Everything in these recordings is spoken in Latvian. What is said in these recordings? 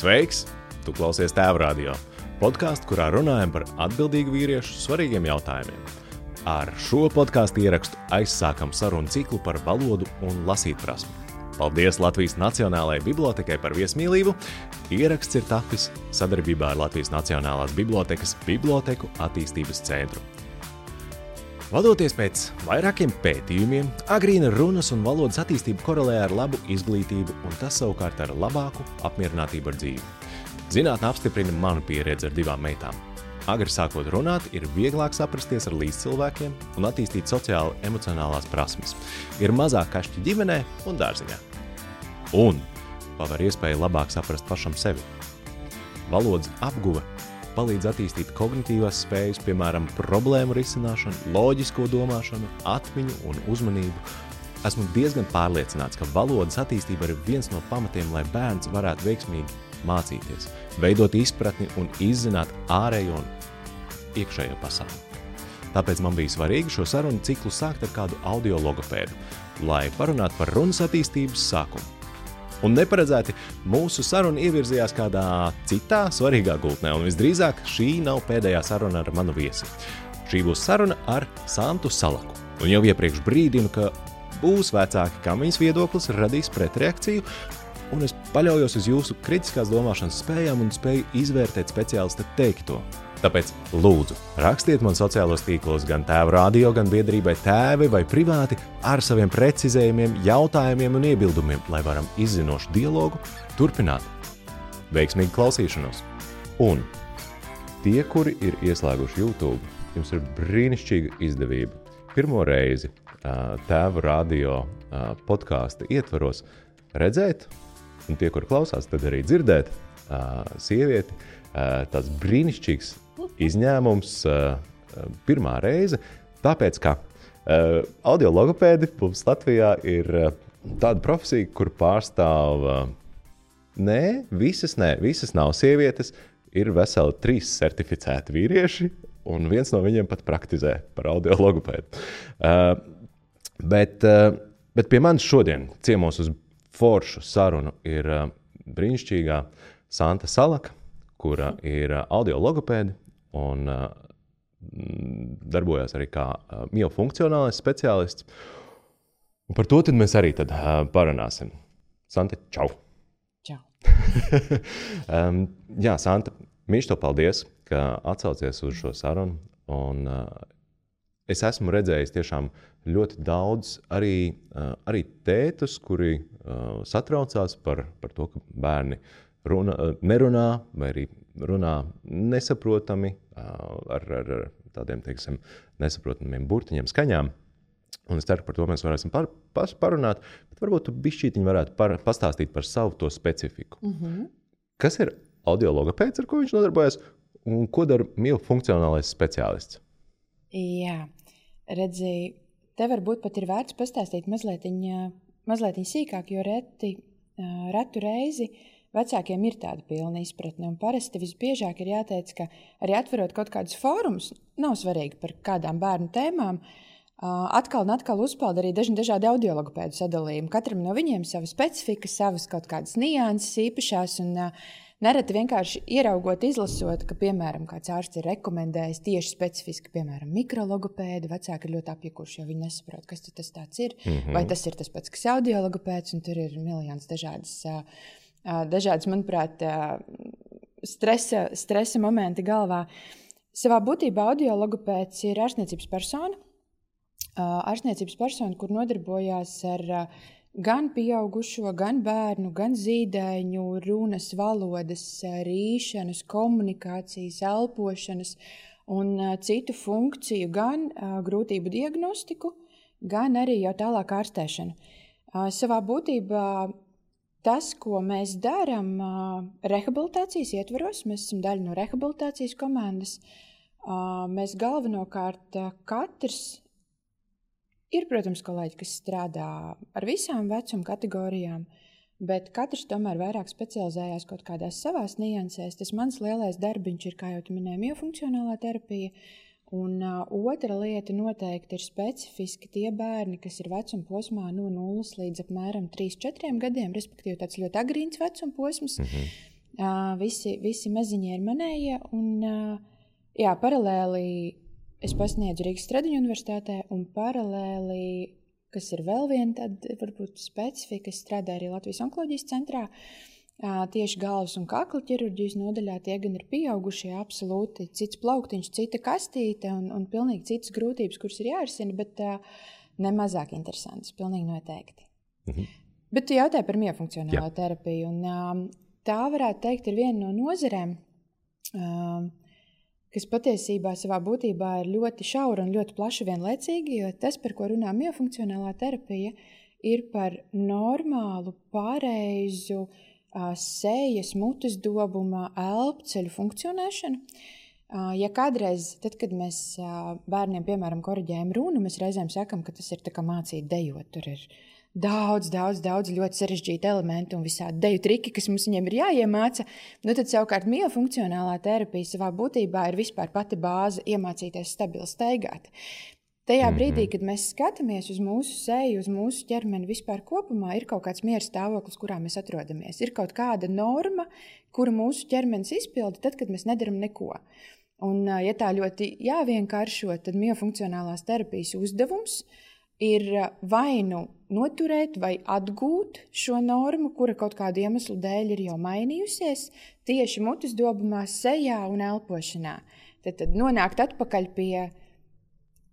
Sveiks! Tu klausies Tēva Radio, podcastu, kurā runājam par atbildīgu vīriešu svarīgiem jautājumiem. Ar šo podcastu ierakstu aizsākam sarunu ciklu par valodu un lasītprasmi. Paldies Latvijas Nacionālajai bibliotekai par viesmīlību. Ieraksts ir tapis sadarbībā ar Latvijas Nacionālās bibliotekas Biblioteku attīstības centru. Vadoties pēc vairākiem pētījumiem, agrīna runas un valodas attīstība korelē ar labu izglītību un tas savukārt ar labāku apmierinātību ar dzīvi. Zinātne apstiprina manu pieredzi ar 2 meitām. Agri sākot runāt, ir vieglāk saprasties ar līdzcilvēkiem un attīstīt sociāli emocionālās prasmes. Ir mazāk kašķi ģimenē un dārziņā. Un paver iespēju labāk saprast pašam sevi. Valodas apguve palīdz attīstīt kognitīvās spējas, piemēram, problēmu risināšanu, loģisko domāšanu, atmiņu un uzmanību. Esmu diezgan pārliecināts, ka valodas attīstība ir viens no pamatiem, lai bērns varētu veiksmīgi mācīties, veidot izpratni un izzināt ārējo un iekšējo pasauli. Tāpēc man bija svarīgi šo sarunu ciklu sākt ar kādu audiologopēdu, lai parunātu par runas attīstības sākumu. Un neparedzēti mūsu saruna ievirzījās kādā citā svarīgā gultnē, un visdrīzāk šī nav pēdējā saruna ar manu viesi. Šī būs saruna ar Santu Salaku. Un jau iepriekš brīdinu, ka būs vecāki, kam viņas viedoklis radīs pretreakciju, un es paļaujos uz jūsu kritiskās domāšanas spējām un spēju izvērtēt speciālista teikto. Tāpēc lūdzu, rakstiet man sociālos tīklos gan Tēva Radio, gan biedrībai Tēvi vai privāti ar saviem precizējumiem, jautājumiem un iebildumiem, lai varam izzinošu dialogu turpināt. Veiksmīgu klausīšanos! Un tie, kuri ir ieslēguši YouTube, jums ir brīnišķīga izdevība. Pirmo reizi Tēva Radio podkāsta ietvaros redzēt, un tie, kuri klausās, tad arī dzirdēt sievieti, tāds brīnišķīgs izņēmums pirmā reize, tāpēc, ka audiologopēdi mums Latvijā ir tāda profesija, kur pārstāv visas nav sievietes, ir veseli 3 certificēti vīrieši, un viens no viņiem pat praktizē par audiologopēdu. Bet pie manis šodien ciemos uz foršu sarunu ir brīnišķīgā Santa Salaka, kura ir audiologopēdi un darbojas arī kā miofunkcionālais speciālists. Un par to tad mēs arī parunāsim. Santa, čau! Čau! Jā, Santa, mīļš tev paldies, ka atsaucies uz šo sarunu. Un es esmu redzējis tiešām ļoti daudz arī tētus, kuri satraucās par to, ka bērni nerunā vai arī runā nesaprotami ar tādiem, teiksim, nesaprotamiem burtiņiem, skaņām. Un es ceru, par to mēs varēsim parunāt, bet varbūt tu bišķītiņi varētu pastāstīt par savu to specifiku. Kas ir audiologopēds, ar ko viņš nodarbojas, un ko dara miofunkcionālais speciālists? Jā, redzi, te varbūt pat ir vērts pastāstīt mazliet sīkāk, jo retu reizi vecākiem ir tāda pilna izpratne, un parasti visbiežāk ir jāteic, ka arī atverot kaut kādus fórumus, nav svarīgi par kādām bērnu tēmām, atkal un atkal uzpeld arī dažādi audiologopēdu sadalījumi. Katram no viņiem sava specifika, savas kaut kādas nianses īpašās, un nereti vienkārši ieraugot, izlasot, ka, piemēram, kāds ārsts ir rekomendējis tieši specifiski, piemēram, mikrologopēdu, vecāki ir ļoti apjukuši, jo viņi nesaprot, kas tas tāds ir, vai tas ir tas pats, kas audiologopēds, un tur ir miljons dažādas, manuprāt, stresa momenti galvā. Savā būtībā audiologopēds ir ārstniecības persona, kur nodarbojās ar gan pieaugušo, gan bērnu, gan zīdaiņu, runas, valodas, rīšanas, komunikācijas, elpošanas un citu funkciju, gan grūtību diagnostiku, gan arī jau tālāk ārstēšanu. Savā būtībā tas, ko mēs darām rehabilitācijas ietvaros, mēs esam daļa no rehabilitācijas komandas, mēs galvenokārt katrs ir, protams, kolēģi, kas strādā ar visām vecuma kategorijām, bet katrs tomēr vairāk specializējās kaut kādās savās niansēs. Tas mans lielais darbiņš ir, kā jau tu minēji, miofunkcionālā terapija, Un otra lieta noteikti ir specifiski tie bērni, kas ir vecuma posmā no 0 līdz apmēram 3-4 gadiem, respektīvi tāds ļoti agrīns vecuma posms. Visi maziņie ir manējie. Un, paralēli es pasniedzu Rīgas Stradiņu universitātē, un paralēli, kas ir vēl viena tāda, varbūt specifika, es strādāju arī Latvijas onkoloģijas centrā, tieši galvas un kakla ķirurģijas nodaļā. Tie gan ir pieaugušie, absolūti cits plauktiņš, cita kastīte un pilnīgi citas grūtības, kuras ir jārisina, bet ne mazāk interesantas, pilnīgi noteikti. Bet tu jautāji par miofunkcionālo terapiju, un tā varētu teikt ir viena no nozarēm, kas patiesībā savā būtībā ir ļoti šaura un ļoti plaša vienlaicīgi, jo tas, par ko runā miofunkcionālā terapija, ir par normālu, pareizu sejas, mutes dobuma, elpceļu funkcionēšanu. Ja kādreiz, tad, kad mēs bērniem, piemēram, koriģējam runu, mēs reizēm sakam, ka tas ir tā kā mācīt dejot, tur ir daudz ļoti sarežģīti elementi un visādi deju triki, kas mums viņiem ir jāiemāca. Tad savukārt miofunkcionālā terapija savā būtībā ir vispār pati bāze iemācīties stabili staigāt. Tajā brīdī, kad mēs skatāmies uz mūsu seju, uz mūsu ķermeni vispār kopumā, ir kaut kāds miera stāvoklis, kurā mēs atrodamies. Ir kaut kāda norma, kuru mūsu ķermenis izpilda tad, kad mēs nedaram neko. Un, ja tā ļoti jāvienkāršo, tad miofunkcionālās terapijas uzdevums ir vai nu noturēt vai atgūt šo normu, kura kaut kādu iemeslu dēļ ir jau mainījusies, tieši mutes dobumā, sejā un elpošanā. Tad nonākt atpakaļ pie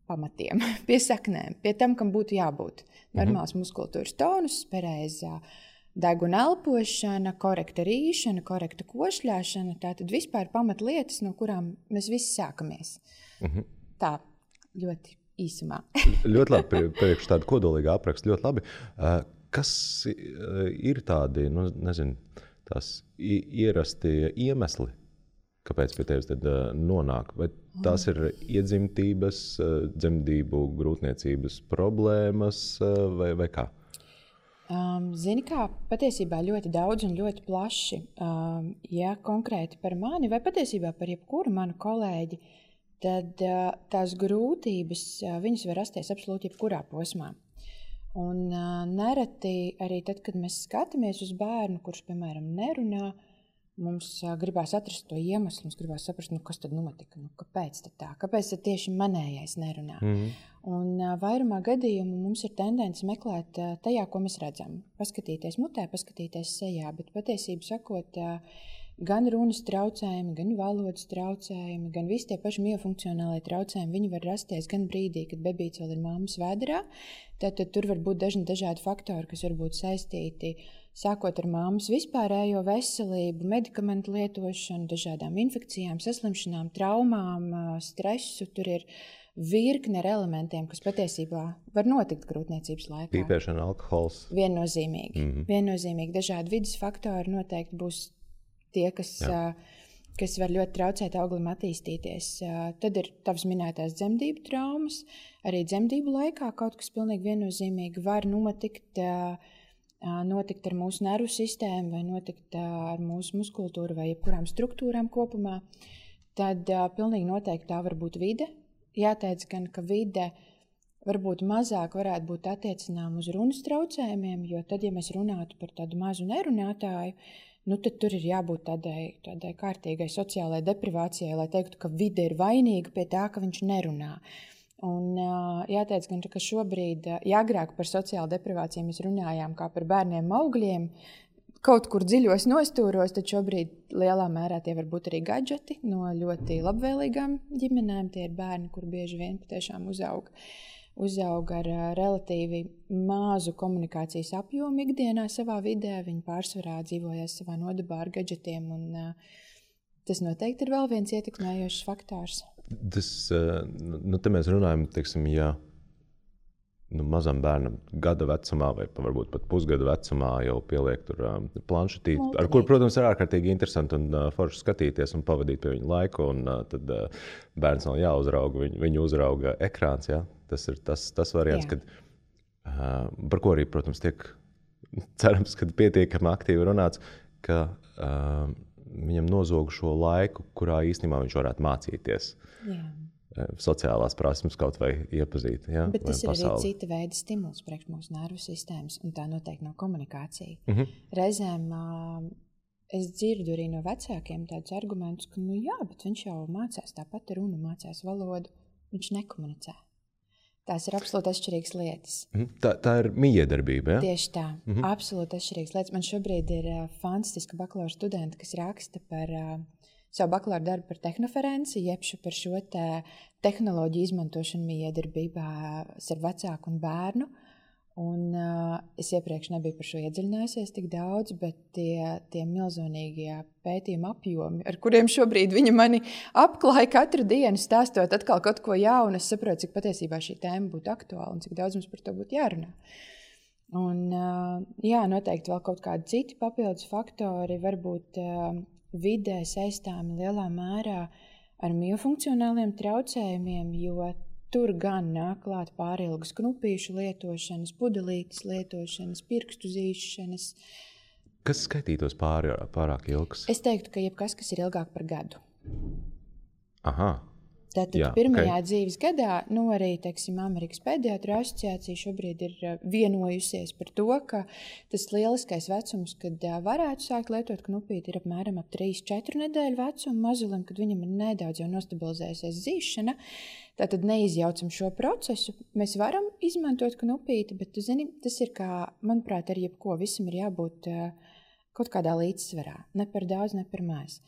pamatiem, pie saknēm, pie tam, kam būtu jābūt. Normāls muskultūras tonus, pareizā deguna elpošana, korekta rīšana, korekta košļāšana, tātad vispār pamatlietas, no kurām mēs visi sākamies. Tā, ļoti īsumā. Ļoti labi, priekš tādu kodolīgu aprakstu, ļoti labi. Kas ir tādi, tās ierasti iemesli, kāpēc pie tevis tad nonāk? Vai tās ir iedzimtības, dzemdību, grūtniecības problēmas vai kā? Zini kā, patiesībā ļoti daudz un ļoti plaši. Ja konkrēti par mani vai patiesībā par jebkuru manu kolēģi, tad tās grūtības, viņas var rasties absolūti jebkurā posmā. Un nereti arī tad, kad mēs skatāmies uz bērnu, kurš, piemēram, nerunā, mums gribās atrast to iemeslu, mums gribās saprast, kas tad notika, kāpēc tad tā, kāpēc tad tieši manējais nerunā. Un vairumā gadījumu mums ir tendence meklēt tajā, ko mēs redzam. Paskatīties mutē, paskatīties sejā, bet patiesību sakot, gan runas traucējumi, gan valodas traucējumi, gan visi tie paši miofunkcionālie traucējumi, viņi var rasties gan brīdī, kad bebīts vēl ir mammas vēderā. Tad tur var būt dažādi faktori, kas var būt saistīti sākot ar mammas vispārējo veselību, medikamentu lietošanu, dažādām infekcijām, saslimšanām, traumām, stresu. Tur ir virkne ar elementiem, kas patiesībā var notikt grūtniecības laikā. Pīpēšana, alkohols. Viennozīmīgi. Dažādi vidas faktori noteikti būs tie, kas var ļoti traucēt auglim attīstīties. Tad ir tavas minētās dzemdību traumas. Arī dzemdību laikā kaut kas pilnīgi viennozīmīgi var notikt ar mūsu nervu sistēmu vai notikt ar mūsu muskultūru vai jebkurām struktūrām kopumā. Tad pilnīgi noteikti tā var būt vide. Jāteic gan, ka vide varbūt mazāk varētu būt attiecinām uz runas traucējumiem, jo tad, ja mēs runātu par tādu mazu nerunātāju, tad tur ir jābūt tādai kārtīgai sociālai deprivācijai, lai teiktu, ka vide ir vainīga pie tā, ka viņš nerunā. Un jāteic gan, ka šobrīd, agrāk par sociālu deprivāciju mēs runājām kā par bērniem augļiem, kaut kur dziļos nostūros, tad šobrīd lielā mērā tie var būt arī gadžeti no ļoti labvēlīgām ģimenēm. Tie ir bērni, kur bieži vien patiešām uzaug ar relatīvi mazu komunikācijas apjomu ikdienā savā vidē. Viņi pārsvarā dzīvojas savā nodabā ar gadžetiem, un tas noteikti ir vēl viens ietekmējošs faktors. Te mēs runājam, teiksim, ja mazam bērnam gada vecumā vai varbūt pat pusgada vecumā jau pieliek tur planšetīti, ar kur, protams, ir ārkārtīgi interesanti un forši skatīties un pavadīt pie viņa laiku, un tad bērns nav jāuzrauga, viņu uzrauga ekrāns, ja? Tas ir tas variants, kad, par ko arī, protams, tiek cerams, kad pietiekami aktīvi runāts, ka viņam nozog šo laiku, kurā īstenībā viņš varētu mācīties. Sociālās prasmes kaut vai iepazīt. Ja? Bet tas ir arī cita veida stimuls priekš mūsu nervu sistēmas, un tā noteikti nav komunikācija. Reizēm es dzirdu arī no vecākiem tādus argumentus, ka, jā, bet viņš jau mācās tāpat runu, mācās valodu, viņš nekomunicē. Tās ir absolūti atšķirīgas lietas. Tā ir mijiedarbība, ja? Tieši tā, absolūti atšķirīgas lietas. Man šobrīd ir fantastiska bakalaura studenta, kas raksta par savu bakalaura darbu par tehnoferenci, jeb par šo tehnoloģiju izmantošanu mijiedarbībā ar vecāku un bērnu. Un es iepriekš nebiju par šo iedziļinājusies tik daudz, bet tie milzonīgie pētījuma apjomi, ar kuriem šobrīd viņa mani apklāja katru dienu, stāstot atkal kaut ko jaunu, es saprotu, cik patiesībā šī tēma būtu aktuāla un cik daudz mums par to būtu jārunā. Un noteikti vēl kaut kādi citi papildus faktori, varbūt vidē saistāmi lielā mērā ar miofunkcionāliem traucējumiem, jo tur gan nāk klāt pārilgas knupīšu lietošanas, pudelītes lietošanas, pirkstu zīšanas. Kas skaitītos pārāk ilgs? Es teiktu, ka jebkas, kas ir ilgāk par gadu. Aha. Tātad pirmajā dzīves gadā, arī, teiksim, Amerikas pediatru asociācija šobrīd ir vienojusies par to, ka tas lieliskais vecums, kad varētu sākt lietot knupīti, ir apmēram ap 3-4 nedēļu vecumu mazulim, kad viņam ir nedaudz jau nostabilizējusies zīšana. Tātad neizjaucam šo procesu. Mēs varam izmantot knupīti, bet, tu zini, tas ir kā, manuprāt, ar jebko visam ir jābūt kaut kādā līdzsvarā. Ne par daudz, ne par maz.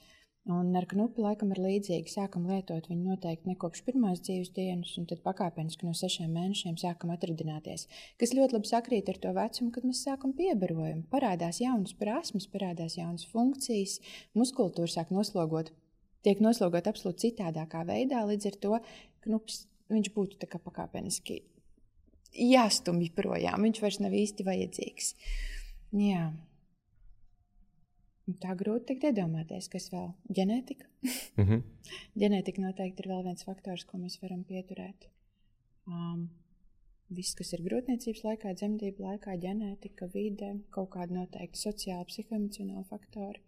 Un ar knupi laikam ir līdzīgi. Sākam lietot viņu noteikti ne kopš pirmās dzīves dienas, un tad pakāpeniski no 6 mēnešiem sākam atradināties. Kas ļoti labi sakrīt ar to vecumu, kad mēs sākam piebarojumu. Parādās jaunas prasmes, parādās jaunas funkcijas, muskultūra sāk noslogot. Tiek noslogot absolūti citādākā veidā, līdz ar to knupis, viņš būtu tā kā pakāpeniski jāstumj projām. Viņš vairs nav īsti vajadzīgs. Jā. Tā grūti tikt iedomāties, kas vēl. Ģenētika. Ģenētika noteikti ir vēl viens faktors, ko mēs varam pieturēt. Viss, kas ir grūtniecības laikā, dzemdību laikā, ģenētika, vide, kaut kādi noteikti sociāli, psihoemocionāli faktori.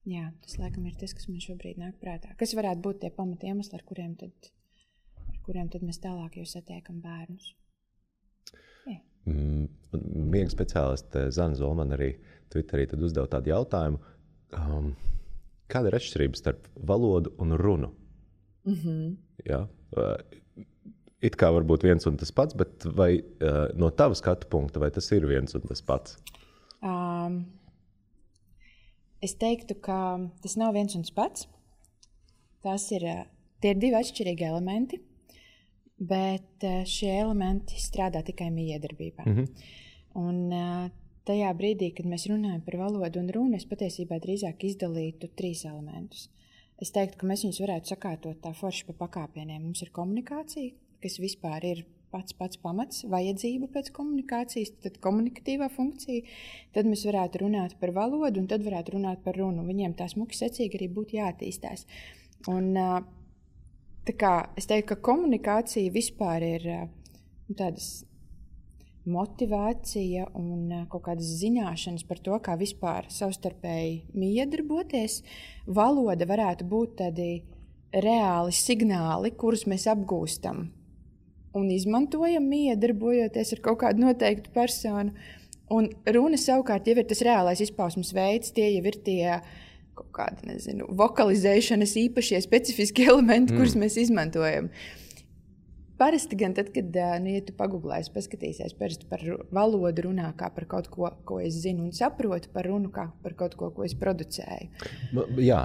Jā, tas laikam ir tas, kas man šobrīd nāk prātā. Kas varētu būt tie pamati iemesli, ar kuriem tad mēs tālāk jau satiekam bērnus? Miega speciāliste Zana Zolmana arī Twitterī tad uzdev tādu jautājumu. Kāda ir atšķirība starp valodu un runu? Ja? It kā varbūt viens un tas pats, bet vai no tava skatu punkta, vai tas ir viens un tas pats? Es teiktu, ka tas nav viens un tas pats. Tie ir divi atšķirīgi elementi. Bet šie elementi strādā tikai mijiedarbībā. Un tajā brīdī, kad mēs runājam par valodu un runu, es patiesībā drīzāk izdalītu 3 elementus. Es teiktu, ka mēs viņus varētu sakārtot tā forši pa pakāpieniem. Mums ir komunikācija, kas vispār ir pats pamats, vajadzība pēc komunikācijas, tad komunikatīvā funkcija. Tad mēs varētu runāt par valodu un tad varētu runāt par runu. Viņiem tā smuki secīgi arī būtu jāattīstās. Un tā kā es teiktu, ka komunikācija vispār ir tādas motivācija un kaut kādas zināšanas par to, kā vispār savstarpēji miedarboties. Valoda varētu būt tādi reāli signāli, kurus mēs apgūstam un izmantojam miedarbojoties ar kaut kādu noteiktu personu. Un runa savukārt jau ir tas reālais izpausmes veids, tie jau ir tie kaut kādi, vokalizēšanas īpašie specifiski elementi, kurus mēs izmantojam. Parasti gan tad, kad, ja tu pagooglēsi, paskatīsies parasti par valodu runā kā par kaut ko es zinu un saprotu, par runu kā par kaut ko es producēju. Jā,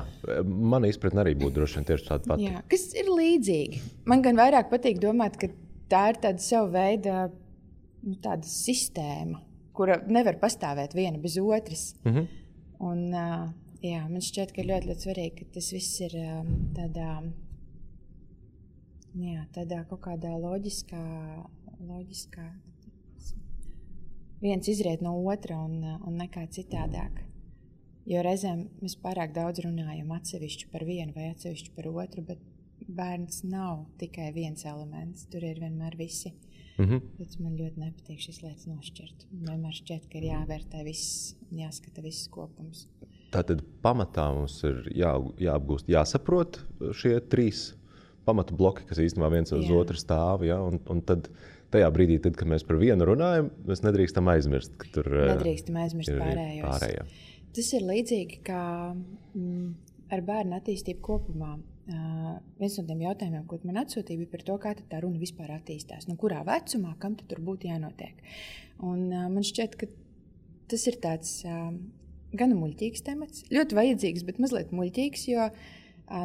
mana izpratne arī būtu droši vien tieši tāda pati. Jā, kas ir līdzīgi. Man gan vairāk patīk domāt, ka tā ir tāda sava veida tāda sistēma, kura nevar pastāvēt viena bez otras. Un jā, man šķiet, ka ļoti, ļoti svarīgi, ka tas viss ir tādā kaut kādā loģiskā. Viens izriet no otra un nekā citādāk. Jo reizēm mēs pārāk daudz runājam atsevišķi par vienu vai atsevišķi par otru, bet bērns nav tikai viens elements, tur ir vienmēr visi. Tāpēc man ļoti nepatīk šīs lietas nošķirt. Vienmēr šķiet, ka ir jāvērtē viss un jāskata viss kopums. Tātad pamatā mums ir jāapgūst, jāsaprot šie 3 pamatu bloki, kas īstenībā viens uz otru stāv. Ja? Un tad tajā brīdī, kad mēs par vienu runājam, mēs nedrīkstam aizmirst, ka tur nedrīkstam aizmirst pārējos. Tas ir līdzīgi kā ar bērnu attīstību kopumā. Viens no tiem jautājumiem, ko man atsūtīja, bija par to, kā tā runa vispār attīstās. Nu, kurā vecumā, kam tad tur būtu jānotiek. Un man šķiet, ka tas ir tāds gan muļķīgs temats, ļoti vajadzīgs, bet mazliet muļķīgs, jo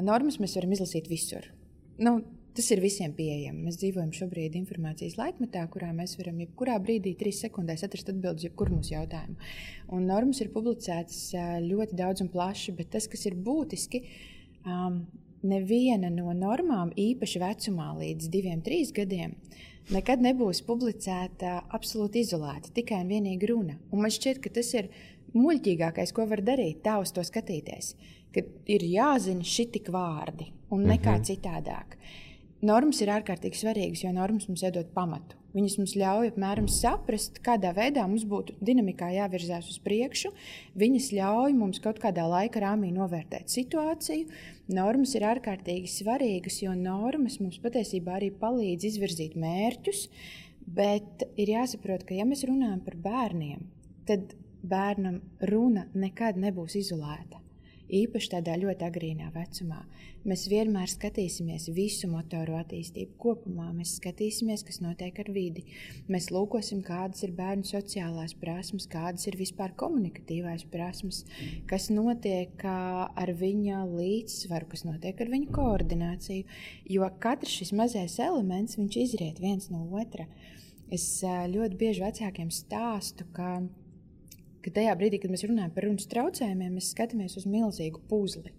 normas mēs varam izlasīt visur. Nu, tas ir visiem pieejami. Mēs dzīvojam šobrīd informācijas laikmetā, kurā mēs varam jebkurā brīdī 3 sekundēs atrast atbildes jebkuru mūsu jautājumu. Un normas ir publicētas ļoti daudz un plaši, bet tas, kas ir būtiski, neviena no normām īpaši vecumā līdz 2-3 gadiem nekad nebūs publicēta absolūti izolēta, tikai un vienīgi runa. Un man šķiet, ka tas ir muļķīgākais, ko var darīt, tā uz to skatīties, ka ir jāzina šitik vārdi un nekā citādāk. Normas ir ārkārtīgi svarīgas, jo normas mums iedod pamatu. Viņas mums ļauj apmēram saprast, kādā veidā mums būtu dinamikā jāvirzās uz priekšu. Viņas ļauj mums kaut kādā laika rāmī novērtēt situāciju. Normas ir ārkārtīgi svarīgas, jo normas mums patiesībā arī palīdz izvirzīt mērķus, bet ir jāsaprot, ka ja mēs runājam par bērniem, tad bērnam runa nekad nebūs izolēta. Īpaši tādā ļoti agrīnā vecumā. Mēs vienmēr skatīsimies visu motoru attīstību kopumā. Mēs skatīsimies, kas notiek ar vidi. Mēs lūkosim, kādas ir bērnu sociālās prasmes, kādas ir vispār komunikatīvās prasmes, kas notiek ar viņa līdzsvaru, kas notiek ar viņa koordināciju. Jo katrs šis mazais elements, viņš izriet viens no otra. Es ļoti bieži vecākiem stāstu, ka tajā brīdī, kad mēs runājam par runas traucējumiem, mēs skatāmies uz milzīgu puzli.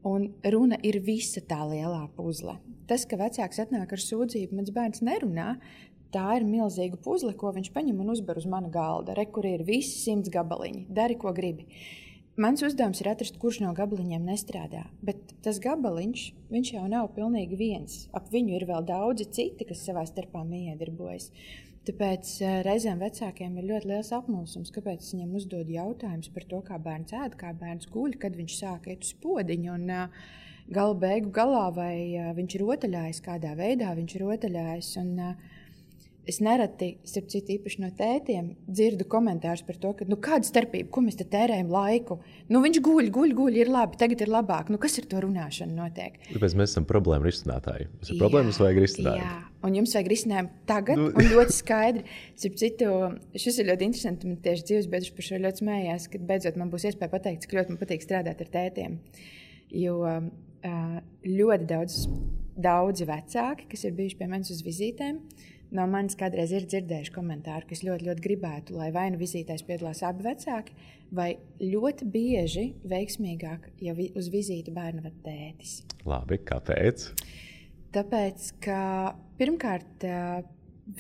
Un runa ir visa tā lielā puzle. Tas, ka vecāks atnāk ar sūdzību, mans bērns nerunā, tā ir milzīga puzle, ko viņš paņem un uzber uz mana galda. Re, kur ir visi 100 gabaliņi. Dari, ko gribi. Mans uzdevums ir atrast, kurš no gabaliņiem nestrādā. Bet tas gabaliņš, viņš jau nav pilnīgi viens. Ap viņu ir vēl daudzi citi, kas savā starpā miedarbojas. Tāpēc reizēm vecākiem ir ļoti liels apmulsums, kāpēc es viņam uzdod jautājumus par to, kā bērns ēd, kā bērns guļ, kad viņš sāk iet uz podiņu. Un gala beigu galā, vai viņš rotaļājas, kādā veidā viņš rotaļājas. Un es nereti, starp citu īpaši no tētiem, dzirdu komentārus par to, ka kāda starpība, ko mēs te tērējam laiku? Viņš guļ, ir labi, tagad ir labāk. Kas ar to runāšanu notiek? Tāpēc mēs esam problēma risinātāji. Mums ir problēmas, vajag risinājumu. Jā, un jums vajag risinājumu tagad un ļoti skaidri. Starp citu, šis ir ļoti interesanti, man tieši dzīves biedrs par šo ļoti smējās, kad beidzot man būs iespēja pateikt, cik ļoti man patīk strādāt ar tētiem. Jo ļoti daudzi vecāki, kas ir bijuši pie manis uz vizītēm, no manis kādreiz ir dzirdējuši komentāru, ka es ļoti, ļoti gribētu, lai vai nu vizītēs piedalās abi vecāki, vai ļoti bieži veiksmīgāk, ja uz vizīti bērnu ved tētis. Labi, kāpēc? Tāpēc, ka pirmkārt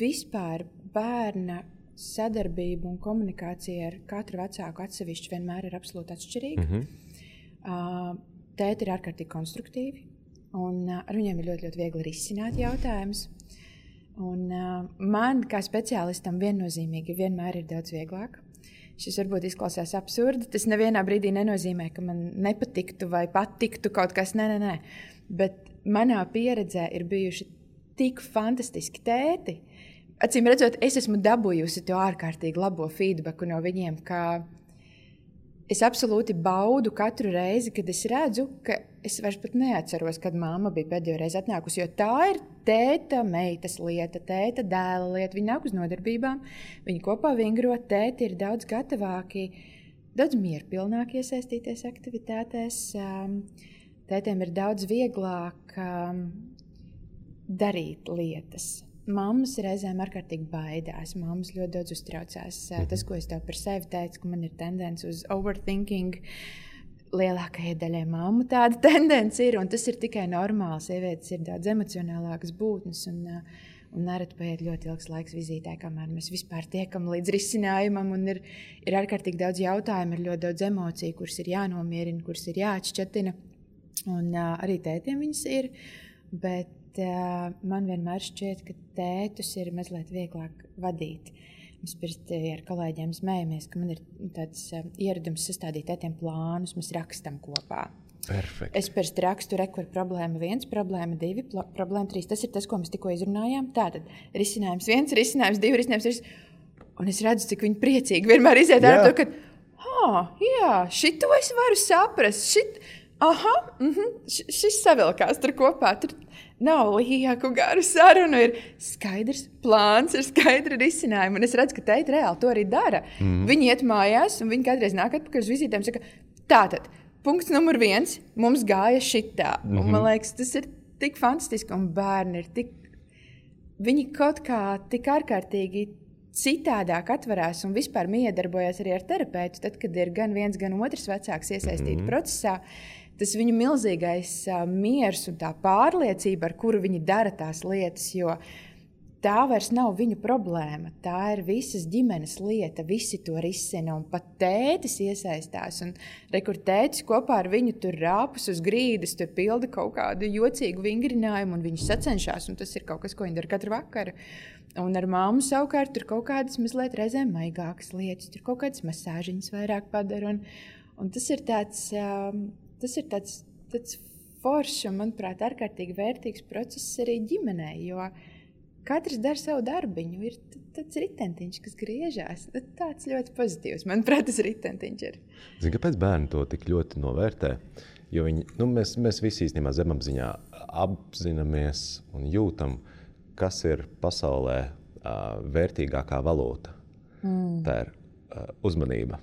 vispār bērna sadarbība un komunikācija ar katru vecāku atsevišķi vienmēr ir absolūti atšķirīga. Tēti ir ārkārtīgi konstruktīvi, un ar viņiem ir ļoti, ļoti viegli risināt jautājumus. Un man, kā speciālistam, viennozīmīgi vienmēr ir daudz vieglāk. Šis varbūt izklausās absurdi. Tas nevienā brīdī nenozīmē, ka man nepatiktu vai patiktu kaut kas. Nē. Bet manā pieredzē ir bijuši tik fantastiski tēti. Acīm redzot, es esmu dabūjusi to ārkārtīgi labo feedbacku no viņiem, ka es absolūti baudu katru reizi, kad es redzu, ka es vairs pat neatceros, kad mamma bija pēdējo reizi atnākusi, jo tā ir tēta meitas lieta, tēta dēla lieta. Viņi nāk uz nodarbībām, viņi kopā vingro, tēti ir daudz gatavāki, daudz mierpilnāk iesaistīties aktivitātēs. Tētiem ir daudz vieglāk darīt lietas. Mammas reizēm ārkārtīgi baidās, mammas ļoti daudz uztraucās. Tas, ko es tev par sevi teicu, ka man ir tendence uz overthinking, lielākajai daļai mammu tāda tendence ir, un tas ir tikai normāli. Sievietes ir daudz emocionālākas būtnes, un nereti paiet ļoti ilgs laiks vizītē, kamēr mēs vispār tiekam līdz risinājumam, un ir ārkārtīgi daudz jautājumu, ir ļoti daudz emociju, kuras ir jānomierina, kuras ir jāatšķatina, un arī tētiem viņas ir, bet man vienmēr šķiet, ka tētus ir mazliet vieglāk vadīt. Mēs pirti ar kolēģiem smējamies, ka man ir tāds ieradums sastādīt tētiem plānus, mēs rakstam kopā. Perfekt. Es pirti rakstu rekur problēma 1, problēma 2, problēma 3. Tas ir tas, ko mēs tikko izrunājām. Tātad risinājums 1, risinājums 2, risinājums 3. Un es redzu, cik viņi priecīgi vienmēr iziet ar to, ka jā, šito es varu saprast. Šis savilkās tur kopā. Tur nav lieku garu sarunu, ir skaidrs plāns, ir skaidra risinājuma. Un es redzu, ka teita reāli to arī dara. Viņi iet mājās, un viņi kādreiz nāk atpakaļ uz vizītēm un saka, tātad, punkts numur 1, mums gāja šitā. Un man liekas, tas ir tik fantastiski, un bērni ir viņi kaut kā tik ārkārtīgi citādāk atverās un vispār miedarbojas arī ar terapeitu, tad, kad ir gan viens, gan otrs vecāks iesaistīti procesā. Tas viņu milzīgais miers un tā pārliecība, ar kuru viņi dara tās lietas, jo tā vairs nav viņu problēma. Tā ir visas ģimenes lieta, visi to risina, un pat tētis iesaistās. Un kur tētis kopā ar viņu tur rāpus uz grīdas, tur pilda kaut kādu jocīgu vingrinājumu, un viņi sacenšās, un tas ir kaut kas, ko viņi dara katru vakaru. Un ar māmu savukārt tur kaut kādas mazliet reizēm maigākas lietas, tur kaut kādas masāžiņas vairāk padara. Un tas ir tāds foršs un, manuprāt, ārkārtīgi vērtīgs process arī ģimenei, jo katrs dara savu darbiņu. Ir tāds ritentiņš, kas griežās. Tāds ļoti pozitīvs, manuprāt, tas ritentiņš ir. Zini, kāpēc bērni to tik ļoti novērtē? Jo mēs visi īstenībā zemapziņā apzināmies un jūtam, kas ir pasaulē vērtīgākā valūta. Tā ir uzmanība.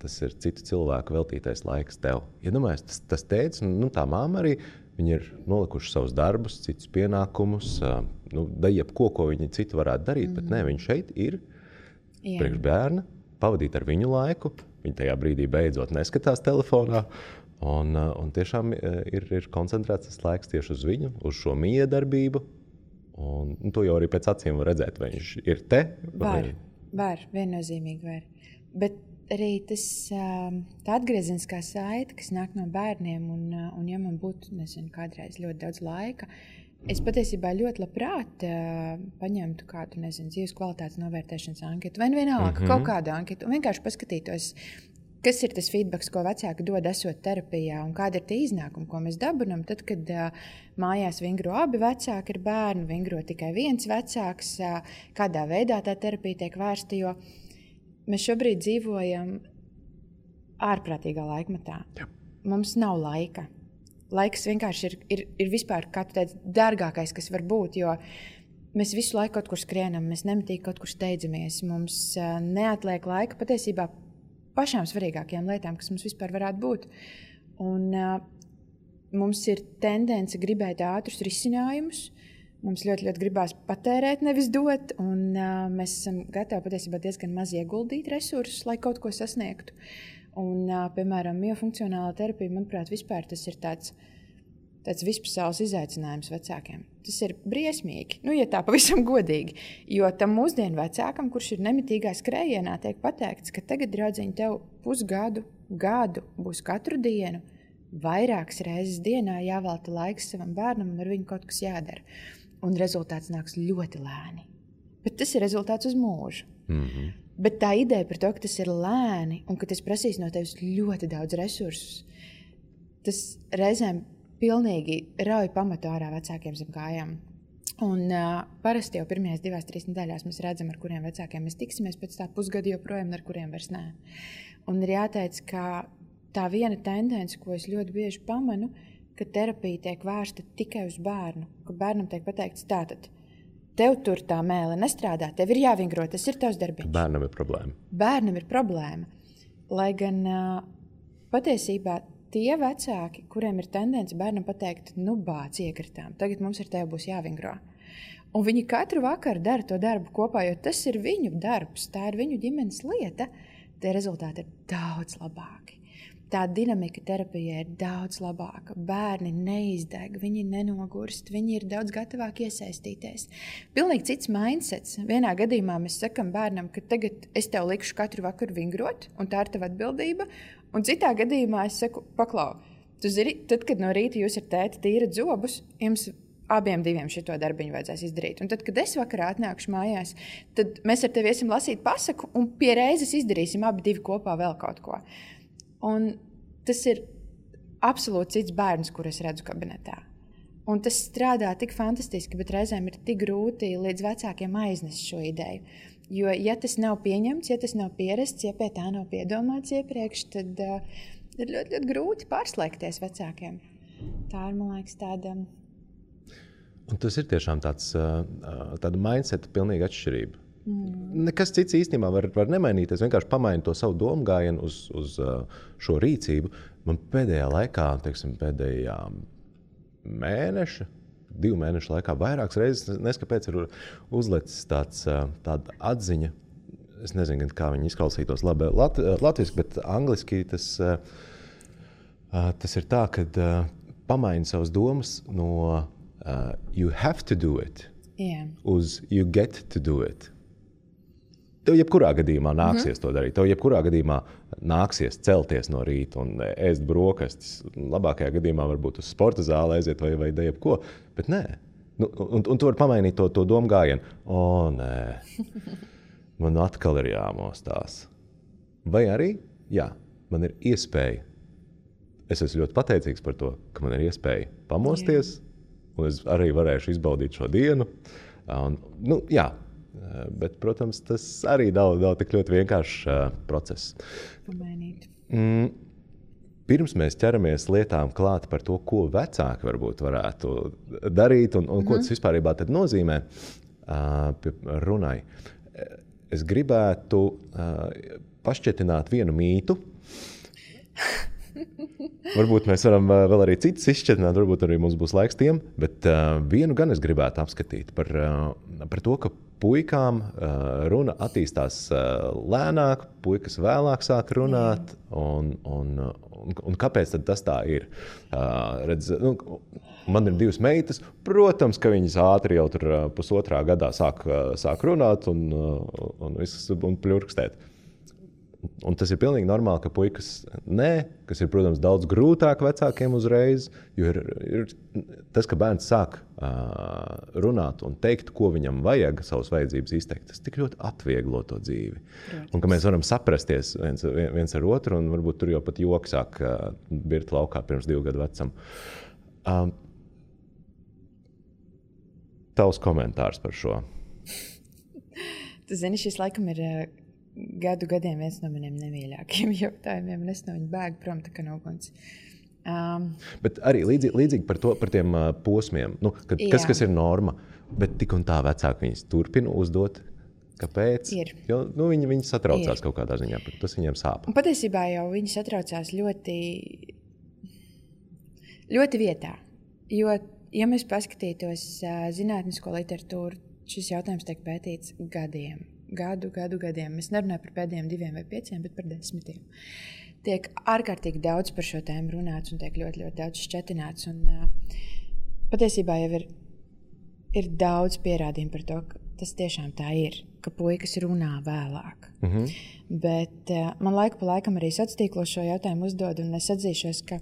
Tas ir citu cilvēku veltītais laiks tev. Iedomājies, tas tētis, tā māma arī, viņi ir nolikuši savus darbus, citus pienākumus, jebko, ko viņi citu varētu darīt, bet nē, viņi šeit ir priekš bērna, pavadīt ar viņu laiku, viņi tajā brīdī beidzot neskatās telefonā, un tiešām ir koncentrēts tas laiks tieši uz viņu, uz šo miedarbību, un to jau arī pēc acīm var redzēt, vai viņš ir te? Var, viennozīmīgi var. Bet arī tā atgriezeniskā saite, kas nāk no bērniem, un ja man būtu, kādreiz ļoti daudz laika, es patiesībā ļoti labprāt paņemtu kādu, dzīves kvalitātes novērtēšanas anketu, vai vienalga kaut kādu anketu, un vienkārši paskatītos, kas ir tas feedbacks, ko vecāki dod esot terapijā, un kāda ir tie iznākumi, ko mēs dabinam, tad, kad mājās vingro abi vecāki ar bērnu, vingro tikai viens vecāks, kādā veidā tā terapija tiek vērsta, jo mēs šobrīd dzīvojam ārprātīgā laikmetā. Jā. Mums nav laika. Laiks vienkārši ir vispār, kā tu teici, dārgākais, kas var būt, jo mēs visu laiku kaut kur skrienam, mēs nemitīgi kaut kur steidzamies, mums neatliek laika patiesībā pašām svarīgākajām lietām, kas mums vispār varētu būt. Un mums ir tendence gribēt ātrus risinājumus, mums ļoti, ļoti gribās patērēt, nevis dot, un mēs esam gatavi patiesībā diezgan maz ieguldīt resursus, lai kaut ko sasniegtu. Un, piemēram, miofunkcionālā terapija, manuprāt, vispār tas ir tāds vispasaules izaicinājums vecākiem. Tas ir briesmīgi, ja tā pavisam godīgi, jo tam mūsdienu vecākam, kurš ir nemitīgā skrējienā, tiek pateikts, ka tagad, draudziņ, tev gadu būs katru dienu, vairākas reizes dienā jāvelta laiks savam bērnam un ar viņu kaut kas jādara. Un rezultāts nāks ļoti lēni. Bet tas ir rezultāts uz mūžu. Bet tā ideja par to, ka tas ir lēni un ka tas prasīs no tevis ļoti daudz resursus, tas reizēm pilnīgi rauj pamatu ārā vecākiem zem kājām. Un parasti jau pirmajās 2-3 nedēļās mēs redzam, ar kuriem vecākiem mēs tiksimies, pēc tā pusgada joprojām, ar kuriem vairs nē. Un ir jāteic, ka tā viena tendence, ko es ļoti bieži pamanu, ka terapija tiek vērsta tikai uz bērnu, ka bērnam tiek pateikts tātad, tev tur tā mēle nestrādā, tev ir jāvingro, tas ir tavs darbiņš. Bērnam ir problēma. Bērnam ir problēma. Lai gan patiesībā tie vecāki, kuriem ir tendence bērnam pateikt, bāc iekritām, tagad mums ar tevi būs jāvingro. Un viņi katru vakaru dara to darbu kopā, jo tas ir viņu darbs, tā ir viņu ģimenes lieta, tie rezultāti ir daudz labāki. Tā dinamika terapijā ir daudz labāka. Bērni neizdeg, viņi nenogurst, viņi ir daudz gatavāki iesaistīties. Pilnīgi cits mindsets. Vienā gadījumā mēs sakam bērnam, ka tagad es tev likšu katru vakaru vingrot, un tā ir tava atbildība. Un citā gadījumā es saku, paklau, tu zini, tad, kad no rīta jūs ar tēti tīrat zobus, jums abiem diviem šito darbiņu vajadzēs izdarīt. Un tad, kad es vakarā atnākšu mājās, tad mēs ar tevi iesim lasīt pasaku un pie reizes izdarīsim abi divi kopā vēl kaut ko. Un tas ir absolūti cits bērns, kur es redzu kabinetā. Un tas strādā tik fantastiski, bet reizēm ir tik grūti līdz vecākiem aiznest šo ideju. Jo, ja tas nav pieņemts, ja tas nav pierasts, ja pie tā nav piedomāts iepriekš, tad ir ļoti, ļoti grūti pārslēgties vecākiem. Tā ir, man liekas, tāda... Un tas ir tiešām tāda mindseta pilnīga atšķirība. Nekas cits īstenībā var nemainīties, vienkārši pamainīt to savu domu gājienu uz šo rīcību. Man pēdējā laikā, pēdējā mēneša, 2 mēnešu laikā vairākas reizes, neskapēc ir uzlecis tāda atziņa, es nezinu, kā viņi izklausītos labi latviski, bet angliski tas ir tā, kad pamaini savas domas no you have to do it uz you get to do it. Tev jebkurā gadījumā nāksies to darīt. Tev jebkurā gadījumā nāksies celties no rīta un ēst brokastis. Labākajā gadījumā varbūt uz sporta zāli aiziet vai jebko, bet nē. Un tu vari pamainīt to domu gājienu. Nē, man atkal ir jāmostās. Vai arī, jā, man ir iespēja. Es esmu ļoti pateicīgs par to, ka man ir iespēja pamosties. Un es arī varēšu izbaudīt šo dienu. Bet, protams, tas arī nav tik ļoti vienkāršs process. Pamainīt. Pirms mēs ķeramies lietām klāt par to, ko vecāki varbūt varētu darīt un ko tas vispārībā tad nozīmē runai. Es gribētu pašķetināt vienu mītu. Varbūt mēs varam vēl arī citus izšķetināt, varbūt arī mums būs laiks tiem, bet vienu gan es gribētu apskatīt par to, ka puikām runa attīstās lēnāk, puikas vēlāk sāk runāt, un kāpēc tad tas tā ir? Man ir 2 meitas, protams, ka viņas ātri jau tur 1,5 gadā sāk runāt un pļurkstēt. Un tas ir pilnīgi normāli, ka puikas kas ir, protams, daudz grūtāk vecākiem uzreiz, jo ir tas, ka bērns sāk runāt un teikt, ko viņam vajag, savas vajadzības izteikt, tas tik ļoti atvieglo to dzīvi. Protams. Un ka mēs varam saprasties viens ar otru, un varbūt tur jau pat joki sāk birt laukā pirms 2 gadu vecam. Tavs komentārs par šo? Tu zini, šis laikam ir... gadiem viens no maniem nemīļākajiem jautājumiem, un es no viņa bēgu prom tā kā no guns. Bet arī līdzīgi par tiem posmiem, kas ir norma, bet tik un tā vecāki viņas turpina uzdot, kāpēc? Ir. Jo viņi satraucās kaut kādā ziņā, tas viņiem sāp. Un patiesībā jau viņi satraucās ļoti, ļoti vietā, jo, ja mēs paskatītos zinātnisko literatūru, šis jautājums tiek pētīts gadiem. Gadiem. Es nerunāju par pēdējiem 2 vai 5, bet par 10. Tiek ārkārtīgi daudz par šo tēmu runāts un tiek ļoti, ļoti daudz šķetināts. Un patiesībā jau ir daudz pierādījumu par to, ka tas tiešām tā ir, ka puikas runā vēlāk. Bet man laiku pa laikam arī sociālos šo jautājumu uzdod, un es atzīšos, ka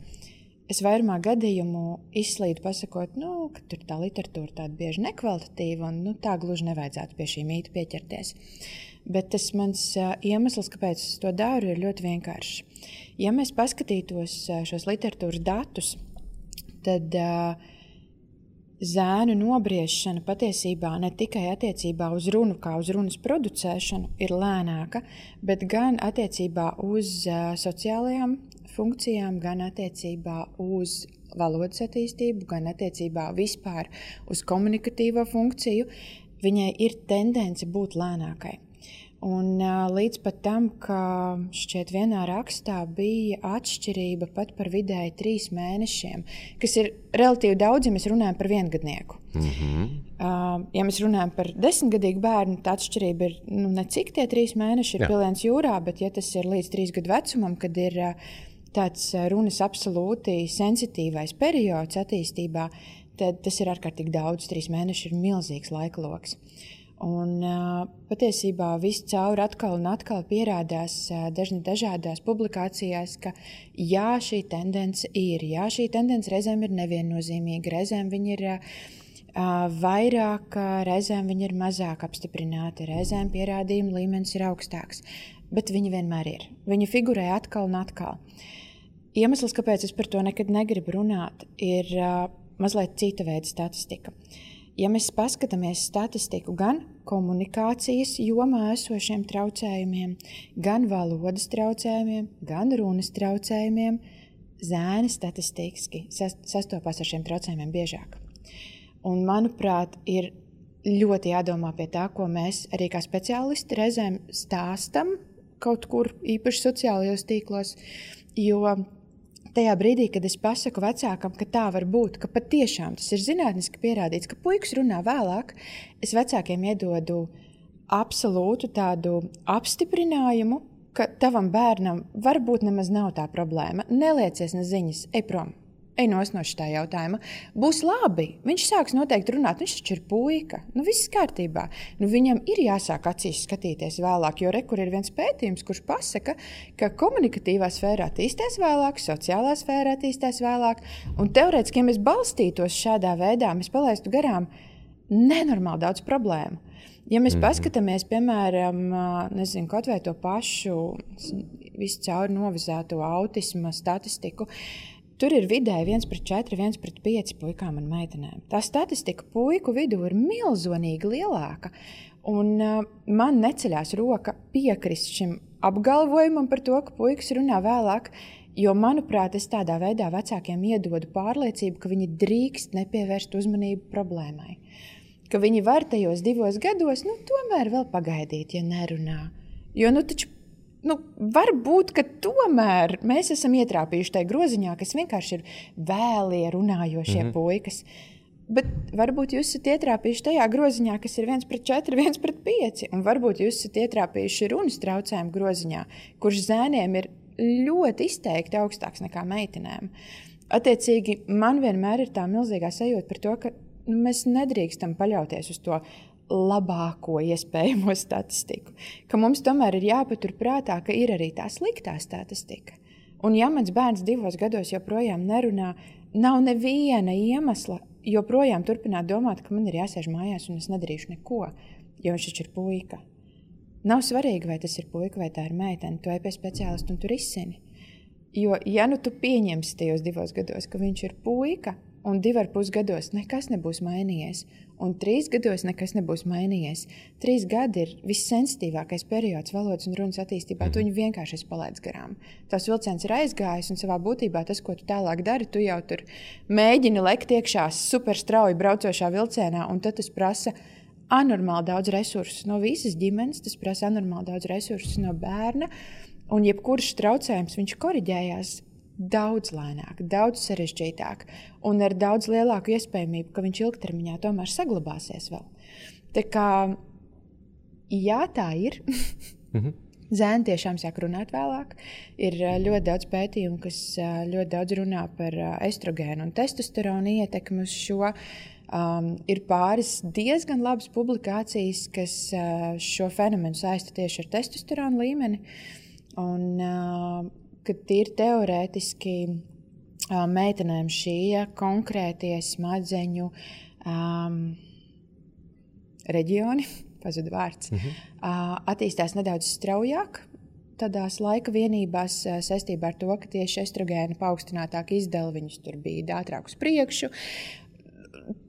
es vairumā gadījumu izslīdu pasakot, ka tur tā literatūra tāda bieži nekvalitatīva un tā gluži nevajadzētu pie šī mīta pieķerties. Bet tas mans iemesls, kāpēc es to daru, ir ļoti vienkāršs. Ja mēs paskatītos šos literatūras datus, tad zēnu nobriešana patiesībā ne tikai attiecībā uz runu, kā uz runas producēšanu, ir lēnāka, bet gan attiecībā uz sociālajām funkcijām, gan attiecībā uz valodas attīstību, gan attiecībā vispār uz komunikatīvo funkciju, viņai ir tendence būt lēnākai. Un līdz pat tam, ka šķiet vienā rakstā bija atšķirība pat par vidēji 3 mēnešiem, kas ir relatīvi daudz, ja mēs runājam par viengadnieku. Ja mēs runājam par 10-gadīgu bērnu, tā atšķirība ir necik tie 3 mēneši ir piliens jūrā, bet ja tas ir līdz 3 gadu vecumam, kad ir tāds runas absolūti sensitīvais periods attīstībā, tad tas ir ārkārtīgi daudz. 3 mēneši ir milzīgs laika loks. Un patiesībā viss cauri atkal un atkal pierādās dažādās publikācijās, ka jā, šī tendence ir. Jā, šī tendence reizēm ir neviennozīmīga, reizēm viņa ir vairāk, reizēm viņa ir mazāk apstiprināta, reizēm pierādījuma līmenis ir augstāks. Bet viņa vienmēr ir. Viņa figurē atkal un atkal. Iemesls, kāpēc es par to nekad negribu runāt, ir mazliet cita veida statistika. Ja mēs paskatāmies statistiku gan komunikācijas jomā esošiem traucējumiem, gan valodas traucējumiem, gan runas traucējumiem, zēni statistiski sastopās ar šiem traucējumiem biežāk. Un, manuprāt, ir ļoti jādomā pie tā, ko mēs arī kā speciālisti reizēm stāstam kaut kur īpaši sociālajos tīklos, jo tajā brīdī, kad es pasaku vecākam, ka tā var būt, ka patiešām tas ir zinātniski pierādīts, ka puikas runā vēlāk, es vecākiem iedodu absolūtu tādu apstiprinājumu, ka tavam bērnam varbūt nemaz nav tā problēma. Neliecies ne ziņas, ej prom, ej no šitā jautājuma. Būs labi, viņš sāks noteikti runāt, viņš taču ir puika. Viss kārtībā. Viņam ir jāsāk acīs skatīties vēlāk, jo kur ir viens pētījums, kurš pasaka, ka komunikatīvā sfērā attīstās vēlāk, sociālā sfērā attīstās vēlāk, un teorētiski, ja mēs balstītos šādā veidā, mēs palaistu garām nenormāli daudz problēmu. Ja mēs paskatāmies, piemēram, kaut vai to pašu visu cauri novizēto autisma statistiku, tur ir vidēji 1/4, 1/5 puikām un meitenēm. Tā statistika puiku vidū ir milzonīgi lielāka. Un man neceļās roka piekrist šim apgalvojumam par to, ka puikas runā vēlāk, jo, manuprāt, es tādā veidā vecākiem iedodu pārliecību, ka viņi drīkst nepievērst uzmanību problēmai. Ka viņi var tajos 2 gados, tomēr vēl pagaidīt, ja nerunā. Jo, taču varbūt, ka tomēr mēs esam ietrāpījuši tajā groziņā, kas vienkārši ir vēlie runājošie puikas. Bet varbūt jūs esat ietrāpījuši tajā groziņā, kas ir 1/4, 1/5. Un varbūt jūs esat ietrāpījuši runas traucējumu groziņā, kurš zēniem ir ļoti izteikti augstāks nekā meitenēm. Attiecīgi, man vienmēr ir tā milzīgā sajūta par to, ka mēs nedrīkstam paļauties uz to labāko iespējamo statistiku. Ka mums tomēr ir jāpatur prātā, ka ir arī tā sliktā statistika. Un ja mans bērns 2 gados joprojām nerunā, nav neviena iemesla joprojām turpināt domāt, ka man ir jāsēž mājās un es nedarīšu neko, jo viņš taču ir puika. Nav svarīgi, vai tas ir puika vai tā ir meitene. Tu ej pie speciālista un tu risini. Jo, ja tu pieņemsi tajos 2 gados, ka viņš ir puika, un 2,5 gados nekas nebūs mainījies, un 3 gados nekas nebūs mainījies. 3 gadi ir vissensitīvākais periods valodas un runas attīstībā. Tu viņu vienkārši esi palaidis garām. Tās vilciens ir aizgājis, un savā būtībā tas, ko tu tālāk dari, tu jau tur mēģini lekt iekšā super strauji braucošā vilcienā, un tad tas prasa anormāli daudz resursus no visas ģimenes, tas prasa anormāli daudz resursus no bērna, un jebkurš traucējums viņš koriģējās daudz lēnāk, daudz sarežģītāk un ar daudz lielāku iespējamību, ka viņš ilgtermiņā tomēr saglabāsies vēl. Tā kā, jā, tā ir. Zēni tiešām sāk runāt vēlāk. Ir ļoti daudz pētījumu, kas ļoti daudz runā par estrogēnu un testosteronu ietekmi uz šo. Ir pāris diezgan labas publikācijas, kas šo fenomenu saista tieši ar testosteronu līmeni. Un kad ir teorētiski meitenēm šie konkrētie smadzeņu reģioni, pazuda vārds, attīstās nedaudz straujāk tādās laika vienībās saistībā ar to, ka tieši estrogēna paaugstinātāka izdala viņus tur bija ātrāk uz priekšu.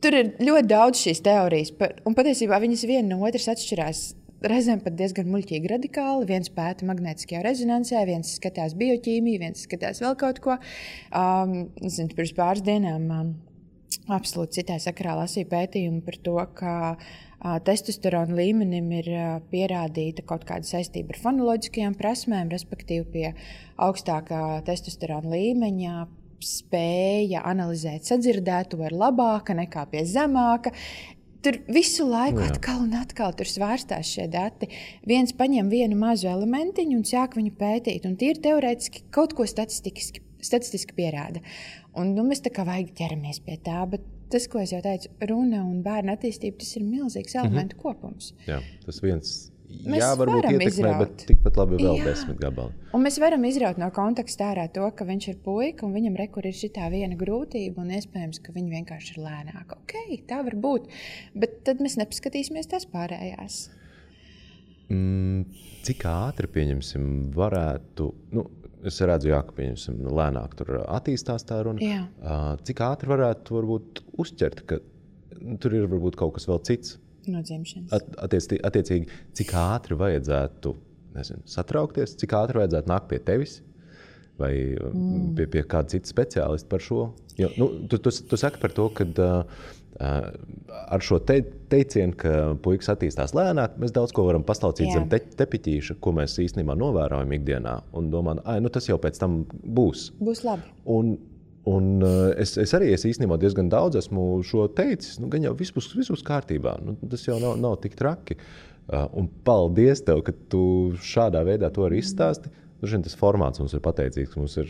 Tur ir ļoti daudz šīs teorijas, un patiesībā viņas viena no otras atšķirās reizēm pat diezgan muļķīgi radikāli. Viens pēta magnētiskajā rezonansē, viens skatās bioķīmiju, viens skatās vēl kaut ko. Pirms pāris dienām absolūti citā sakarā lasīju pētījumu par to, ka testosterona līmenim ir pierādīta kaut kāda saistība ar fonoloģiskajām prasmēm, respektīvi pie augstākā testosterona līmeņa spēja analizēt sadzirdēto ir labāka nekā pie zemāka. Tur visu laiku atkal un atkal tur svārstās šie dati. Viens paņem vienu mazu elementiņu un sāk viņu pētīt. Un tie ir teorētiski kaut ko statistiski pierāda. Un mēs tā kā vajag ķeramies pie tā, bet tas, ko es jau teicu, runa un bērna attīstība, tas ir milzīgs elementu kopums. Jā, tas viens. Jā, varbūt ietekmē, bet tikpat labi vēl 10 gabali. Un mēs varam izraut no konteksta ārā to, ka viņš ir puika un viņam rekur ir šitā viena grūtība un iespējams, ka viņa vienkārši ir lēnāka. Ok, tā var būt, bet tad mēs nepaskatīsimies tās pārējās. Cik ātri, pieņemsim, varētu, es redzu, jā, ka pieņemsim, lēnāk tur attīstās tā runa. Cik ātri varētu varbūt uzķert, ka tur ir varbūt kaut kas vēl cits. No dzimšanas. Attiecīgi, cik ātri vajadzētu, satraukties, cik ātri vajadzētu nākt pie tevis vai pie kāda cita speciālista par šo? Jo, tu saki par to, ka ar šo teicienu, ka puikas attīstās lēnāk, mēs daudz ko varam paslaucīt zem tepiķīša, ko mēs īstenībā novērojam ikdienā un domājam, tas jau pēc tam būs. Būs labi. Un es arī īstenībā diezgan daudz esmu šo teicis, gan jau viss būs kārtībā, tas jau nav tik traki. Un paldies tev, ka tu šādā veidā to arī izstāsti. Tas formāts mums ir pateicīgs, mums ir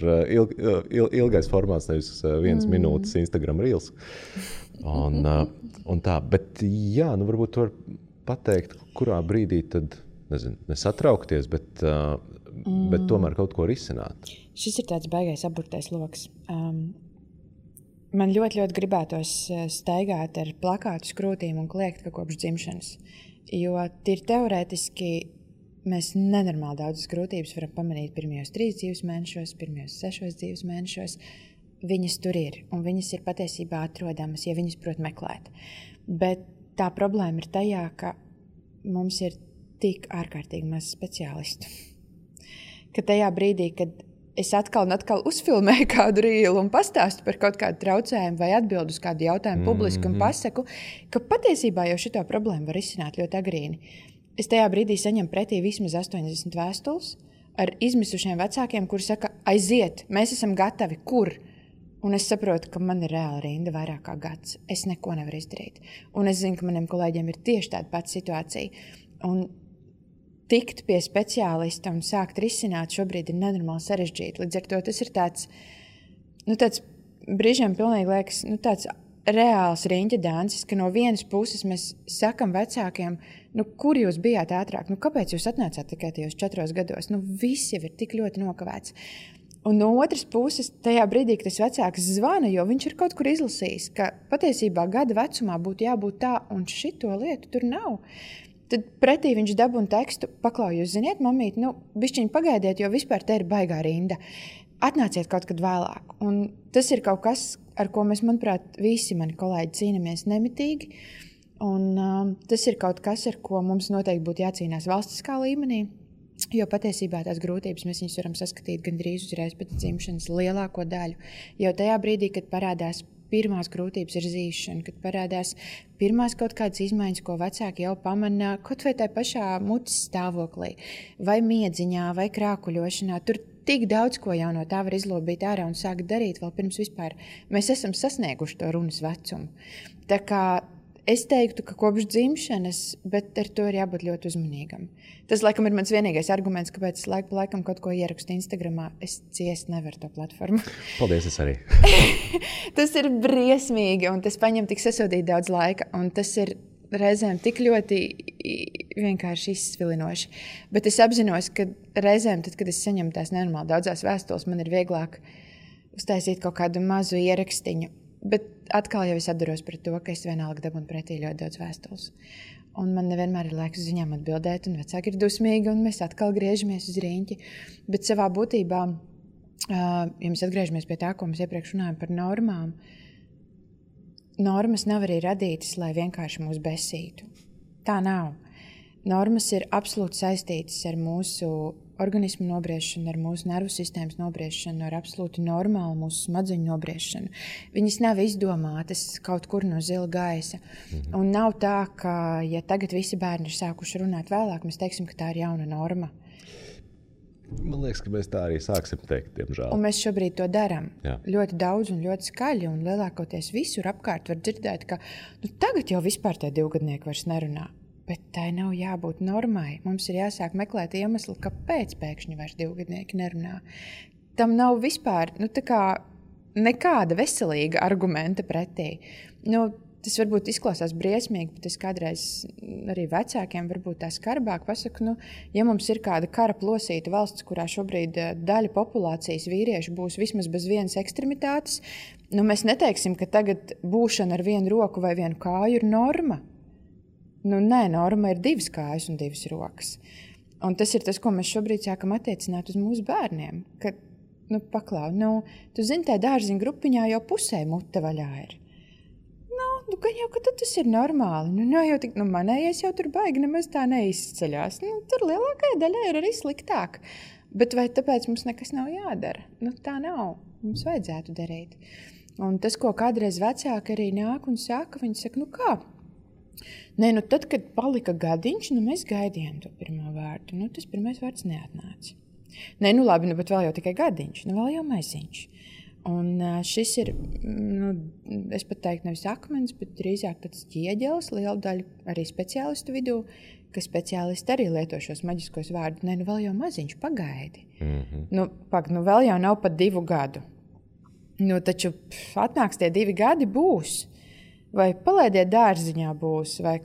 ilgais formāts, nevis 1 minūtes Instagram Reels. Un tā, bet jā, varbūt tu vari pateikt, kurā brīdī tad, nesatraukties, bet tomēr kaut ko risināt. Šis ir tāds baigais aburtais loks. Man ļoti, ļoti gribētos staigāt ar plakātu skrūtīm un kliegt, ka kopš dzimšanas. Jo tīri teorētiski mēs nenormāli daudzas grūtības varam pamanīt pirmajos 3 dzīves mēnešos, pirmajos 6 dzīves mēnešos. Viņas tur ir, un viņas ir patiesībā atrodamas, ja viņas prot meklēt. Bet tā problēma ir tajā, ka mums ir tik ārkārtīgi maz speciālistu. Ka tajā brīdī, kad es atkal un atkal uzfilmēju kādu rīlu un pastāstu par kaut kādu traucējumu vai atbildu uz kādu jautājumu publiski un pasaku, ka patiesībā jau šito problēmu var izsināt ļoti agrīni. Es tajā brīdī saņemu pretī vismaz 80 vēstules ar izmisušiem vecākiem, kuri saka, aiziet, mēs esam gatavi, kur? Un es saprotu, ka man ir reāla rinda vairāk kā gads. Es neko nevaru izdarīt. Un es zinu, ka maniem kolēģiem ir tieši tāda pati situācija. Un tikt pie speciālista un sākt risināt šobrīd ir nenormāli sarežģīti. Līdz ar to tas ir tāds brīžiem pilnīgi liekas, tāds reāls riņķa dancis, ka no vienas puses mēs sakam vecākiem, kur jūs bijāt ātrāk, kāpēc jūs atnācāt tikai tajos 4 gados, viss jau ir tik ļoti nokavēts. Un no otras puses, tajā brīdī, kad tas vecāks zvana, jo viņš ir kaut kur izlasījis, ka patiesībā gada vecumā būtu jābūt tā, un šito lietu tur nav. Tad pretī viņš dabūna tekstu, paklau, jūs ziniet, mamīt, bišķiņ pagaidiet, jo vispār te ir baigā rinda. Atnāciet kaut kad vēlāk. Un tas ir kaut kas, ar ko mēs, manuprāt, visi mani kolēģi cīnamies nemitīgi. Un tas ir kaut kas, ar ko mums noteikti būtu jācīnās valstiskā līmenī. Jo patiesībā tās grūtības mēs viņus varam saskatīt gandrīz uzreiz pēc dzimšanas lielāko daļu. Jo tajā brīdī, kad parādās pirmās grūtības ir zīšana, kad parādās pirmās kaut kādas izmaiņas, ko vecāki jau pamana, kaut vai tā pašā mutes stāvoklī, vai miedziņā, vai krākuļošanā. Tur tik daudz, ko jau no tā var izlobīt ārā un sākt darīt vēl pirms vispār. Mēs esam sasnieguši to runas vecumu. Tā kā es teiktu, ka kopš dzimšanas, bet ar to ir jābūt ļoti uzmanīgam. Tas, laikam, ir mans vienīgais arguments, kāpēc es laiku pa laikam kaut ko ierakstu Instagramā. Es ciest nevaru to platformu. Paldies, es arī. Tas ir briesmīgi, un tas paņem tik sasodīt daudz laika, un tas ir reizēm tik ļoti vienkārši izsvilinoši. Bet es apzinos, ka reizēm, tad, kad es saņemu tās nenormāli daudzās vēstules, man ir vieglāk uztaisīt kaut kādu mazu ierakstiņu. Bet atkal jau es atduros pret to, ka es vienalga dabūnu pretī ļoti daudz vēstules. Un man nevienmēr ir laiks uz viņām atbildēt, un vecāki ir dusmīgi, un mēs atkal griežamies uz riņķi. Bet savā būtībā, ja mēs atgriežamies pie tā, ko mēs iepriekš runājam par normām, normas nav arī radītas, lai vienkārši mūs besītu. Tā nav. Normas ir absolūti saistītas ar mūsu organismu nobriešanu, ar mūsu nervu sistēmas nobriešanu, ar absolūti normālu mūsu smadzeņu nobriešanu. Viņas nav izdomātas kaut kur no zila gaisa. Un nav tā, ka, ja tagad visi bērni ir sākuši runāt vēlāk, mēs teiksim, ka tā ir jauna norma. Man liekas, ka mēs tā arī sāksim teikt, diemžēl. Un mēs šobrīd to darām. Jā. Ļoti daudz un ļoti skaļi, un lielākoties visur apkārt var dzirdēt, ka tagad jau vispār tie 2-gadnieki vairs nerunā. Bet tai nav jābūt normai. Mums ir jāsāk meklēt iemeslu, kāpēc pēkšņi vairs 2-gadnieki nerunā. Tam nav vispār nekāda veselīga argumenta pretī. Tas varbūt izklausās briesmīgi, bet es kādreiz arī vecākiem varbūt tā skarbāk pasaku, ja mums ir kāda kara plosīta valsts, kurā šobrīd daļa populācijas vīriešu būs vismaz bez vienas ekstremitātes, mēs neteiksim, ka tagad būšana ar vienu roku vai vienu kāju ir norma. Nē, norma ir 2 kājas un 2 rokas. Un tas ir tas, ko mēs šobrīd sākam attiecināt uz mūsu bērniem. Ka, paklau, tu zini, tā dārziņa grupiņā jau pusē mute vaļā ir. gan jau, ka tas ir normāli. Jau tik, manējais jau tur baigi nemaz tā neizceļās. Tur lielākajai daļai ir arī sliktāk. Bet vai tāpēc mums nekas nav jādara? Tā nav. Mums vajadzētu darīt. Un tas, ko kādreiz vecāki arī nāk un saka, viņi saka, kā? Nē, tad, kad palika gadiņš, mēs gaidījām to pirmo vārdu. Tas pirmais vārds neatnāca. Nē, labi, bet vēl jau tikai gadiņš, vēl jau maisiņš. Un šis ir, es pat teiktu, nevis akmens, bet drīzāk tāds ķieģelis, liela daļa arī speciālistu vidū, ka speciālisti arī lieto šos maģiskos vārdus. Nē, vēl jau maziņš, pagaidi. Vēl jau nav pat 2 gadu. Taču atnāks tie 2 gadi būs. Vai palaidiet dārziņā būs, vai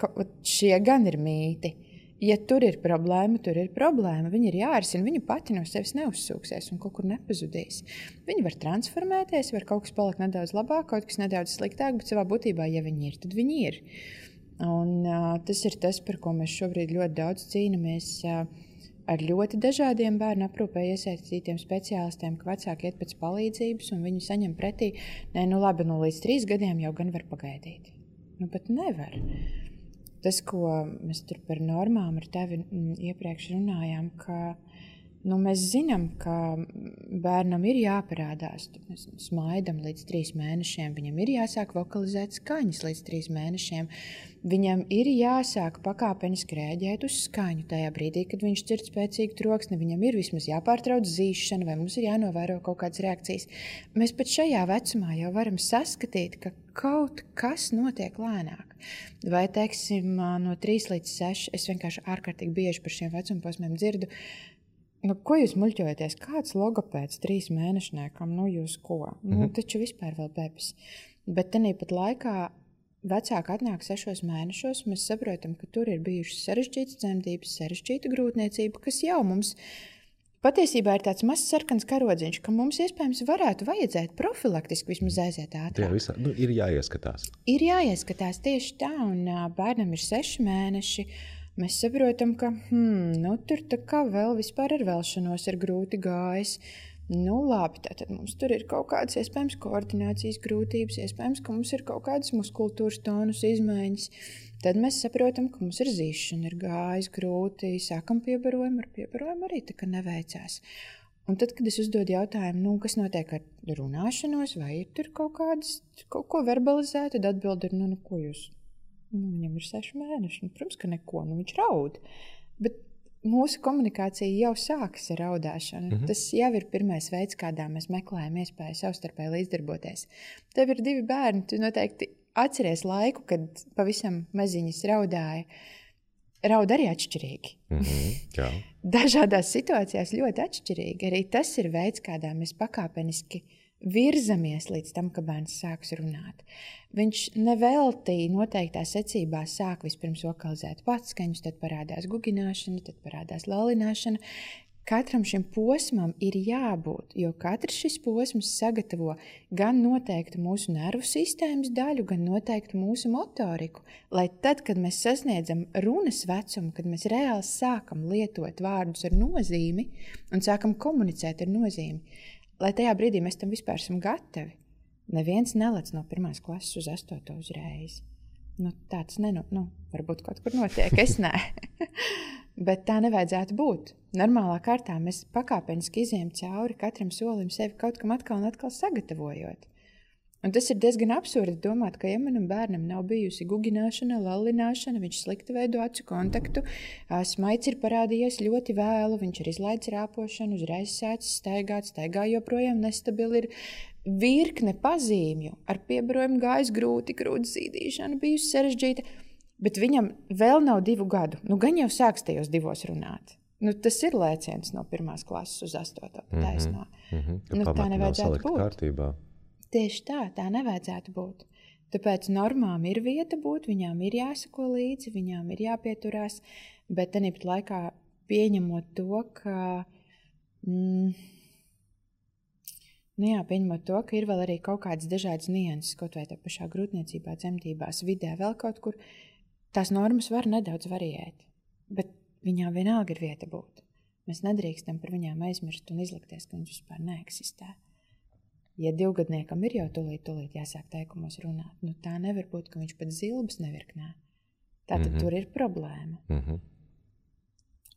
šie gan ir mīti. Ja tur ir problēma, tur ir problēma. Viņa ir jārisina, viņa pati no sevis neuzsūksies un kaut kur nepazudīs. Viņa var transformēties, var kaut kas palikt nedaudz labāk, kaut kas nedaudz sliktāk, bet savā būtībā, ja viņi ir, tad viņi ir. Un tas ir tas, par ko mēs šobrīd ļoti daudz cīnamies ar ļoti dažādiem bērnu aprūpē iesaistītiem speciālistiem, ka vecāki iet pēc palīdzības un viņi saņem pretī, labi, līdz 3 gadiem jau gan var pagaidīt. Bet nevar. Tas, ko mēs tur par normām ar tevi iepriekš runājām, ka mēs zinām, ka bērnam ir jāparādās. Mēs smaidam līdz 3 mēnešiem, viņam ir jāsāk vokalizēt skaņas līdz 3 mēnešiem. Viņam ir jāsāk pakāpeniski rēģēt uz skaņu tajā brīdī, kad viņš dzird spēcīgu troksni. Viņam ir vismaz jāpārtrauc zīšana vai mums ir jānovēro kaut kādas reakcijas. Mēs pat šajā vecumā jau varam saskatīt, ka kaut kas notiek lēnāk. Vai, teiksim, no 3 līdz 6, es vienkārši ārkārtīgi bieži par šiem vecumposmiem dzirdu, ko jūs muļķojaties? Kāds logopēds 3 mēnešniekam? Jūs ko? Taču vispār vēl bebis. Bet tanī pat laikā vecāki atnāk 6 mēnešos, mēs saprotam, ka tur ir bijušas sarežģītas dzemdības, sarežģīta grūtniecība, kas jau mums patiesībā ir tāds mazs sarkans karodziņš, ka mums iespējams vajadzēt profilaktiski vismaz aiziet ātrāk. Ir jāieskatās. Ir jāieskatās tieši tā, un bērnam ir 6 mēneši. Mēs saprotam, ka tur tā kā vēl vispār ar velšanos ir grūti gājis. Labi, tātad mums tur ir kaut kādas iespējams koordinācijas grūtības, iespējams, ka mums ir kaut kādas muskultūras tonus izmaiņas. Tad mēs saprotam, ka mums ir zīšana, ir gājis grūti, sākam piebarojumu, ar piebarojumu arī tā kā neveicās. Un tad, kad es uzdodu jautājumu, kas notiek ar runāšanos, vai ir tur kaut ko verbalizēt, tad atbild ir, ko jūs? Viņam ir 6 mēneši, protams, ka neko, viņš raud. Bet mūsu komunikācija jau sākas ar raudāšanu. Tas jau ir pirmais veids, kādā mēs meklējam iespēju savstarpēji līdzdarboties. Tev ir 2 bērni, tu noteikti atceries laiku, kad pavisam maziņas raudāja. Raud arī atšķirīgi. Jā. Dažādās situācijās ļoti atšķirīgi. Arī tas ir veids, kādā mēs pakāpeniski virzamies līdz tam, ka bērns sāks runāt. Viņš nevelti noteiktā secībā sāk vispirms vokalizēt patskaņus, tad parādās gugināšana, tad parādās lalināšana. Katram šim posmam ir jābūt, jo katrs šis posms sagatavo gan noteiktu mūsu nervu sistēmas daļu, gan noteiktu mūsu motoriku, lai tad, kad mēs sasniedzam runas vecumu, kad mēs reāli sākam lietot vārdus ar nozīmi un sākam komunicēt ar nozīmi, lai tajā brīdī mēs tam vispār esam gatavi. Neviens nelec no 1. klases uz 8. uzreiz. Tāds varbūt kaut kur notiek, es nē. Bet tā nevajadzētu būt. Normālā kārtā mēs pakāpeniski izejam cauri katram solim sevi kaut kam atkal un atkal sagatavojot. Un tas ir diezgan absurdi domāt, ka ja manam bērnam nav bijusi gugināšana, lallināšana, viņš slikti veido acu kontaktu, smaids ir parādījies ļoti vēlu, viņš ir izlaidis rāpošanu, uzreiz sācis staigā joprojām nestabili, ir virkne pazīmju, ar piebarojumu gājis grūti zīdīšana, bijusi sarežģīta, bet viņam vēl nav 2 gadu. Gan jau sāks tajos 2 runāt. Tas ir lēciens no 1. klases uz 8. taisnā. Tā nevajadzētu būt. Kārtībā. Tieši tā nevajadzētu būt. Tāpēc normām ir vieta būt, viņām ir jāsako līdzi, viņām ir jāpieturās, bet tāpat laikā pieņemot to, ka pieņemot to, ka ir vēl arī kaut kādas dažādas nianses, kaut vai tā pašā grūtniecībā, dzemdībās, vidē, vēl kaut kur, tās normas var nedaudz variēt, bet viņām vienalga ir vieta būt. Mēs nedrīkstam par viņām aizmirst un izlikties, ka viņas vispār neeksistē. Ja 2-gadniekam ir jau tūlīt jāsāk teikumos runāt, nu tā nevar būt, ka viņš pat zilbas nevirknē. Tātad tur ir problēma.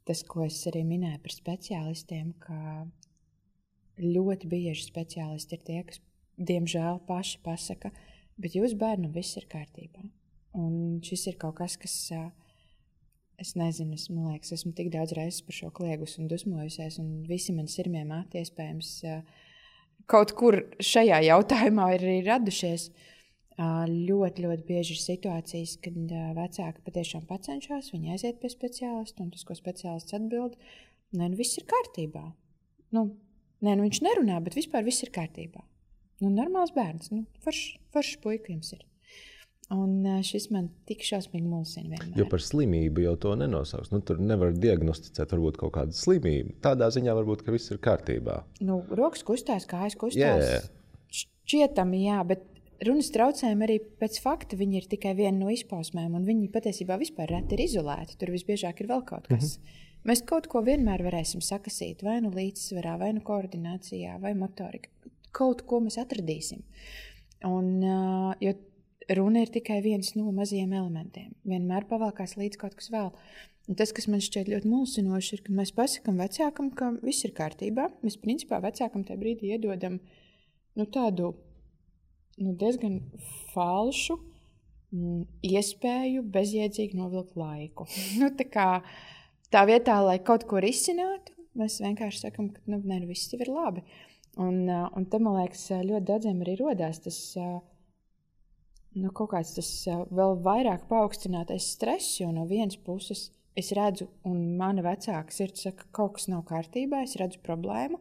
Tas, ko es arī minēju par speciālistiem, ka ļoti bieži speciālisti ir tie, kas, diemžēl, paši pasaka, bet jūs bērnam viss ir kārtībā. Un šis ir kaut kas, kas, es nezinu, man liekas, esmu tik daudz reizes par šo kliegus un dusmojusies, un visi man sirmie māti iespējams kaut kur šajā jautājumā ir arī radušies. Ļoti, ļoti bieži ir situācijas, kad vecāki patiešām pacenšās, viņi aiziet pie speciālista, un tas, ko speciālists atbild, viss ir kārtībā. Viņš nerunā, bet vispār viss ir kārtībā. Normāls bērns, foršs puika jums ir. Un šis man tik šausmīgi mulsina vienmēr. Jo par slimību jau to nenosauks. Tur nevar diagnosticēt varbūt kaut kādu slimību. Tādā ziņā varbūt, ka viss ir kārtībā. Rokas kustās, kājas kustās. Šķietami, jā, bet runas traucējumi arī pēc fakta viņi ir tikai viena no izpausmēm, un viņi patiesībā vispār reti ir izolēti. Tur visbiežāk ir vēl kaut kas. Mēs kaut ko vienmēr varēsim sakasīt, vai līdzsvarā, vai koordinācijā, vai motorika. Kaut ko mēs atradīsim. Un, jo runa ir tikai viens no mazajiem elementiem. Vienmēr pavalkās līdz kaut kas vēl. Un tas, kas man šķiet ļoti mulsinoši, ir, ka mēs pasakam vecākam, ka viss ir kārtībā. Mēs principā vecākam tajā brīdī iedodam tādu diezgan falšu iespēju bezjēdzīgi novilkt laiku. Tā vietā, lai kaut ko risinātu, mēs vienkārši sakam, ka viss jau ir labi. Un te, man liekas, ļoti daudziem arī rodās tas kaut kāds tas vēl vairāk paaugstinātais stress, jo no vienas puses es redzu, un mana vecāka sirds saka, ka kaut kas nav kārtībā, es redzu problēmu.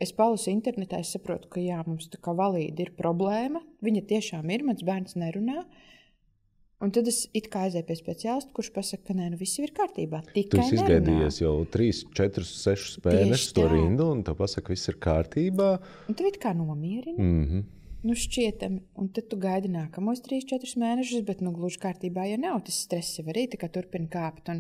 Es palasu internetā, es saprotu, ka jā, mums tā kā valīdi ir problēma, viņa tiešām ir, mans bērns nerunā. Un tad es it kā aizēju pie speciālista, kurš pasaka, ka viss ir kārtībā, tikai nerunā. Tu izgaidījies jau 3, 4, 6 mēnešus to rindu, un tev pasaka, viss ir kārtībā. Un tev it kā nomierina. Šķietami, un tad tu gaidi nākamos 3, 4 mēnešus, bet gluži kārtībā jau nav. Tas stress jau arī turpina kāpt.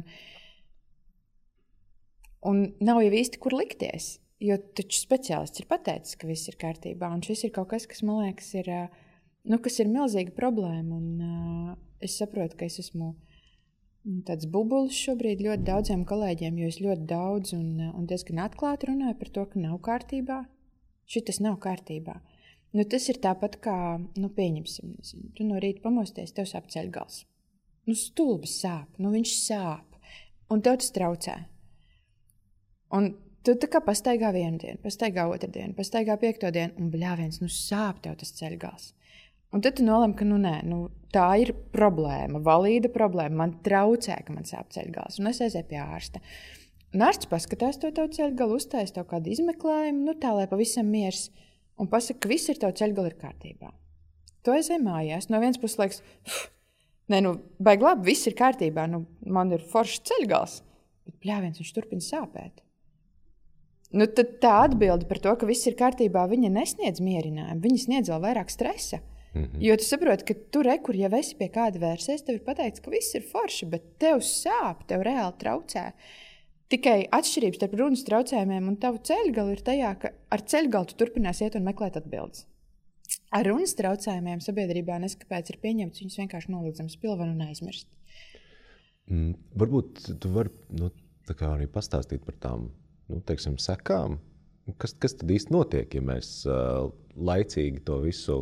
Un nav jau īsti, kur likties. Jo taču speciālists ir pateicis, ka viss ir kārtībā. Un šis ir kaut kas, kas man liekas, kas ir milzīga problēma. Un es saprotu, ka es esmu tāds bubulis šobrīd ļoti daudziem kolēģiem, jo es ļoti daudz un diezgan atklāti runāju par to, ka nav kārtībā. Šitas nav kārtībā. Tas ir tāpat kā, pieņemsim, tu no rīta pamosties, tev sāp ceļgals. Stulbis sāp, viņš sāp, un tev tas traucē. Un tu tā kā pastaigā vienu dienu, pastaigā otru dienu, pastaigā 5. dienu, un bļāviens, sāp tev tas ceļgals. Un tad tu nolem, ka tā ir problēma, valīda problēma, man traucē, ka man sāp ceļgals, un es aizēju pie ārsta. Un ārsts paskatās to tavu ceļgalu, uztais tev kādu izmeklējumu, tā, lai pavisam miers. Un pasaka, ka viss ir tev ceļgali ir kārtībā. Tu aizēj mājās. No vienas puses liekas, baigi labi, viss ir kārtībā, man ir foršs ceļgals. Bet bļāviens, viņš turpina sāpēt. Tad tā atbilde par to, ka viss ir kārtībā, viņa nesniedz mierinājumu, viņa sniedz vēl vairāk stresa. Jo tu saproti, ka tu kur jau esi pie kāda vērsies, tev ir pateikts, ka viss ir forši, bet tev sāp, tev reāli traucē. Tikai atšķirības starp runas traucējumiem un tavu ceļgalu ir tajā, ka ar ceļgalu tu turpinās iet un meklēt atbildes. Ar runas traucējumiem sabiedrībā neskapēc ir pieņemts, viņus vienkārši noliedzam spilvenu un aizmirst. Varbūt tu vari arī pastāstīt par tām sekām. Kas tad īsti notiek, ja mēs laicīgi to visu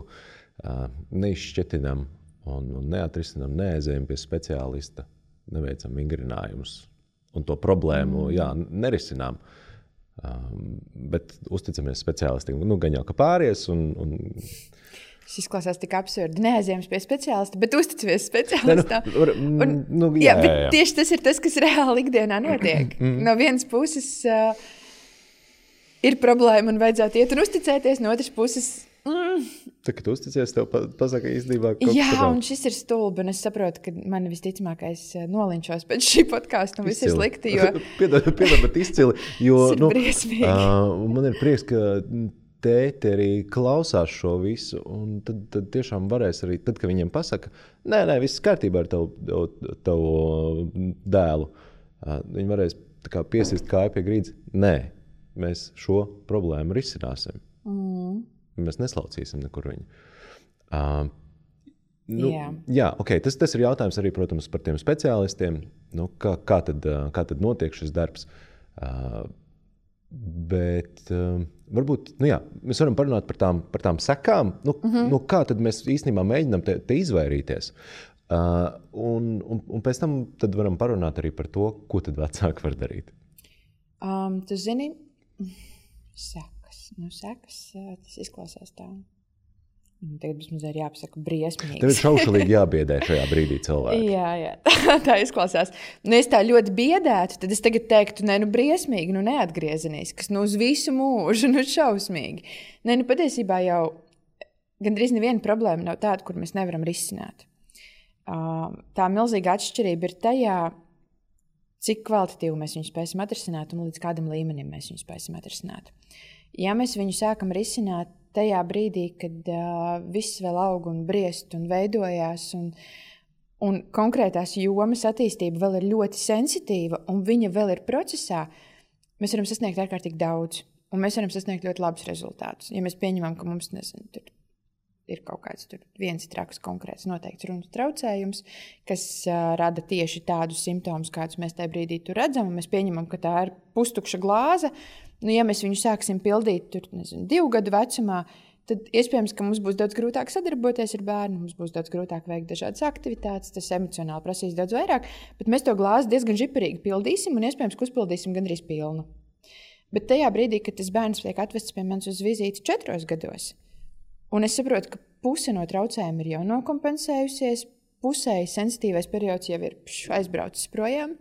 neizšķetinam un neatrisinam, neaizējam pie speciālista, neveicam vingrinājumus. Un to problēmu, nerisinām. Bet uzticamies speciālistiem. Gan jau, ka pāries un... Šis izklausās tik absurdi. Neaizējams pie speciālista, bet uzticamies speciālistam. Bet tieši tas ir tas, kas reāli ikdienā notiek. No vienas puses ir problēma un vajadzētu iet un uzticēties, no otras puses... Tā, kad tu uzticies, tev pasaka īstenībā kaut kas. Jā, un šis ir stulbi, un es saprotu, ka mani visticamākais nolinčos pēc šī podkāsta, un viss ir slikti, jo... Piedod, bet izcili, jo... Tas ir briesmīgi. Man ir prieks, ka tēti arī klausās šo visu, un tad tiešām varēs arī, tad, kad viņiem pasaka, nē, viss kārtībā ar tavu dēlu, viņi varēs tā kā piesist kāju pie grīdas. Nē, mēs šo problēmu risināsim. mēs neslaucīsim nekur viņu. Tas ir jautājums arī, protams, par tiem speciālistiem, kā tad notiek šis darbs. Bet varbūt, mēs varam parunāt par tām sekām, kā tad mēs īstenībā mēģinām te izvairīties. Un pēc tam tad varam parunāt arī par to, ko tad vecāki var darīt. Tu zini, sekas, tas izklausās tā. Tagad mums ir jāpasaka briesmīgi. Tev ir šaušalīgi jābiedē šajā brīdī cilvēki. Jā, tā izklausās. Es tā ļoti biedētu, tad es tagad teiktu, briesmīgi, neatgriezeniski, uz visu mūžu, šausmīgi. Patiesībā jau gandrīz neviena problēma nav tāda, kur mēs nevaram risināt. Tā milzīga atšķirība ir tajā, cik kvalitatīvi mēs viņu spēsim atrisināt un līdz kādam līmenim mēs viņu spēsim atrisināt. Ja mēs viņu sākam risināt tajā brīdī, kad viss vēl aug un briest un veidojās un konkrētās jomas attīstība vēl ir ļoti sensitīva un viņa vēl ir procesā, mēs varam sasniegt ārkārtīgi daudz un mēs varam sasniegt ļoti labus rezultātus. Ja mēs pieņemam, ka mums, tur ir kaut kāds viens traks konkrēts noteikts runas traucējums, kas rada tieši tādus simptomus, kādus mēs tajā brīdī tur redzam, un mēs pieņemam, ka tā ir pustukša glāze. Ja mēs viņu sāksim pildīt 2 gadu vecumā, tad iespējams, ka mums būs daudz grūtāk sadarboties ar bērnu, mums būs daudz grūtāk veikt dažādas aktivitātes, tas emocionāli prasīs daudz vairāk, bet mēs to glāzi diezgan žiparīgi pildīsim un iespējams, ka uzpildīsim gandrīz pilnu. Bet tajā brīdī, kad tas bērns tiek atvests pie manis uz vizīti 4 gados, un es saprotu, ka puse no traucējuma ir jau nokompensējusies, pusēji sensitīvais periods jau ir aizbraucis projām,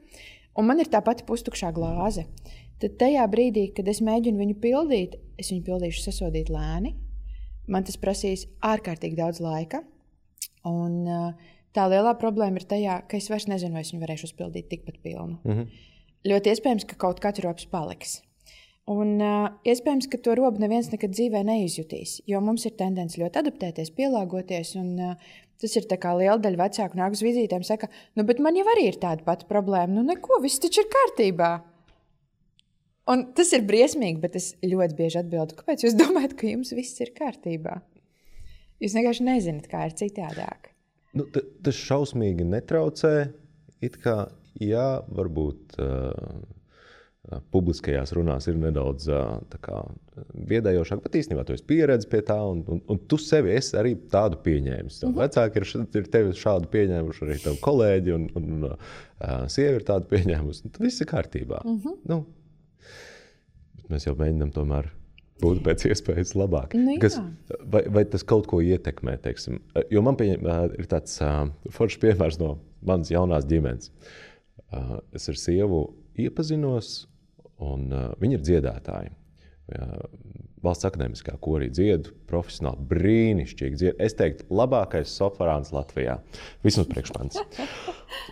un man ir tā pati pustukšā glāze. Tad tajā brīdī, kad es mēģinu viņu pildīt, es viņu pildīšu sasodīt lēni. Man tas prasīs ārkārtīgi daudz laika. Un tā lielā problēma ir tajā, ka es vairs nezinu, vai es viņu varēšu uzpildīt tikpat pilnu. Ļoti iespējams, ka kaut kāds robs paliks. Un iespējams, ka to robu neviens nekad dzīvē neizjutīs, jo mums ir tendence ļoti adaptēties, pielāgoties, un tas ir tā kā liela daļa vecāku nāk uz vizītēm saka, bet man jau arī ir tāda pati problēma, neko, viss taču ir kārtībā. Un tas ir briesmīgi, bet es ļoti bieži atbildu, kāpēc jūs domājat, ka jums viss ir kārtībā? Jūs vienkārši nezināt, kā ir citādāk. Tas šausmīgi netraucē, it kā, varbūt publiskajās runās ir nedaudz biedējošāk, bet īstenībā tu esi pieredzi pie tā, un tu sevi esi arī tādu pieņēmis. Vecāki ir tevi šādu pieņēmuši, arī tavu kolēģi, un sievi ir tādu pieņēmusi. Tad viss ir kārtībā. Mēs jau mēģinām tomēr būt pēc iespējas labāk. Vai tas kaut ko ietekmē, teiksim? Jo man ir tāds foršs piemērs no manas jaunās ģimenes. Es ar sievu iepazinos, un viņi ir dziedātāji. Valsts akadēmiskā korī dziedu, profesionāli brīnišķīgi dziedu. Es teiktu, labākais soprāns Latvijā. Vismaz priekšmans.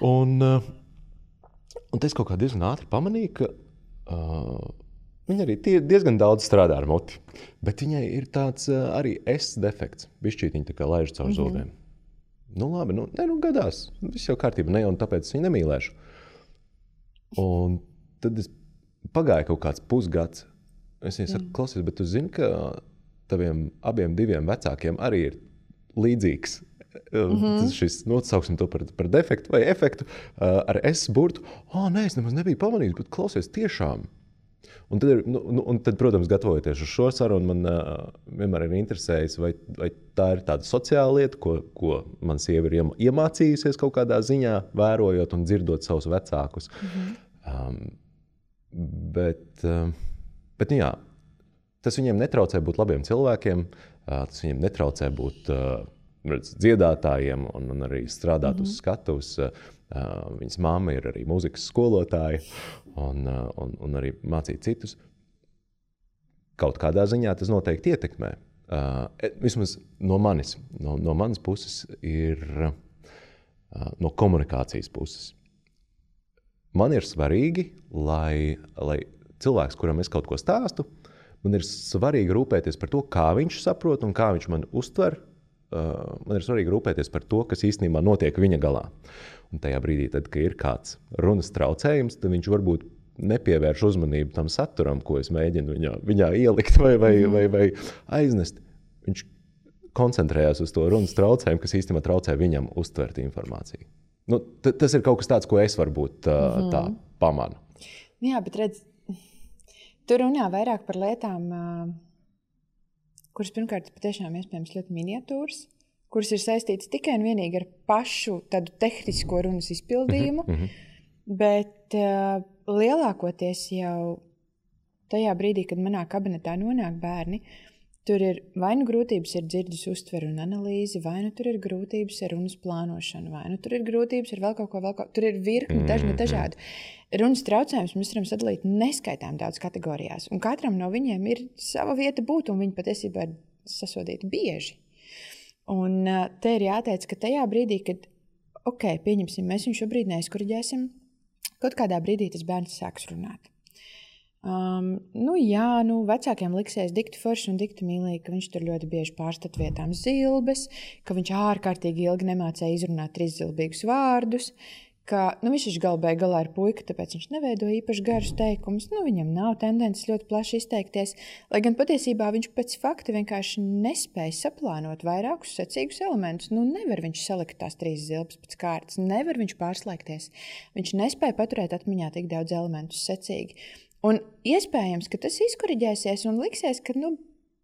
Un es kaut kā diezgan ātri pamanīju, ka viņa arī diezgan daudz strādā ar muti, bet viņai ir tāds arī defekts. Bišķīt viņa tā kā laiž caur zobiem. Labi, gadās. Viss jau kārtība, un tāpēc es viņu nemīlēšu. Un tad pagāja kaut kāds pusgads. Es viņai saku, klausies, bet tu zini, ka taviem abiem diviem vecākiem arī ir līdzīgs. Tas šis, sauksim to par defektu vai efektu ar S-burtu. Nē, es nemaz nebiju pamanījis, bet klausies tiešām. Un tad, protams, gatavojoties uz šo sarunu, man vienmēr ir interesējis, vai tā ir tāda sociāla lieta, ko man sieva ir iemācījusies kaut kādā ziņā, vērojot un dzirdot savus vecākus. Bet tas viņiem netraucē būt labiem cilvēkiem, tas viņiem netraucē būt dziedātājiem un arī strādāt uz skatuves. Viņas mamma ir arī mūzikas skolotāja un arī mācīt citus. Kaut kādā ziņā tas noteikti ietekmē. Vismaz no manas puses ir no komunikācijas puses. Man ir svarīgi, lai cilvēks, kuram es kaut ko stāstu, man ir svarīgi rūpēties par to, kā viņš saprot un kā viņš man uztver. Man ir svarīgi rūpēties par to, kas īstenībā notiek viņa galā. Un tajā brīdī, tad, kad ir kāds runas traucējums, tad viņš varbūt nepievērš uzmanību tam saturam, ko es mēģinu viņā ielikt vai aiznest. viņš koncentrējās uz to runas traucējumu, kas īstenībā traucē viņam uztvert informāciju. Nu, tas ir kaut kas tāds, ko es varbūt tā pamanu. Jā, bet redz, tu runā vairāk par lietām, kuras pirmkārt patiešām iespējams ļoti miniatūras, kuras ir saistītas tikai un vienīgi ar pašu tādu tehnisko runas izpildījumu, bet lielākoties jau tajā brīdī, kad manā kabinetā nonāk bērni, tur ir vai nu grūtības ar dzirdes uztveru un analīzi, vai nu tur ir grūtības ar runas plānošanu, vai nu tur ir grūtības ar vēl kaut ko. Tur ir virkni dažādu. Runas traucējumus mēs varam sadalīt neskaitām daudz kategorijās, un katram no viņiem ir sava vieta būt, un viņi patiesībā ir sasodīti bieži. Un te ir jāteic, ka tajā brīdī, kad, pieņemsim, mēs viņu šobrīd neizkuriģēsim, kaut kādā brīdī tas bērns sāks runāt. Vecākiem liksies dikti forši un dikti mīlīgi, ka viņš tur ļoti bieži pārstat vietām zilbes, ka viņš ārkārtīgi ilgi nemācēja izrunāt 3 zilbīgus vārdus, ka viņš galā ir puika, tāpēc viņš neveido īpaši garus teikumus, viņam nav tendences ļoti plaši izteikties, lai gan patiesībā viņš pēc fakta vienkārši nespēja saplānot vairākus secīgus elementus. Nevar viņš salikt tās 3 zilbes pēc kārtas, nevar viņš pārslēgties, viņš nespēja paturēt atmiņā tik daudz elementus secīgi. Un iespējams, ka tas izkoriģēsies un liksies, ka,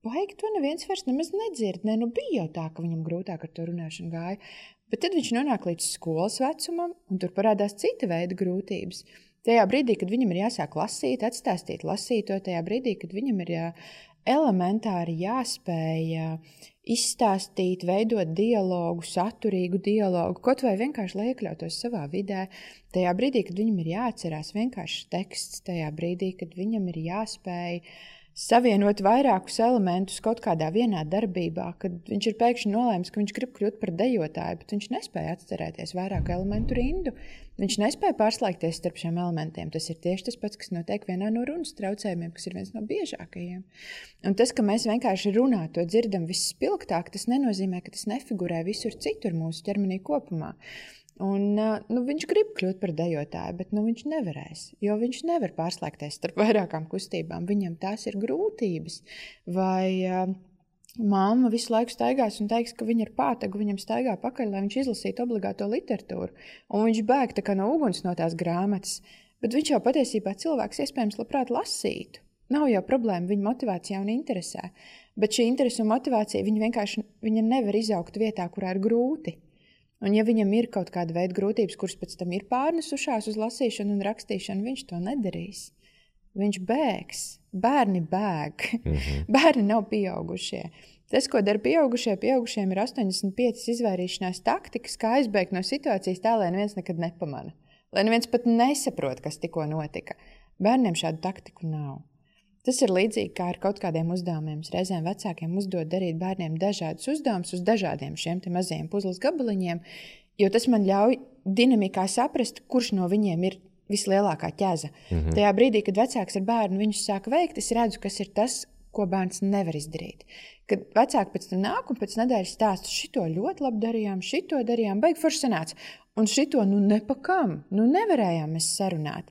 baigi to neviens vairs nemaz nedzird. Bija jau tā, ka viņam grūtāk ar to runāšanu gāja. Bet tad viņš nonāk līdz skolas vecumam, un tur parādās cita veida grūtības. Tajā brīdī, kad viņam ir jāsāk lasīt, atstāstīt lasīto, tajā brīdī, kad viņam ir elementāri jāspēj izstāstīt, veidot dialogu, saturīgu dialogu, kaut vai vienkārši, lai iekļautos savā vidē. Tajā brīdī, kad viņam ir jāatcerās vienkārši teksts, tajā brīdī, kad viņam ir jāspēj savienot vairākus elementus kaut kādā vienā darbībā, kad viņš ir pēkšņi nolēmis, ka viņš grib kļūt par dejotāju, bet viņš nespēja atcerēties vairāku elementu rindu. Viņš nespēja pārslēgties starp šiem elementiem. Tas ir tieši tas pats, kas notiek vienā no runas traucējumiem, kas ir viens no biežākajiem. Un tas, ka mēs vienkārši runā to dzirdam visspilgtāk, tas nenozīmē, ka tas nefigurē visur citur mūsu ķermenī kopumā. Un, viņš grib kļūt par dejotāju, bet viņš nevarēs, jo viņš nevar pārslēgties starp vairākām kustībām. Viņam tās ir grūtības. Vai mamma visu laiku staigās un teiks, ka viņa ir pātaga, viņam staigā pakaļ, lai viņš izlasītu obligāto literatūru. Un viņš bēg tā kā no uguns no tās grāmatas. Bet viņš jau patiesībā cilvēks iespējams labprāt lasītu. Nav jau problēma, viņa motivācija un interesē. Bet šī interese un motivācija viņa nevar izaugt vietā, kurā ir grūti. Un ja viņam ir kaut kāda veida grūtības, kuras pēc tam ir pārnesušās uz lasīšanu un rakstīšanu, viņš to nedarīs. Viņš bēgs. Bērni bēg. Bērni nav pieaugušie. Tas, ko dara pieaugušiem ir 85 izvairīšanās taktikas, kā aizbēgt no situācijas tā, lai neviens nekad nepamana. Lai neviens pat nesaprot, kas tikko notika. Bērniem šādu taktiku nav. Tas ir līdzīgi kā ar kaut kādiem uzdevumiem. Reizēm vecākiem uzdod darīt bērniem dažādus uzdevumus uz dažādiem šiem te mazajiem puzles gabaliņiem, jo tas man ļauj dinamikā saprast, kurš no viņiem ir vislielākā ķeza. Tajā brīdī, kad vecāks ar bērnu viņus sāk veikt, es redzu, kas ir tas, ko bērns nevar izdarīt. Kad vecāki pēc tam nāk un pēc nedēļas stāsta, šito ļoti labi darījām, šito darījām, baigi forši sanāca. Un šito, nepakam, nevarējām mēs sarunāt.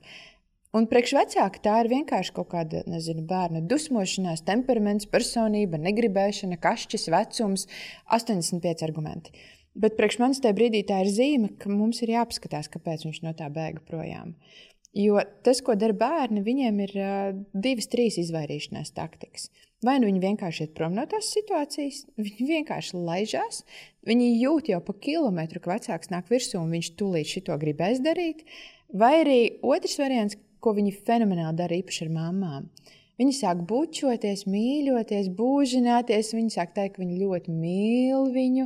Un priekš vecāka tā ir vienkārši kaut kāda, bērna dusmošanās, temperaments, personība, negribēšana, kašķis, vecums, 85 argumenti. Bet priekš manis tajā brīdī tā ir zīme, ka mums ir jāpaskatās, kāpēc viņš no tā bēga projām. Jo tas, ko dara bērni, viņiem ir 2-3 izvairīšanās taktikas. Vai nu viņi vienkārši iet prom no tās situācijas, viņi vienkārši laižās, viņi jūt jau pa kilometru, ka vecāks nāk virsū un viņš tūlīt šito gribēs darīt, vai arī otrs variants, ko viņi fenomenāli dara īpaši ar mammām. Viņi sāk bučoties, mīļoties, būžināties, viņi sāk teikt, ka viņi ļoti mīl viņu.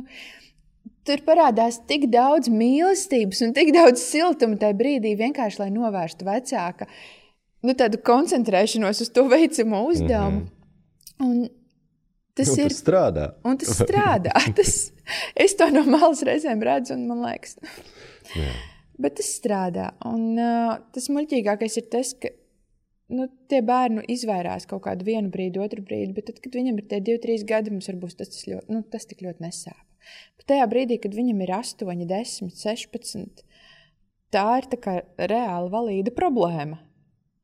Tur parādās tik daudz mīlestības un tik daudz siltuma tajā brīdī, vienkārši, lai novērstu vecāka tādu koncentrēšanos uz to veicamo uzdevumu. Un tas strādā. Un tas strādā. Es to no malas reizēm redzu un man liekas... Jā. Bet tas strādā. Un tas muļķīgākais ir tas, ka tie bērni izvairās kaut kādu vienu brīdi, otru brīdi, bet tad, kad viņam ir tie 2-3 gadi, mums varbūt tas tik ļoti nesāp. Bet tajā brīdī, kad viņam ir 8, 10, 16, tā ir tā kā reāli valīda problēma.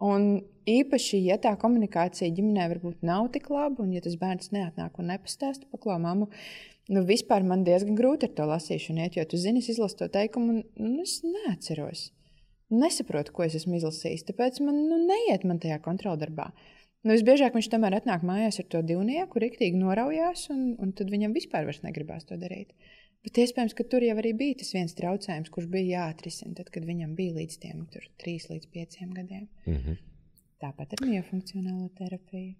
Un īpaši, ja tā komunikācija ģimenē varbūt nav tik laba, un ja tas bērns neatnāk un nepastāsta, paklau mammu, vispār man diezgan grūti ar to lasīšanu iet, jo tu zini, es izlasu to teikumu, un es neatceros. Nesaprotu, ko es esmu izlasījis, tāpēc man neiet man tajā kontroldarbā. Visbiežāk viņš tomēr atnāk mājās ar to divnieku, riktīgi noraujās, un tad viņam vispār vairs negribās to darīt. Bet iespējams, ka tur jau arī bija tas viens traucējums, kurš bija jāatrisina, tad, kad viņam bija līdz tiem 3 līdz 5 gadiem. Mm-hmm. Tāpat ar miofunkcionālo terapiju.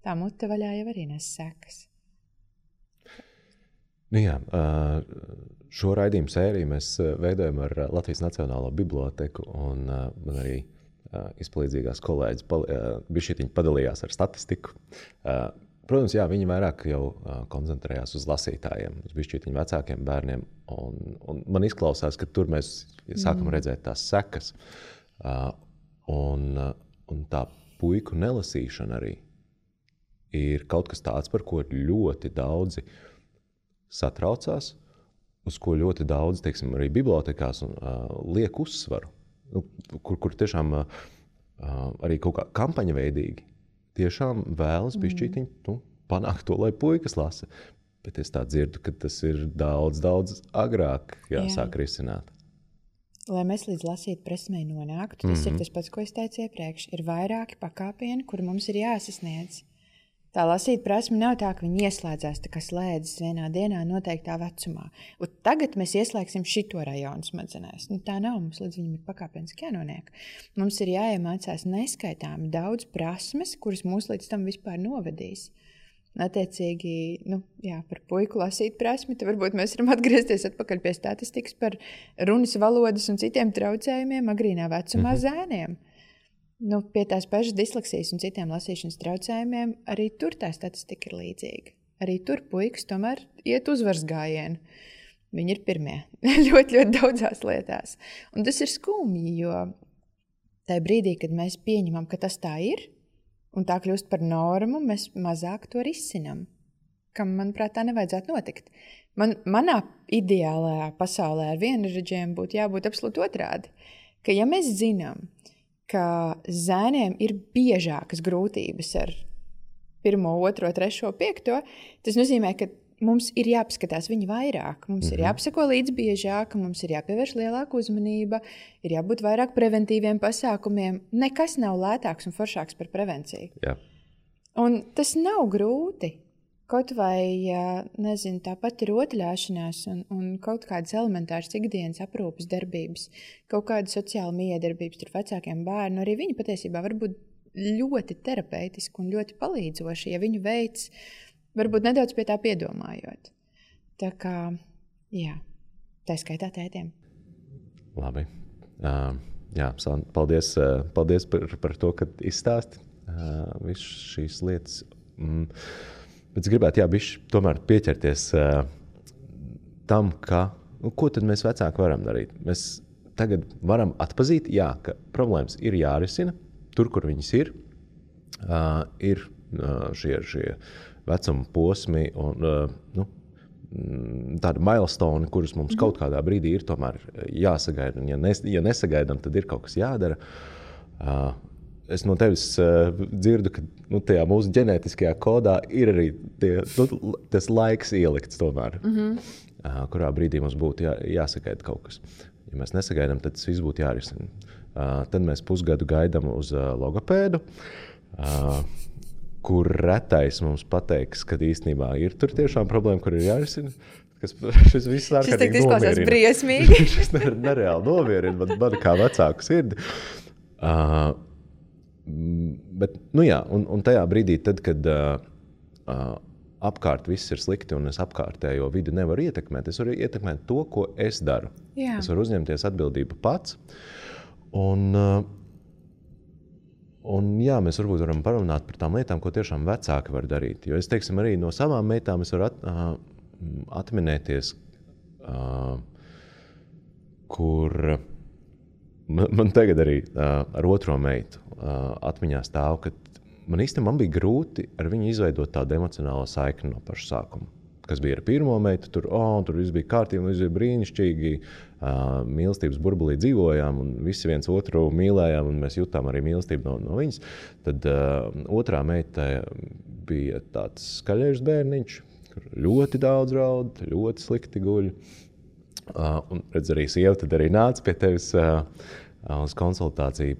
Tā mute vaļā jau arī nes sekas. Šo raidījumu sēriju mēs veidojam ar Latvijas Nacionālo biblioteku, un man arī izpalīdzīgās kolēģis bišķietiņi padalījās ar statistiku. Protams, viņi vairāk jau koncentrējās uz lasītājiem, uz bišķietiņu vecākiem bērniem, un man izklausās, ka tur mēs sākam redzēt tās sekas. Un tā puiku nelasīšana arī ir kaut kas tāds, par ko ļoti daudzi satraucās, uz ko ļoti daudz, teiksim, arī bibliotekās liek uzsvaru, kur tiešām arī kaut kā kampaņa veidīgi tiešām vēlas bišķītiņu panākt to, lai puikas lasa. Bet es tā dzirdu, ka tas ir daudz, daudz agrāk jāsāk risināt. Lai mēs līdz lasīt prasmei nonāktu, tas ir tas pats, ko es teicu iepriekš. Ir vairāki pakāpieni, kuri mums ir jāsasniedz. Tā lasīt prasme nav tā, ka viņi ieslēdzās tā kā slēdzas vienā dienā noteiktā vecumā. Un tagad mēs ieslēgsim šito rajonu smadzenēs. Tā nav, mums līdz viņam ir pakāpeniski jānoniek. Mums ir jāiemācās neskaitāmi daudz prasmes, kuras mūs līdz tam vispār novedīs. Attiecīgi, par puiku lasīt prasmi, tad varbūt mēs varam atgriezties atpakaļ pie statistikas par runas valodas un citiem traucējumiem agrīnā vecumā zēniem. Pie tās pašas disleksijas un citiem lasīšanas traucējumiem arī tur tā statistika ir līdzīga. Arī tur puikas tomēr iet uzvaras gājienu. Viņi ir pirmie ļoti, ļoti daudzās lietās. Un tas ir skumji, jo tajā brīdī, kad mēs pieņemam, ka tas tā ir, un tā kļūst par normu, mēs mazāk to risinam, kam, manuprāt, tā nevajadzētu notikt. Manā ideālajā pasaulē ar vienradžiem būtu jābūt absolūti otrādi, ka ja mēs zinām, ka zēniem ir biežākas grūtības ar 1, 2, 3, 5, tas nozīmē, ka mums ir jāpaskatās viņi vairāk, mums ir jāpasako līdz biežāk, mums ir jāpievērš lielāka uzmanība, ir jābūt vairāk preventīviem pasākumiem. Nekas nav lētāks un foršāks par prevenciju. Jā. Un tas nav grūti. Kaut vai, tāpat ir rotaļāšanās un kaut kādas elementāras ikdienas aprūpes darbības, kaut kāda sociāla miedarbības ar vecākiem bērnu, arī viņi patiesībā var būt ļoti terapeitiski un ļoti palīdzoši, ja viņu veids varbūt nedaudz pie tā piedomājot. Tā kā, tā skaitā tētiem. Labi. Paldies par to, ka izstāsti visu šīs lietas. Bet es gribētu, bišķi tomēr pieķerties tam, ko tad mēs vecāki varam darīt. Mēs tagad varam atpazīt, ka problēmas ir jārisina, tur, kur viņas ir šie vecuma posmi un tādi milestone, kurus mums kaut kādā brīdī ir tomēr jāsagaida. Un ja nesagaidām, tad ir kaut kas jādara. Es no tevis dzirdu, ka tajā mūsu ģenētiskajā kodā ir arī tas laiks ielikts tomēr, kurā brīdī mums būtu jāsagaida kaut kas. Ja mēs nesagaidām, tad tas viss būtu jārisina. Tad mēs pusgadu gaidām uz logopēdu, kur retais mums pateiks, ka īstenībā ir tur tiešām problēma, kur ir jārisina. Šis viss ārkārtīgi nomierina. Šis briesmīgi. Šis nereāli nomierina man kā vecāku sirdi. Bet, un tajā brīdī, tad, kad apkārt viss ir slikti un es apkārtējo vidi nevaru ietekmēt, es varu ietekmēt to, ko es daru. Jā. Es varu uzņemties atbildību pats. Un mēs varbūt varam parunāt par tām lietām, ko tiešām vecāki var darīt. Jo es, teiksim, arī no savām meitām es varu atminēties, kur man tagad arī ar otro meitu atmiņā stāv, ka man bija grūti ar viņu izveidot tādu emocionālo saikni no paša sākuma. kas bija ar pirmo meitu, tur viss bija kārtīgi, viss bija brīnišķīgi, mīlestības burbulī dzīvojām, un visi viens otru mīlējām, un mēs jutām arī mīlestību no viņas. Tad otrā meita bija tāds skaļējs bērniņš, kur ļoti daudz raud, ļoti slikti guļ. Un redz, arī sieva tad arī nāca pie tevis uz konsultāciju.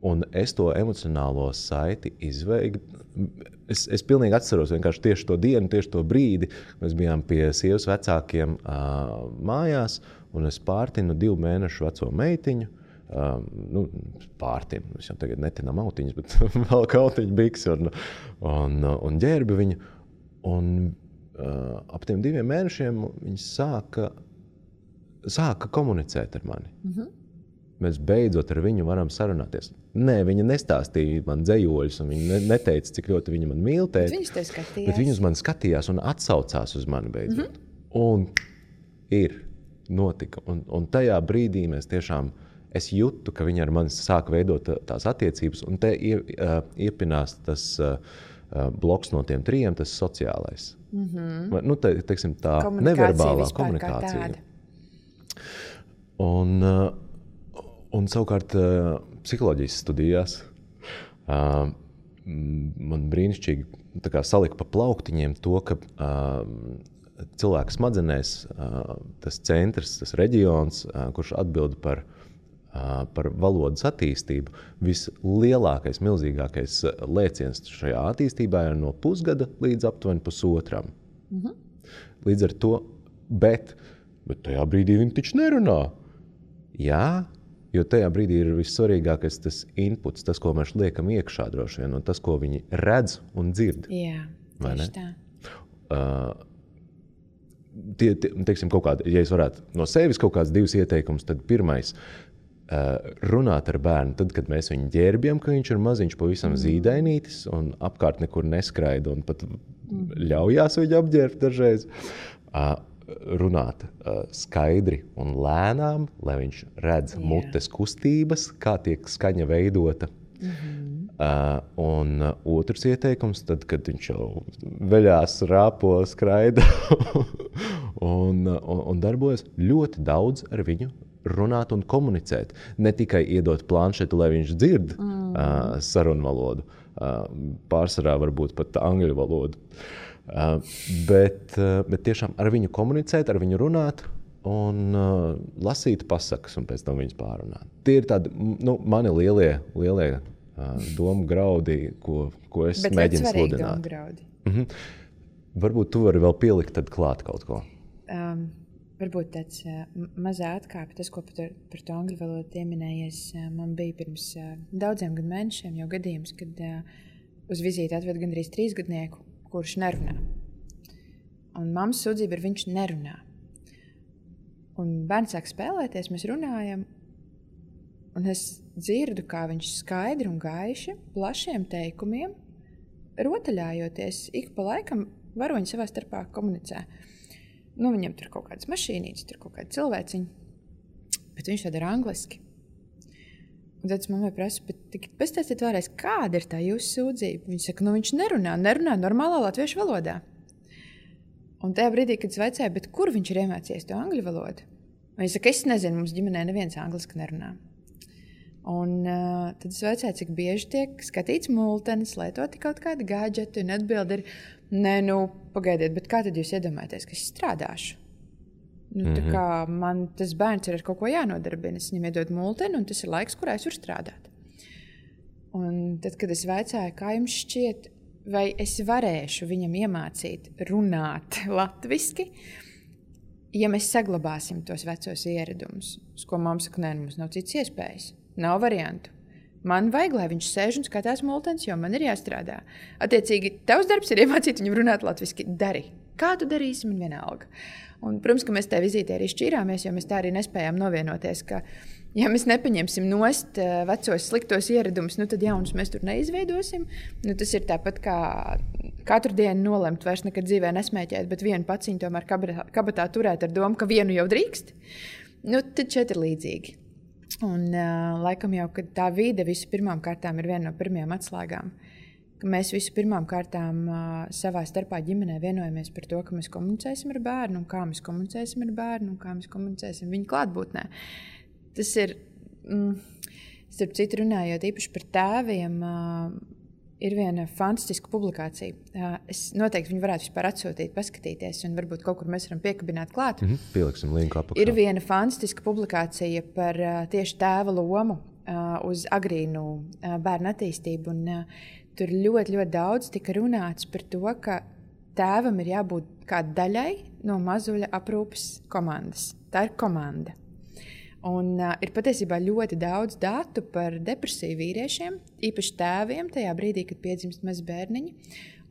Un es to emocionālo saiti izveidu. Es pilnīgi atceros vienkārši tieši to dienu, tieši to brīdi. Mēs bijām pie sievas vecākiem mājās, un es pārtinu 2 mēnešu veco meitiņu. Pārtinu, es jau tagad netinām autiņas, bet vēl kautiņu biks un ģērbi viņu. Un ap tiem 2 mēnešiem viņi sāka komunicēt ar mani. Mēs beidzot ar viņu varam sarunāties. Nē, viņa nestāstīja man dzejoļus, un viņa neteica, cik ļoti viņa man mīl tēt. Bet viņa uz mani skatījās un atsaucās uz mani beidzot. Un notika. Un tajā brīdī mēs tiešām, es jutu, ka viņa ar mani sāka veidot tās attiecības, un te iepinās tas bloks no tiem 3, tas sociālais. Teiksim, tā neverbālā komunikācija. Un savukārt psiholoģijas studijās man brīnišķīgi salika pa plauktiņiem to, ka cilvēka smadzenēs tas centrs, tas reģions, kurš atbild par valodas attīstību, vislielākais, milzīgākais lēciens šajā attīstībā ir no pusgada līdz aptuveni 1,5. Līdz ar to, bet tajā brīdī viņi taču nerunā. Jā, jo tajā brīdī ir vissvarīgākais tas inputs, tas, ko mēs liekam iekšā droši vien, un tas, ko viņi redz un dzird. Jā, tieši tā. Teiksim, kaut kādi, ja es varētu no sevis kaut kāds 2 ieteikumus, tad pirmais runāt ar bērnu, tad, kad mēs viņu ģērbjam, ka viņš ir maziņš, pavisam zīdainītis un apkārt nekur neskraida un pat ļaujās viņu apģērbt dažreiz. Runāt skaidri un lēnām, lai viņš redz mutes kustības, kā tiek skaņa veidota. Un otrs ieteikums, tad, kad viņš jau veļās, rāpo, skraida un darbojas, ļoti daudz ar viņu runāt un komunicēt. Ne tikai iedot planšetu, lai viņš dzird sarunvalodu, pārsvarā varbūt pat angļu valodu. Bet tiešām ar viņu komunicēt, ar viņu runāt un lasīt pasakas un pēc tam viņas pārunāt. Tie ir tādi mani lielie domu graudi, ko es mēģinu sludināt. Domu graudi. Varbūt tu vari vēl pielikt tad klāt kaut ko. Varbūt tāds mazā atkāpe, tas, ko par to angļu valodu pieminējies, man bija pirms daudziem mēnešiem jau gadījums, kad uz vizīti atved gandrīz 3-gadnieku, kurš nerunā. Un mammas sūdzība ir, viņš nerunā. Un bērns sāk spēlēties, mēs runājam, un es dzirdu, kā viņš skaidri un gaiši, plašiem teikumiem, rotaļājoties, ik pa laikam varoņi savā starpā komunicē. Viņam tur kaut kādas mašīnītes, tur kaut kāda cilvēciņa, bet viņš to dara angliski. Un tad es mammai prasu, bet pastāstiet vēlreiz, kāda ir tā jūsu sūdzība? Viņa saka, viņš nerunā normālā latviešu valodā. Un tajā brīdī, kad es vaicāju, bet kur viņš ir iemācījies to angļu valodu? Viņa saka, es nezinu, mums ģimenē neviens angliski nerunā. Un tad es vaicāju, cik bieži tiek skatīts multenis, lietoti kaut kādi gadžeti, un atbildi ir, pagaidiet, bet kā tad jūs iedomājaties, ka es strādāšu? Tā kā man tas bērns ir ar kaut ko jānodarbina, es viņam iedod multeni, un tas ir laiks, kurā es varu strādāt. Un tad, kad es vaicāju, kā jums šķiet, vai es varēšu viņam iemācīt runāt latviski, ja mēs saglabāsim tos vecos ieradumus, uz ko mamma saka, mums nav cits iespējas, nav variantu. Man vajag, lai viņš sēž un skatās multenis, jo man ir jāstrādā. Attiecīgi, tavs darbs ir iemācīt viņam runāt latviski. Dari. Kā tu darīsi, man vienalga. Un, protams, ka mēs tajā vizītē arī šķīrāmies, jo mēs tā arī nespējām novienoties, ka, ja mēs nepaņemsim nost vecos sliktos ieradumus, tad jaunus mēs tur neizveidosim. Tas ir tāpat kā katru dienu nolemt vairs nekad dzīvē nesmēķēt, bet vienu paciņu tomēr kabatā turēt ar domu, ka vienu jau drīkst. Tad šeit ir līdzīgi. Un laikam jau, kad tā vide visu pirmām kārtām ir viena no pirmajām atslēgām, ka mēs visu pirmām kārtām savā starpā ģimenē vienojamies par to, ka mēs komunicēsim ar bērnu, un kā mēs komunicēsim ar bērnu, un kā mēs komunicēsim viņa klātbūtnē. Tas ir, starp citu runājot īpaši par tēviem, ir viena fantastiska publikācija. Es noteikti viņu varētu vispār atsūtīt, paskatīties, un varbūt kaut kur mēs varam piekabināt klāt. Pieliksim linku apakšā. Ir viena fantastiska publikācija par tieši tēva lomu uz agrīnu bērnu attīstību. Un, tur ļoti, ļoti daudz tika runāts par to, ka tēvam ir jābūt kā daļai no mazuļa aprūpes komandas. Tā ir komanda. Un, ir patiesībā ļoti daudz datu par depresiju vīriešiem, īpaši tēviem tajā brīdī, kad piedzimst mazi bērniņi.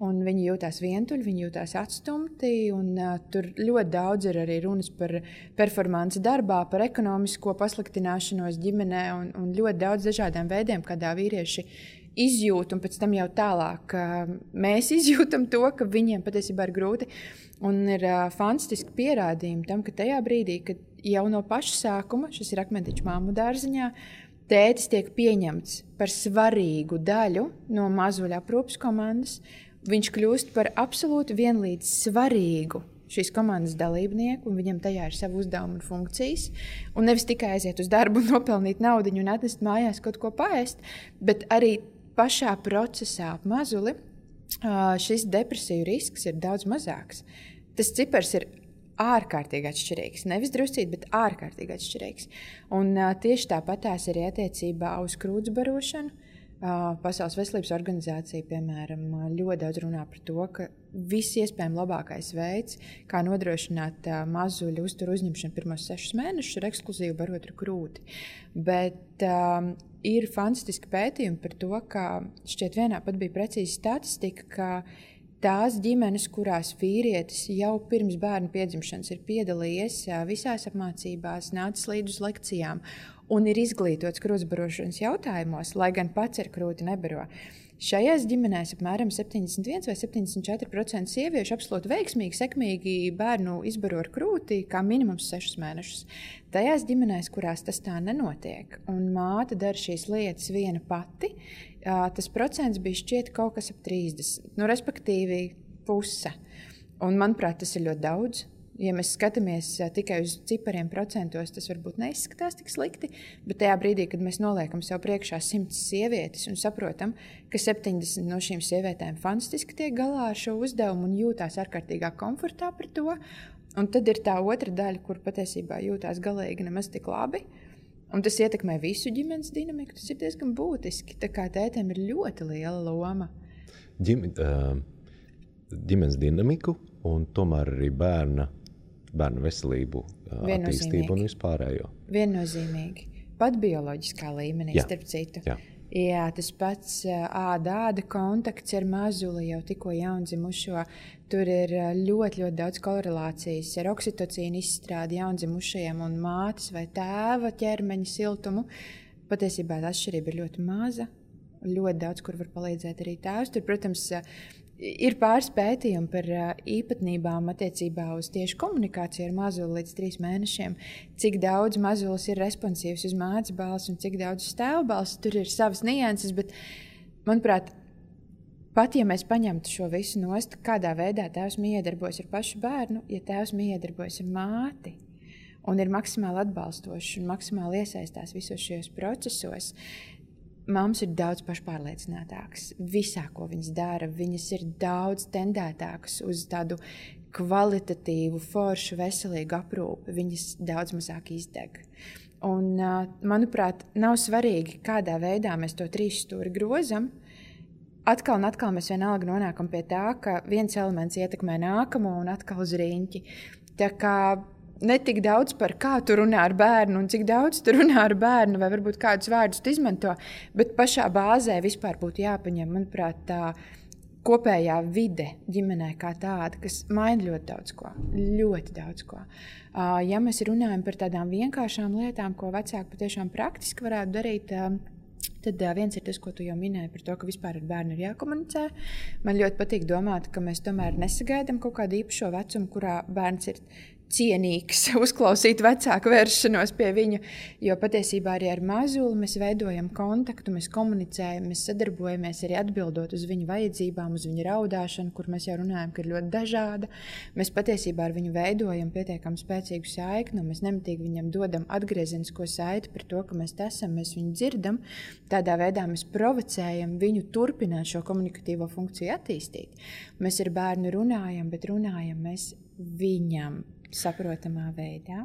Un viņi jūtās vientuļi, viņi jūtās atstumti. Un, tur ļoti daudz ir arī runas par performanci darbā, par ekonomisko pasliktināšanos ģimenē un ļoti daudz dažādiem veidiem, kādā vīrieši izjūt, un pēc tam jau tālāk mēs izjūtam to, ka viņiem patiesībā ir grūti. Un ir fantastiski pierādījumi tam, ka tajā brīdī, kad jau no paša sākuma, šis ir Akmentiņš māmu dārziņā, tētis tiek pieņemts par svarīgu daļu no mazuļa aprūpes komandas, viņš kļūst par absolūti vienlīdz svarīgu šīs komandas dalībnieku, un viņam tajā ir savu uzdevumu un funkcijas. Un nevis tikai aiziet uz darbu un nopelnīt naudiņu un atnest mājās kaut ko paēst, bet arī pašā procesā ap mazuli šis depresiju risks ir daudz mazāks. Tas cipars ir ārkārtīgi atšķirīgs. Nevis druscīt, bet ārkārtīgi atšķirīgs. Un tieši tāpatās arī attiecībā uz krūtsbarošanu. Pasaules veselības organizācija, piemēram, ļoti daudz runā par to, ka viss iespējami labākais veids, kā nodrošināt mazuļu uzturu uzņemšanu pirmos 6 mēnešus, ir ekskluzīvi barot ar krūti. Bet ir fantastiski pētījumi par to, ka šķiet vienā pat bija precīzi statistika, ka tās ģimenes, kurās vīrietis jau pirms bērna piedzimšanas ir piedalījies visās apmācībās, nācis līdz uz lekcijām un ir izglītots krūtsbarošanas jautājumos, lai gan pats ar krūti nebaro. Šajās ģimenēs apmēram 71 vai 74% sieviešu absolūti veiksmīgi, sekmīgi bērnu izbaro ar krūti kā minimums 6 mēnešus. Tajās ģimenēs, kurās tas tā nenotiek, un māte dara šīs lietas viena pati, tas procents bija šķiet kaut kas ap 30, respektīvi puse. Un, manuprāt, tas ir ļoti daudz. Ja mēs skatāmies tikai uz cipariem procentos, tas varbūt neizskatās tik slikti, bet tajā brīdī, kad mēs noliekam sev priekšā 100 sievietes un saprotam, ka 70 no šīm sievietēm fantastiski tiek galā ar šo uzdevumu un jūtās ārkārtīgā komfortā par to, un tad ir tā otra daļa, kur patiesībā jūtās galīgi nemaz tik labi, un tas ietekmē visu ģimenes dinamiku, tas ir diezgan būtiski, tā kā tētiem ir ļoti liela loma. Ģimenes dinamiku un tomēr arī bērnu veselību, attīstību un vispārējo. Viennozīmīgi. Pat bioloģiskā līmenī, starp citu. Jā, tas pats āda kontakts ar mazuli jau tikko jaundzimušo. Tur ir ļoti, ļoti daudz korelācijas ar oksitocīnu izstrādi jaundzimušajiem un mātes vai tēva ķermeņa siltumu. Patiesībā tā atšķirība ir ļoti maza. Ļoti daudz, kur var palīdzēt arī tēvs. Tur, protams, ir pāris pētījumi par īpatnībām attiecībā uz tieši komunikāciju ar mazuli līdz 3 mēnešiem. Cik daudz mazulis ir responsīvs uz mātes balsi un cik daudz uz tēva balsi. Tur ir savas nianses, bet, manuprāt, pat ja mēs paņemtu šo visu nost, kādā veidā tēvs miedarbojas ar pašu bērnu, ja tēvs miedarbojas ar māti un ir maksimāli atbalstošs un maksimāli iesaistās visos šajos procesos, mammas ir daudz pašpārliecinātākas visā, ko viņas dara. Viņas ir daudz tendētākas uz tādu kvalitatīvu, foršu, veselīgu aprūpi. Viņas daudz mazāk izdeg. Un, manuprāt, nav svarīgi, kādā veidā mēs to 3 stūri grozam. Atkal un atkal mēs vienalga nonākam pie tā, ka viens elements ietekmē nākamo un atkal uz riņķi. Tā kā ne tik daudz par kā tu runā ar bērnu un cik daudz tu runā ar bērnu vai varbūt kādus vārdus tu izmanto, bet pašā bāzē vispār būtu jāpaņem, manuprāt, tā kopējā vide ģimenē kā tāda, kas maina ļoti daudz ko. Ļoti daudz ko. Ja mēs runājam par tādām vienkāršām lietām, ko vecāki patiešām praktiski varētu darīt, tad viens ir tas, ko tu jau minēji par to, ka vispār ar bērnu ir jākomunicē. Man ļoti patīk domāt, ka mēs tomēr nesagaidām kaut kādu īpašo vecumu, kurā bērns ir cienīgs uzklausīt vecāku vēršanos pie viņa, jo patiesībā arī ar mazuli mēs veidojam kontaktu, mēs komunicējam, mēs sadarbojamies arī atbildot uz viņu vajadzībām, uz viņa raudāšanu, kur mēs jau runājam, ka ir ļoti dažāda. Mēs patiesībā ar viņu veidojam pietiekami spēcīgu saikni, un mēs nemitīgi viņam dodam atgriezenisko saiti par to, ka mēs esam, mēs viņu dzirdam. Tādā veidā mēs provocējam viņu turpināt šo komunikatīvo funkciju attīstīt. Mēs ar bērnu runājam, bet runājam mēs viņam saprotamā veidā.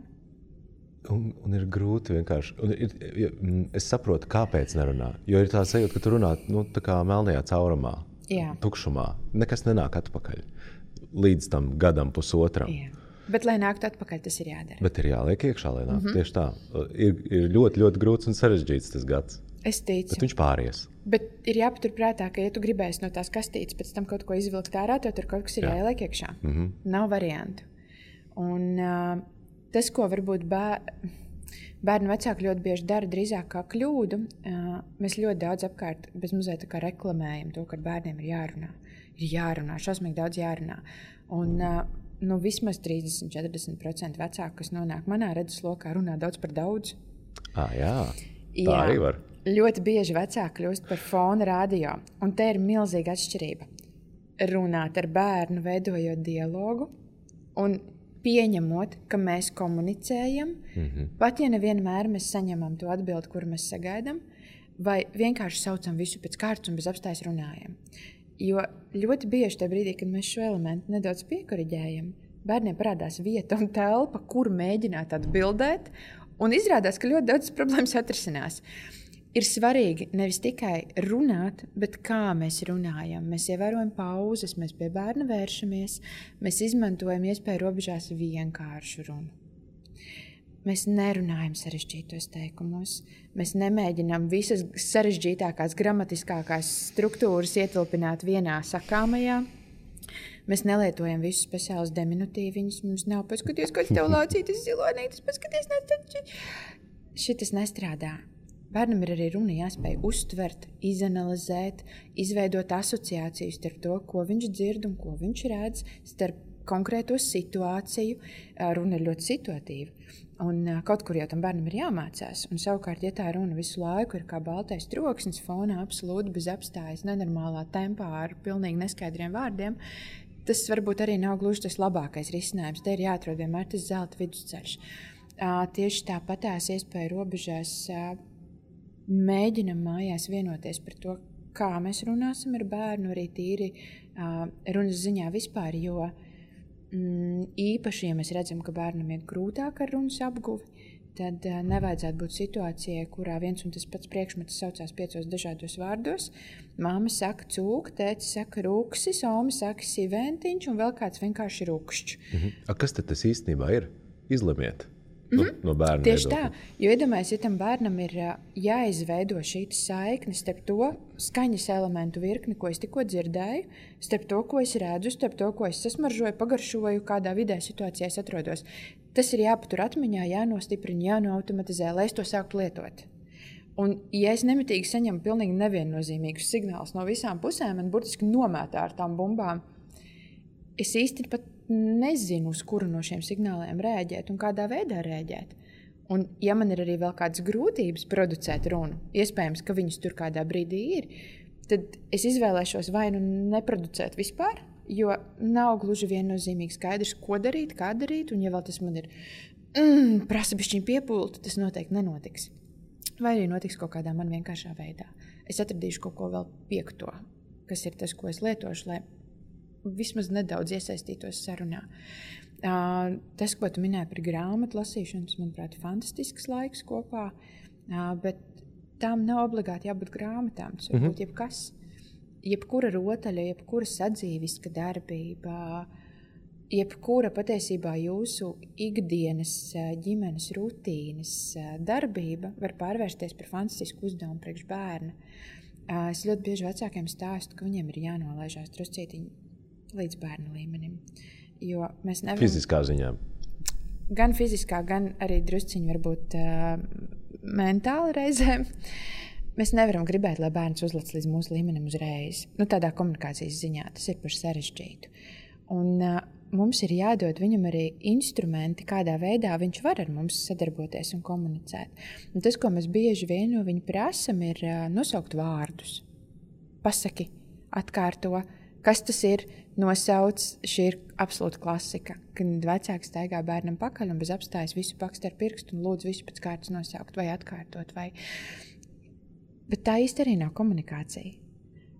Un ir grūti vienkārši. Es saprotu, kāpēc nerunā. Jo ir tā sajūta, ka tu runā tā kā melnajā caurumā, tukšumā. Nekas nenāk atpakaļ līdz tam gadam, pusotram. Jā. Bet, lai nāktu atpakaļ, tas ir jādara. Bet ir jāliek iekšā, lai nāktu. Tieši tā. Ir ļoti, ļoti grūts un sarežģīts tas gads. Es ticu. Bet viņš pāries. Bet ir jāpaturprātā, ka, ja tu gribēsi no tās kastītes pēc tam kaut ko izvilkt ārā, tad tur kaut kas ir jāieliek iekšā. Nav variantu. Un tas, ko varbūt bērnu vecāki ļoti bieži dara drīzāk kā kļūdu, mēs ļoti daudz apkārt bezmazliet tā kā reklamējam to, ka ar bērniem ir jārunā. Ir jārunā, šausmīgi daudz jārunā. Un vismaz 30–40% vecāku, kas nonāk manā redzeslokā, runā daudz par daudz. Jā, tā arī var. Ļoti bieži vecāki kļūst par fona radio, un te ir milzīga atšķirība. Runāt ar bērnu, veidojot dialogu un pieņemot, ka mēs komunicējam, pat ja nevienmēr mēs saņemam to atbildi, kuru mēs sagaidām, vai vienkārši saucam visu pēc kārtas un bez apstājas runājam. Jo ļoti bieži tajā brīdī, kad mēs šo elementu nedaudz piekoriģējam, bērniem parādās vieta un telpa, kur mēģināt atbildēt, un izrādās, ka ļoti daudz problēmas atrisinās. Ir svarīgi nevis tikai runāt, bet kā mēs runājam. Mēs ievērojam pauzes, mēs pie bērna vēršamies, mēs izmantojam iespēju robežās vienkāršu runu. Mēs nerunājam sarežģītos teikumos, mēs nemēģinām visas sarežģītākās gramatiskākās struktūras ietilpināt vienā sakāmajā. Mēs nelietojam visus speciālus deminutīviņus, mums nav paskaties, kāds tev lācītis zilonītis, paskaties, šitas nestrādā. Bērnam ir arī runa jāspēj uztvert, izanalizēt, izveidot asociācijas starp to, ko viņš dzird un ko viņš redz, starp konkrēto situāciju. Runa ir ļoti situatīva. Un kaut kur jau tam bērnam ir jāmācās. Un savukārt, ja tā runa visu laiku ir kā baltais troksnis fonā, absolūti bez apstājas, nenormālā tempā ar pilnīgi neskaidriem vārdiem, tas varbūt arī nav gluži tas labākais risinājums. Te ir jāatrod vienmēr tas zelta vidusceļš. Tieši tāpatās iespēja robežās mēģinam mājās vienoties par to, kā mēs runāsim ar bērnu, arī tīri runas ziņā vispār, jo īpaši, ja mēs redzam, ka bērnam iet grūtāk ar runas apguvi, tad nevajadzētu būt situācijai, kurā viens un tas pats priekšmets saucās 5 dažādos vārdos. Māma saka cūka, tētis saka ruksis, Oma saka siventiņš un vēl kāds vienkārši rukšķs. Kas tad tas īstenībā ir? Izlemiet. No bērna tieši tā, jo iedomājies, ja tam bērnam ir jāizveido šī saikne starp to skaņas elementu virkni, ko es tikko dzirdēju, starp to, ko es redzu, starp to, ko es sasmaržoju, pagaršoju, kādā vidē situācijā es atrodos. Tas ir jāpatur atmiņā, jānostiprina, jānoautomatizē, lai es to sāktu lietot. Un, ja es nemitīgi saņemu pilnīgi neviennozīmīgus signālus no visām pusēm, man burtiski nomētā ar tām bumbām, es īsti pat nezinu, uz kuru no šiem signāliem rēģēt un kādā veidā rēģēt. Un, ja man ir arī vēl kādas grūtības producēt runu, iespējams, ka viņas tur kādā brīdī ir, tad es izvēlēšos vai nu neproducēt vispār, jo nav gluži viennozīmīgi skaidrs, ko darīt, kā darīt, un ja vēl tas man ir prasa bišķiņ piepūli, tas noteikti nenotiks. Vai arī notiks kaut kādā man vienkāršā veidā. Es atradīšu kaut ko vēl piekto, kas ir tas, ko es lietošu, lai vismaz nedaudz iesaistītos sarunā. Tas, ko tu minēji par grāmatu lasīšanu, tas, manuprāt, ir fantastisks laiks kopā, bet tām nav obligāti jābūt grāmatām. Tas var būt jebkas. Jebkura rotaļa, jebkura sadzīviska darbība, jebkura patiesībā jūsu ikdienas ģimenes rutīnas darbība var pārvērsties par fantastisku uzdevumu priekš bērna. Es ļoti bieži vecākiem stāstu, ka viņiem ir jānolaižās druscītiņi līdz bērna līmenim. Jo mēs nevaram... Fiziskā ziņā. Gan fiziskā, gan arī drusciņi varbūt mentāli reizēm. Mēs nevaram gribēt, lai bērns uzlec līdz mūsu līmenim uzreiz. Tādā komunikācijas ziņā tas ir par sarežģītu. Un mums ir jādod viņam arī instrumenti, kādā veidā viņš var ar mums sadarboties un komunicēt. Un tas, ko mēs bieži vien no viņa prasam, ir nosaukt vārdus. Pasaki, atkārto, kas tas ir, nosauc. Šī ir absolūta klasika, kad vecāks staigā bērnam pakaļ un bez apstājas visu pakst ar pirkstu un lūdz visu pēc kārtas nosaukt vai atkārtot. Bet tā īsti arī nav komunikācija.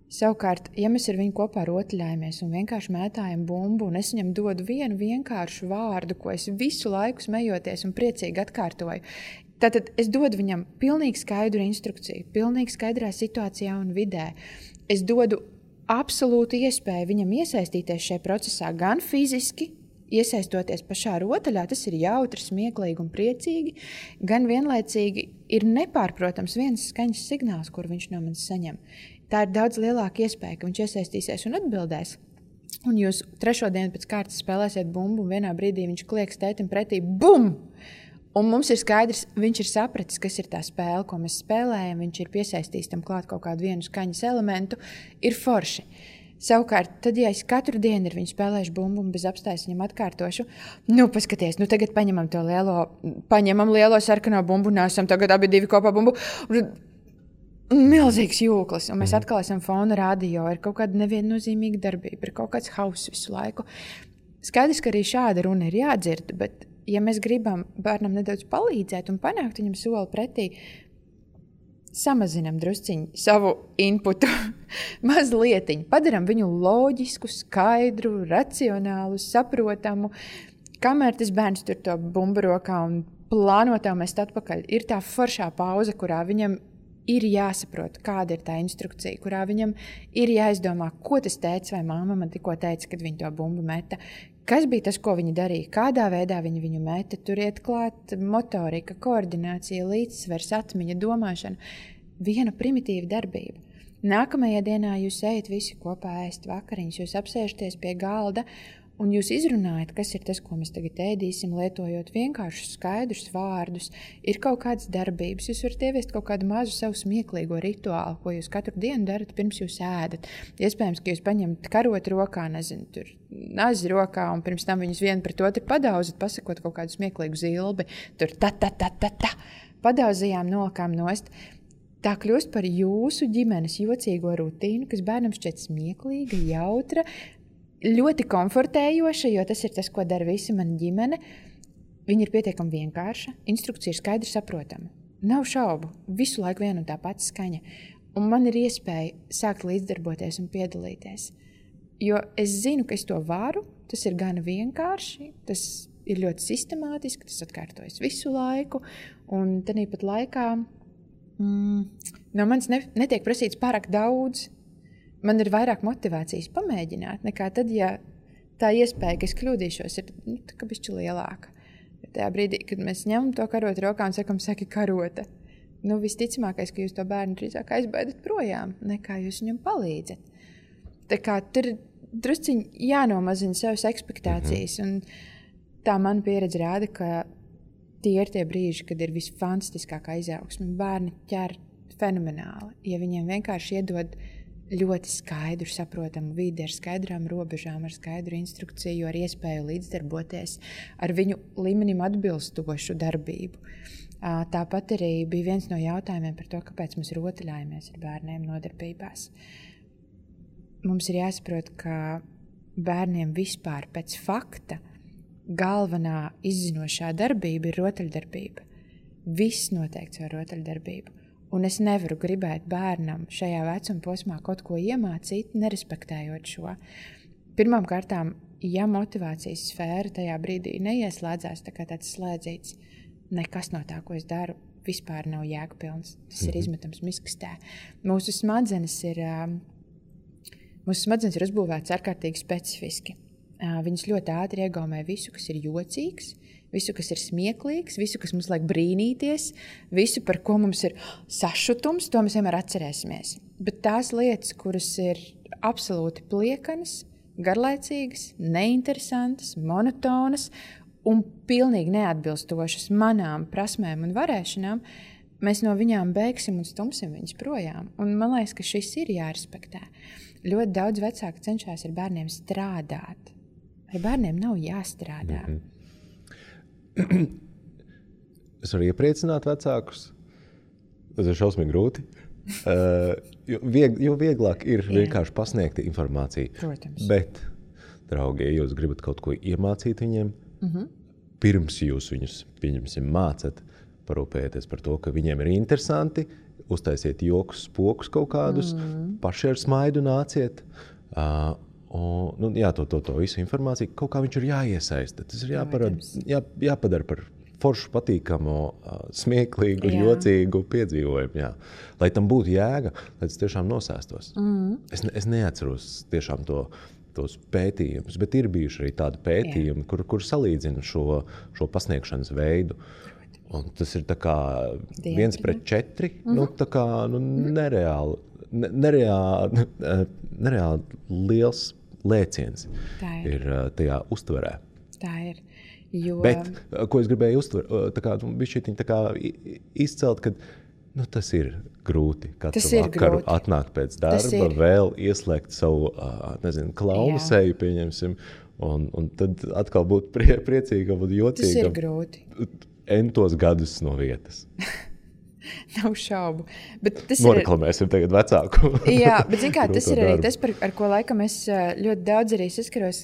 Savukārt, ja mēs ar viņu kopā rotaļājamies un vienkārši mētājam bumbu, un es viņam dodu vienu vienkāršu vārdu, ko es visu laiku smejoties un priecīgi atkārtoju, tātad es dodu viņam pilnīgi skaidru instrukciju, pilnīgi skaidrā situācijā un vidē. Es dodu absolūtu iespēju viņam iesaistīties šajā procesā gan fiziski, iesaistoties pašā rotaļā, tas ir jautri, smieklīgi un priecīgi, gan vienlaicīgi ir nepārprotams viens skaņas signāls, kur viņš no manis saņem. Tā ir daudz lielāka iespēja, ka viņš iesaistīsies un atbildēs. Un jūs 3. dienu pēc kārtas spēlēsiet bumbu, un vienā brīdī viņš klieks tētim pretī, bum! Un mums ir skaidrs, viņš ir sapratis, kas ir tā spēle, ko mēs spēlējam, viņš ir piesaistījis tam klāt kaut kādu vienu skaņas elementu, ir forši. Savukārt, tad, ja es katru dienu ar viņu spēlēšu bumbu un bez apstājas viņam atkārtošu, paskaties, tagad paņemam lielo sarkano bumbu, nesam tagad abi divi kopā bumbu, milzīgs jūklis, un mēs atkal esam fona radio, ir kaut kāda neviennozīmīga darbība, ir kaut kāds hauss visu laiku. Skaidrs, ka arī šāda runa ir jādzird, bet ja mēs gribam bērnam nedaudz palīdzēt un panākt viņam soli pretī, samazinam drusciņu savu inputu mazlietiņu, padaram viņu loģisku, skaidru, racionālu, saprotamu, kamēr tas bērns tur to bumbu rokā un plānotā mest atpakaļ. Ir tā foršā pauze, kurā viņam ir jāsaprot, kāda ir tā instrukcija, kurā viņam ir jāizdomā, ko tas tētis vai māma man tikko teica, kad viņi to bumbu meta. Kas bija tas, ko viņi darīja, kādā veidā viņi viņu meta, tur iet klāt motorika, koordinācija, līdzsvers, atmiņa, domāšana. Viena primitīva darbība. Nākamajā dienā jūs ejat visi kopā ēst vakariņas, jūs apsēžaties pie galda un jūs izrunājat, kas ir tas, ko mēs tagad ēdīsim, lietojot vienkāršus skaidrus vārdus. Ir kaut kādas darbības, jūs varat ieviest kaut kādu mazu savu smieklīgo rituālu, ko jūs katru dienu darat, pirms jūs ēdat. Iespējams, ka jūs paņemat karoti rokā, tur nazi rokā, un pirms tam viņus vienu pret otru padauzat, pasakot kaut kādu smieklīgu zilbi, tur ta, padauzījām, nolikām nost. Tā kļūst par jūsu ģimenes jocīgo rutīnu, kas bērnam šķiet smieklīga, jautra, ļoti komfortējoša, jo tas ir tas, ko dara visa mana ģimene. Viņa ir pietiekami vienkārša, instrukcija ir skaidri saprotama. Nav šaubu, visu laiku viena un tā pati skaņa. Un man ir iespēja sākt līdzdarboties un piedalīties. Jo es zinu, ka es to varu, tas ir gana vienkārši, tas ir ļoti sistemātiski, tas atkārtojas visu laiku. Un tāpat laikā no manis netiek prasīts pārāk daudz. Man ir vairāk motivācijas pamēģināt, nekā tad, ja tā iespēja, ka es kļūdīšos, ir tā bišķi lielāka. Bet tajā brīdī, kad mēs ņemam to karotu rokā un sakam, saki karota, visticamākais, ka jūs to bērnu drīzāk aizbēdat projām, nekā jūs viņam palīdzat. Tā kā tur drusciņi jānomazina savas ekspektācijas, un tā man pieredze rāda, ka tie ir tie brīži, kad ir visfantastiskākā izaugsme. Bērni ķer fenomenāli, ja viņiem vienkārši iedod ļoti skaidru, saprotamu vidi ar skaidrām robežām, ar skaidru instrukciju, ar iespēju līdzdarboties, ar viņu līmenim atbilstošu darbību. Tāpat arī bija viens no jautājumiem par to, kāpēc mēs rotaļājamies ar bērniem nodarbībās. Mums ir jāsaprot, ka bērniem vispār pēc fakta galvenā izzinošā darbība ir rotaļdarbība. Viss noteikts ar rotaļdarbību. Un es nevaru gribēt bērnam šajā vecuma posmā kaut ko iemācīt, nerespektējot šo. Pirmām kārtām, ja motivācijas sfēra tajā brīdī neieslēdzās tā kā tāds slēdzīts, nekas no tā, ko es daru, vispār nav jēgpilns. Tas ir izmetams miskastē. Mūsu smadzenes ir uzbūvētas ārkārtīgi specifiski. Viņas ļoti ātri iegaumē visu, kas ir jocīgs, visu, kas ir smieklīgs, visu, kas mums liek brīnīties, visu, par ko mums ir sašutums, to mēs vienmēr atcerēsimies. Bet tās lietas, kuras ir absolūti pliekanas, garlaicīgas, neinteresantas, monotonas un pilnīgi neatbilstošas manām prasmēm un varēšanām, mēs no viņām beigsim un stumsim viņas projām. Un man liekas, ka šis ir jārespektē. Ļoti daudz vecāki cenšas ar bērniem strādāt. Ar bērniem nav jāstrādā. Es varu iepriecināt vecākus. Tas ir šausmīgi grūti. Jo vieglāk ir vienkārši pasniegt informāciju. Protams. Bet, draugi, ja jūs gribat kaut ko iemācīt viņiem, pirms jūs viņus, pieņemsim, mācat, parūpējieties par to, ka viņiem ir interesanti, uztaisiet jokus, spokus kaut kādus, paši ar smaidu nāciet. To visu informāciju, kaut kā viņš ir jāiesaista. Tas ir jāpadara par foršu, patīkamu, smieklīgu, jocīgu piedzīvojumu. Jā. Lai tam būtu jēga, lai tas tiešām nosēstos. Es neatceros tiešām tos pētījumus, bet ir bijuši arī tādi pētījumi, kur salīdzina šo pasniegšanas veidu. Un tas ir tā kā 1:4, nereāli liels lēciens ir tajā uztverē. Tā ir. Jo... Bet, ko es gribēju izcelt, ka tas ir grūti. Katru vakaru atnākt pēc darba, vēl ieslēgt savu klaunu seju, pieņemsim, un tad atkal būt priecīgam un jocīgam. Tas ir grūti. Entos gadus no vietas. Nav šaubu. Noreklamēsim tagad vecāku. Jā, bet tas ir arī tas, ar ko laikam es ļoti daudz arī saskaros.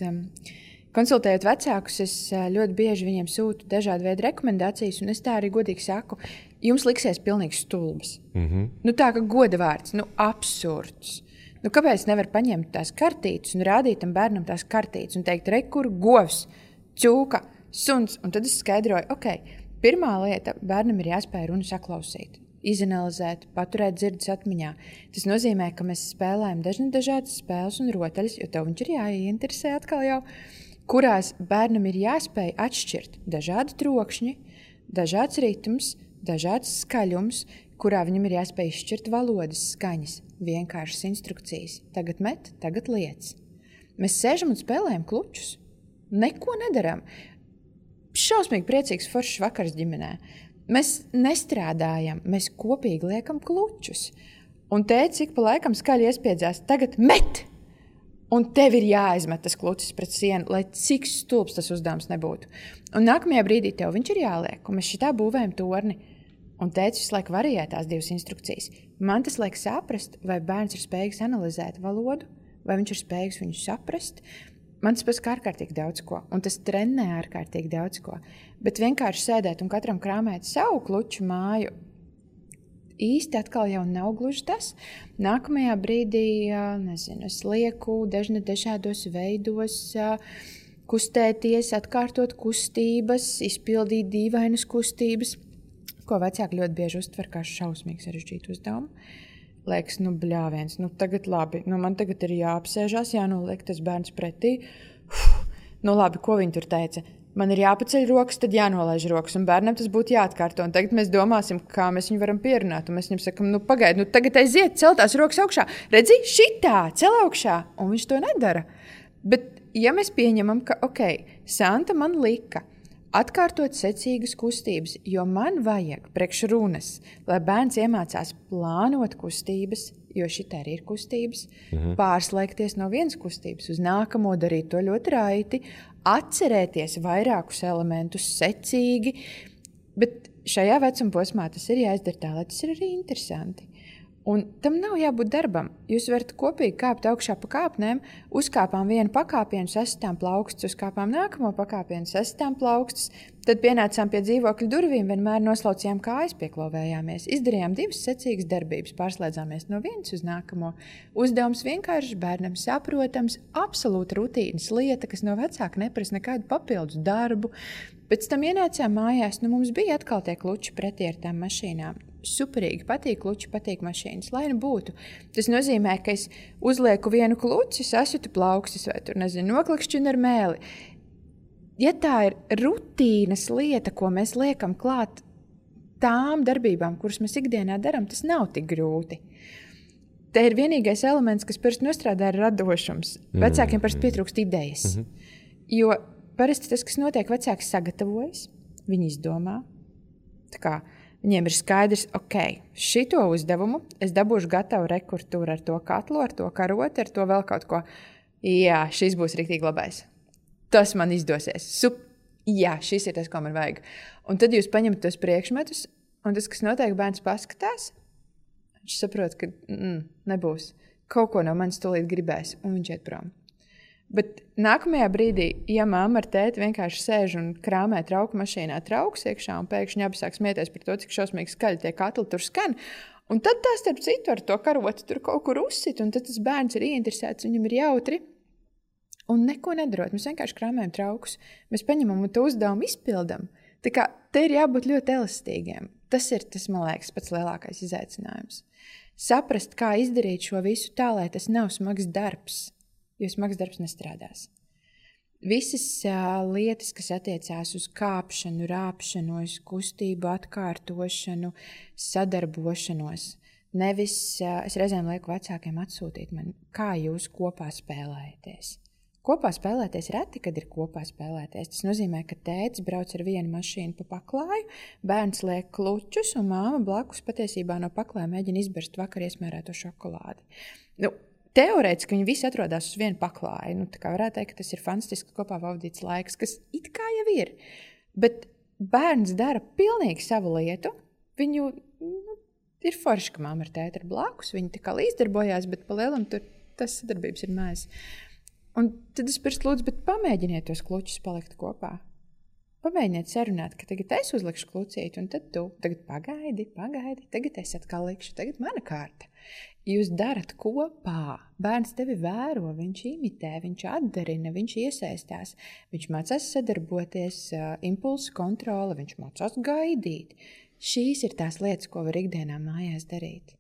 Konsultējot vecākus, es ļoti bieži viņiem sūtu dažādu veidu rekomendācijas, un es tā arī godīgi saku, jums liksies pilnīgi stulbas. Tā kā goda vārds, absurds. Kāpēc nevar paņemt tās kartītes un rādīt tam bērnam tās kartītes un teikt, kur govs, cūka, suns, un tad es skaidroju, pirmā lieta, bērnam ir jāspēj runu saklausīt, izanalizēt, paturēt dzirdes atmiņā. Tas nozīmē, ka mēs spēlējam dažādas spēles un rotaļas, jo tev viņš ir jāieinteresē atkal jau, kurās bērnam ir jāspēj atšķirt dažādi trokšņi, dažāds ritms, dažāds skaļums, kurā viņam ir jāspēj izšķirt valodas skaņas, vienkāršas instrukcijas. Tagad met, tagad liec. Mēs sēžam un spēlējam klučus. Neko nedaram. Šausmīgi priecīgs foršs vakars ģimenē. Mēs nestrādājam, mēs kopīgi liekam klučus. Un tēti ik pa laikam skaļi iespiedzās, tagad met! Un tev ir jāizmet tas klucis pret sienu, lai cik stulbs tas uzdevums nebūtu. Un nākamajā brīdī tev viņš ir jāliek, un mēs šitā būvējam torni. Un tētis visu laiku varēja tās divas instrukcijas. Man tas liek saprast, vai bērns ir spējīgs analizēt valodu, vai viņš ir spējīgs viņu saprast. Man tas pasaka ārkārtīgi daudz ko, un tas trenē ārkārtīgi daudz ko. Bet vienkārši sēdēt un katram krāmēt savu kluču māju, īsti atkal jau nav gluži tas. Nākamajā brīdī, es lieku dažādos veidos, kustēties, atkārtot kustības, izpildīt dīvainas kustības, ko vecāki ļoti bieži uztver kā šausmīgi sarežģītu uzdevumu. Liekas, bļāviens, tagad labi, man tagad ir jāapsēžās, jānoliek tas bērns pretī. Labi, ko viņi tur teica? Man ir jāpaceļ rokas, tad jānolaiž rokas, un bērnam tas būtu jāatkārto. Un tagad mēs domāsim, kā mēs viņu varam pierunāt, un mēs viņam sakam, pagaidi, tagad aiziet, cel tās rokas augšā. Redzi, šitā, cel augšā, un viņš to nedara. Bet, ja mēs pieņemam, ka, Santa man lika atkārtot secīgas kustības, jo man vajag priekš runas, lai bērns iemācās plānot kustības, jo šitā arī ir kustības, pārslēgties no vienas kustības uz nākamo, darīt to ļoti raiti, atcerēties vairākus elementus secīgi, bet šajā vecuma posmā tas ir jāizdara tā, lai tas ir arī interesanti. Un tam nav jābūt darbam. Jūs varat kopīgi kāpt augšā pa kāpnēm, uzkāpām vienu pakāpienu, sasitām plaukstus, uzkāpām nākamo pakāpienu, sasitām plaukstus, tad pienācām pie dzīvokļa durvīm, vienmēr noslaucījām kājas, pieklovējāmies, izdarījām divas secīgas darbības, pārslēdzāmies no vienas uz nākamo. Uzdevums vienkārši bērnam saprotams, absolūta rutīnas lieta, kas no vecāka neprasa nekādu papildus darbu. Pēc tam ienācām mājās, mums bija atkal tie kluči pretī ar tām mašīnām. Superīgi, patīk kluči, patīk mašīnas, lai būtu. Tas nozīmē, ka es uzlieku vienu kluci, sasitu plaukstus vai noklakšķinu ar mēli. Ja tā ir rutīnas lieta, ko mēs liekam klāt tām darbībām, kuras mēs ikdienā darām, tas nav tik grūti. Te ir vienīgais elements, kas parasti nostrādā, ir radošums. Vecākiem parasti pietrūkst idejas. Jo parasti tas, kas notiek, vecāks sagatavojas, viņi izdomā. Tā kā viņiem ir skaidrs, šito uzdevumu es dabūšu gatavu rekurtūru ar to katlu, ar to karoti, ar to vēl kaut ko. Jā, šis būs riktīgi labais. tas man izdosies. Jā, šis ir tas, ko man vajag. Un tad jūs paņemat tos priekšmetus, un tas, kas notiek, bērns paskatās, viņš saprot, ka nebūs. Kaut ko no manis tūlīt gribēs, un viņš iet prom. Bet nākamajā brīdī, ja mamma ar tēti vienkārši sēž un krāmē trauku mašīnā trauks iekšā, un pēkšņi abi sāk smieties par to, cik šausmīgi skaļi tie katli tur skan, un tad tā starp citu ar to karotu tur kaut kur uzsit, un tad tas bērns ir ieinteresēts, viņam ir jautri, un neko nedarot. Mēs vienkārši krāmējam traukus. Mēs paņemam un to uzdevumu izpildam. Tā kā te ir jābūt ļoti elastīgiem. Tas ir, man liekas, pats lielākais izaicinājums. Saprast, kā izdarīt šo visu tā, lai tas nav smags darbs, jo smags darbs nestrādās. Visas lietas, kas attiecās uz kāpšanu, rāpšanos, kustību atkārtošanu, sadarbošanos, nevis es reizēm lieku vecākiem atsūtīt man, kā jūs kopā spēlējaties. Kopā spēlēties reti, kad ir kopā spēlēties. Tas nozīmē, ka tētis brauc ar vienu mašīnu pa paklāju, bērns liek klučus un māma blakus patiesībā no paklāja mēģina izberst vakar iesmērēto šokolādi. Teorētiski viņi visi atrodas uz vienu paklāju. Tā kā varētu teikt, ka tas ir fantastiski kopā pavadīts laiks, kas it kā jau ir. Bet bērns dara pilnīgi savu lietu. Viņu ir forši, ka māma ar tēti ir blakus. Viņi tā kā līdzdarbojās, bet pa lielam tur tas sadarbības ir maz. Un tad es pirms lūdzu, bet pamēģiniet tos klučus palikt kopā. Pamēģiniet sarunāt, ka tagad es uzlikšu klucīti, un tad tu tagad pagaidi, tagad es atkal likšu, tagad mana kārta. Jūs darat kopā. Bērns tevi vēro, viņš imitē, viņš atdarina, viņš iesaistās, viņš mācās sadarboties, impulsu kontrole, viņš mācās gaidīt. Šīs ir tās lietas, ko var ikdienā mājās darīt.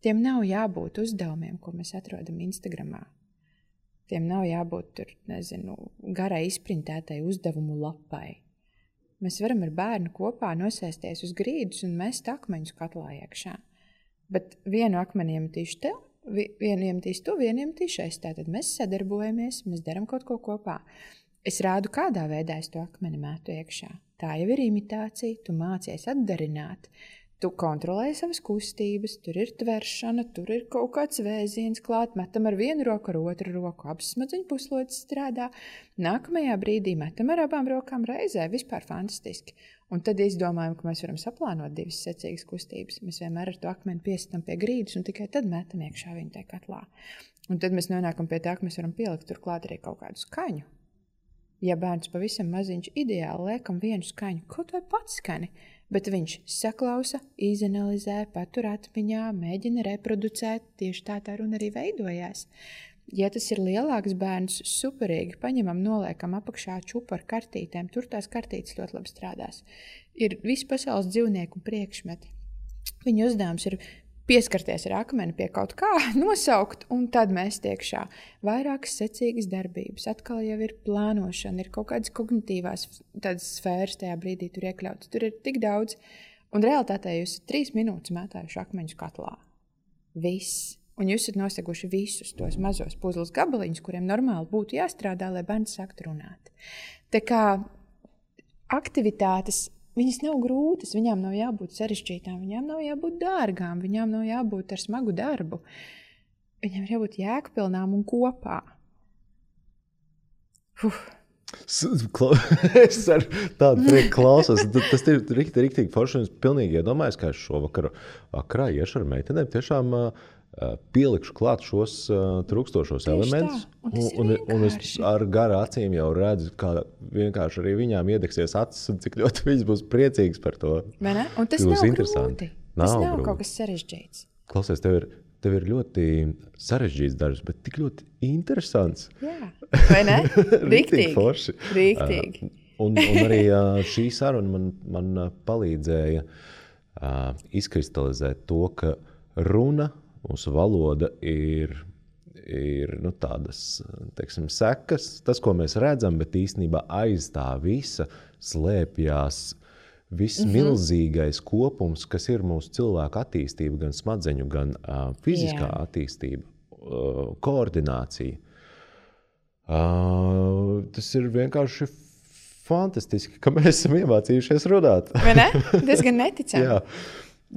Tiem nav jābūt uzdevumiem, ko mēs atrodam Instagramā. Tiem nav jābūt tur, garai izprintētai uzdevumu lapai. Mēs varam ar bērnu kopā nosēsties uz grīdas un mest akmeņus katlā iekšā. Bet vienu akmeni iemetīšu tev, vienu iemetīšu tu, vienu iemetīšu es. Tātad mēs sadarbojamies, mēs daram kaut ko kopā. Es rādu, kādā veidā es to akmeni metu iekšā. Tā jau ir imitācija, tu mācies atdarināt. Tu kontrolēji savas kustības, tur ir tveršana, tur ir kaut kāds vēziens klāt, metam ar vienu roku, ar otru roku, abas smadzeņu puslodes strādā. Nākamajā brīdī metam ar abām rokām reizē, vispār fantastiski. Un tad izdomājam, ka mēs varam saplānot divas secīgas kustības. Mēs vienmēr ar to akmeni piesitam pie grīdas un tikai tad metam iekšā viņu tajā katlā. Un tad mēs nonākam pie tā, ka mēs varam pielikt turklāt arī kaut kādu skaņu. Ja bērns pavisam maziņš ideāli liekam vienu skaņu, kaut vai pats skani, bet viņš saklausa, izanalizē, patur atmiņā, mēģina reproducēt, tieši tā runa arī veidojās. Ja tas ir lielāks bērns, superīgi, paņemam, noliekam apakšā čupu ar kartītēm, tur tās kartītes ļoti labi strādās. Ir visi pasaules dzīvnieku priekšmeti. Viņu uzdevums ir pieskarties ar akmeni pie kaut kā, nosaukt, un tad mēs tiekšā. Vairākas secīgas darbības, atkal jau ir plānošana, ir kaut kādas kognitīvās tādas sfēras tajā brīdī tur iekļautas. Tur ir tik daudz, un realitātē jūs 3 minūtes mētājuši akmeņus katlā. Viss. Un jūs esat noseguši visus tos mazos puzles gabaliņus, kuriem normāli būtu jāstrādā, lai bērns sāktu runāt. Tā kā aktivitātes, viņas nav grūtas, viņām nav jābūt sarežģītām, viņām nav jābūt dārgām, viņām nav jābūt ar smagu darbu. Viņām ir jābūt jēgpilnām un kopā. Es ar tādu prieku klausos. Tas ir riktīgi forši. Es pilnīgi iedomājos, ka es šovakar vakarā iešu ar meitenēm tiešām pielikšu klāt šos trūkstošos elementus. Un es ar garu acīm jau redzu, kā vienkārši arī viņām iedegsies acis un cik ļoti viņas būs priecīgas par to. Vai ne? Un tas nav grūti. Tas nav kaut kas sarežģīts. Klausies, tev ir ļoti sarežģīts darbs, bet tik ļoti interesants. Jā, vai ne? Riktīgi. Forši. Riktīgi. Un arī šī saruna man palīdzēja izkristalizēt to, ka runa, mūsu valoda ir tādas, teiksim, sekas, tas, ko mēs redzam, bet īstenībā aiz tā visa slēpjās viss milzīgais kopums, kas ir mūsu cilvēku attīstība, gan smadzeņu, gan fiziskā attīstība, koordinācija. Tas ir vienkārši fantastiski, ka mēs esam iemācījušies runāt. Vai ne? Tas gan neticami. Jā.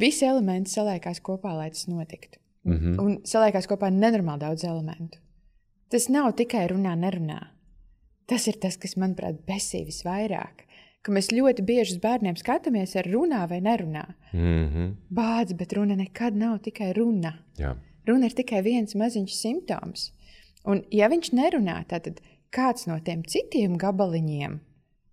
Visi elementi saliekās kopā, lai tas notiktu. Un saliekās kopā nenormāli daudz elementu. Tas nav tikai runā, nerunā. tas ir tas, kas, manuprāt, besī visvairāk. Ka mēs ļoti bieži uz bērniem skatāmies ar runā vai nerunā. Bāds, bet runa nekad nav tikai runa. Jā. Runa ir tikai viens maziņš simptoms. Un ja viņš nerunā, tad kāds no tiem citiem gabaliņiem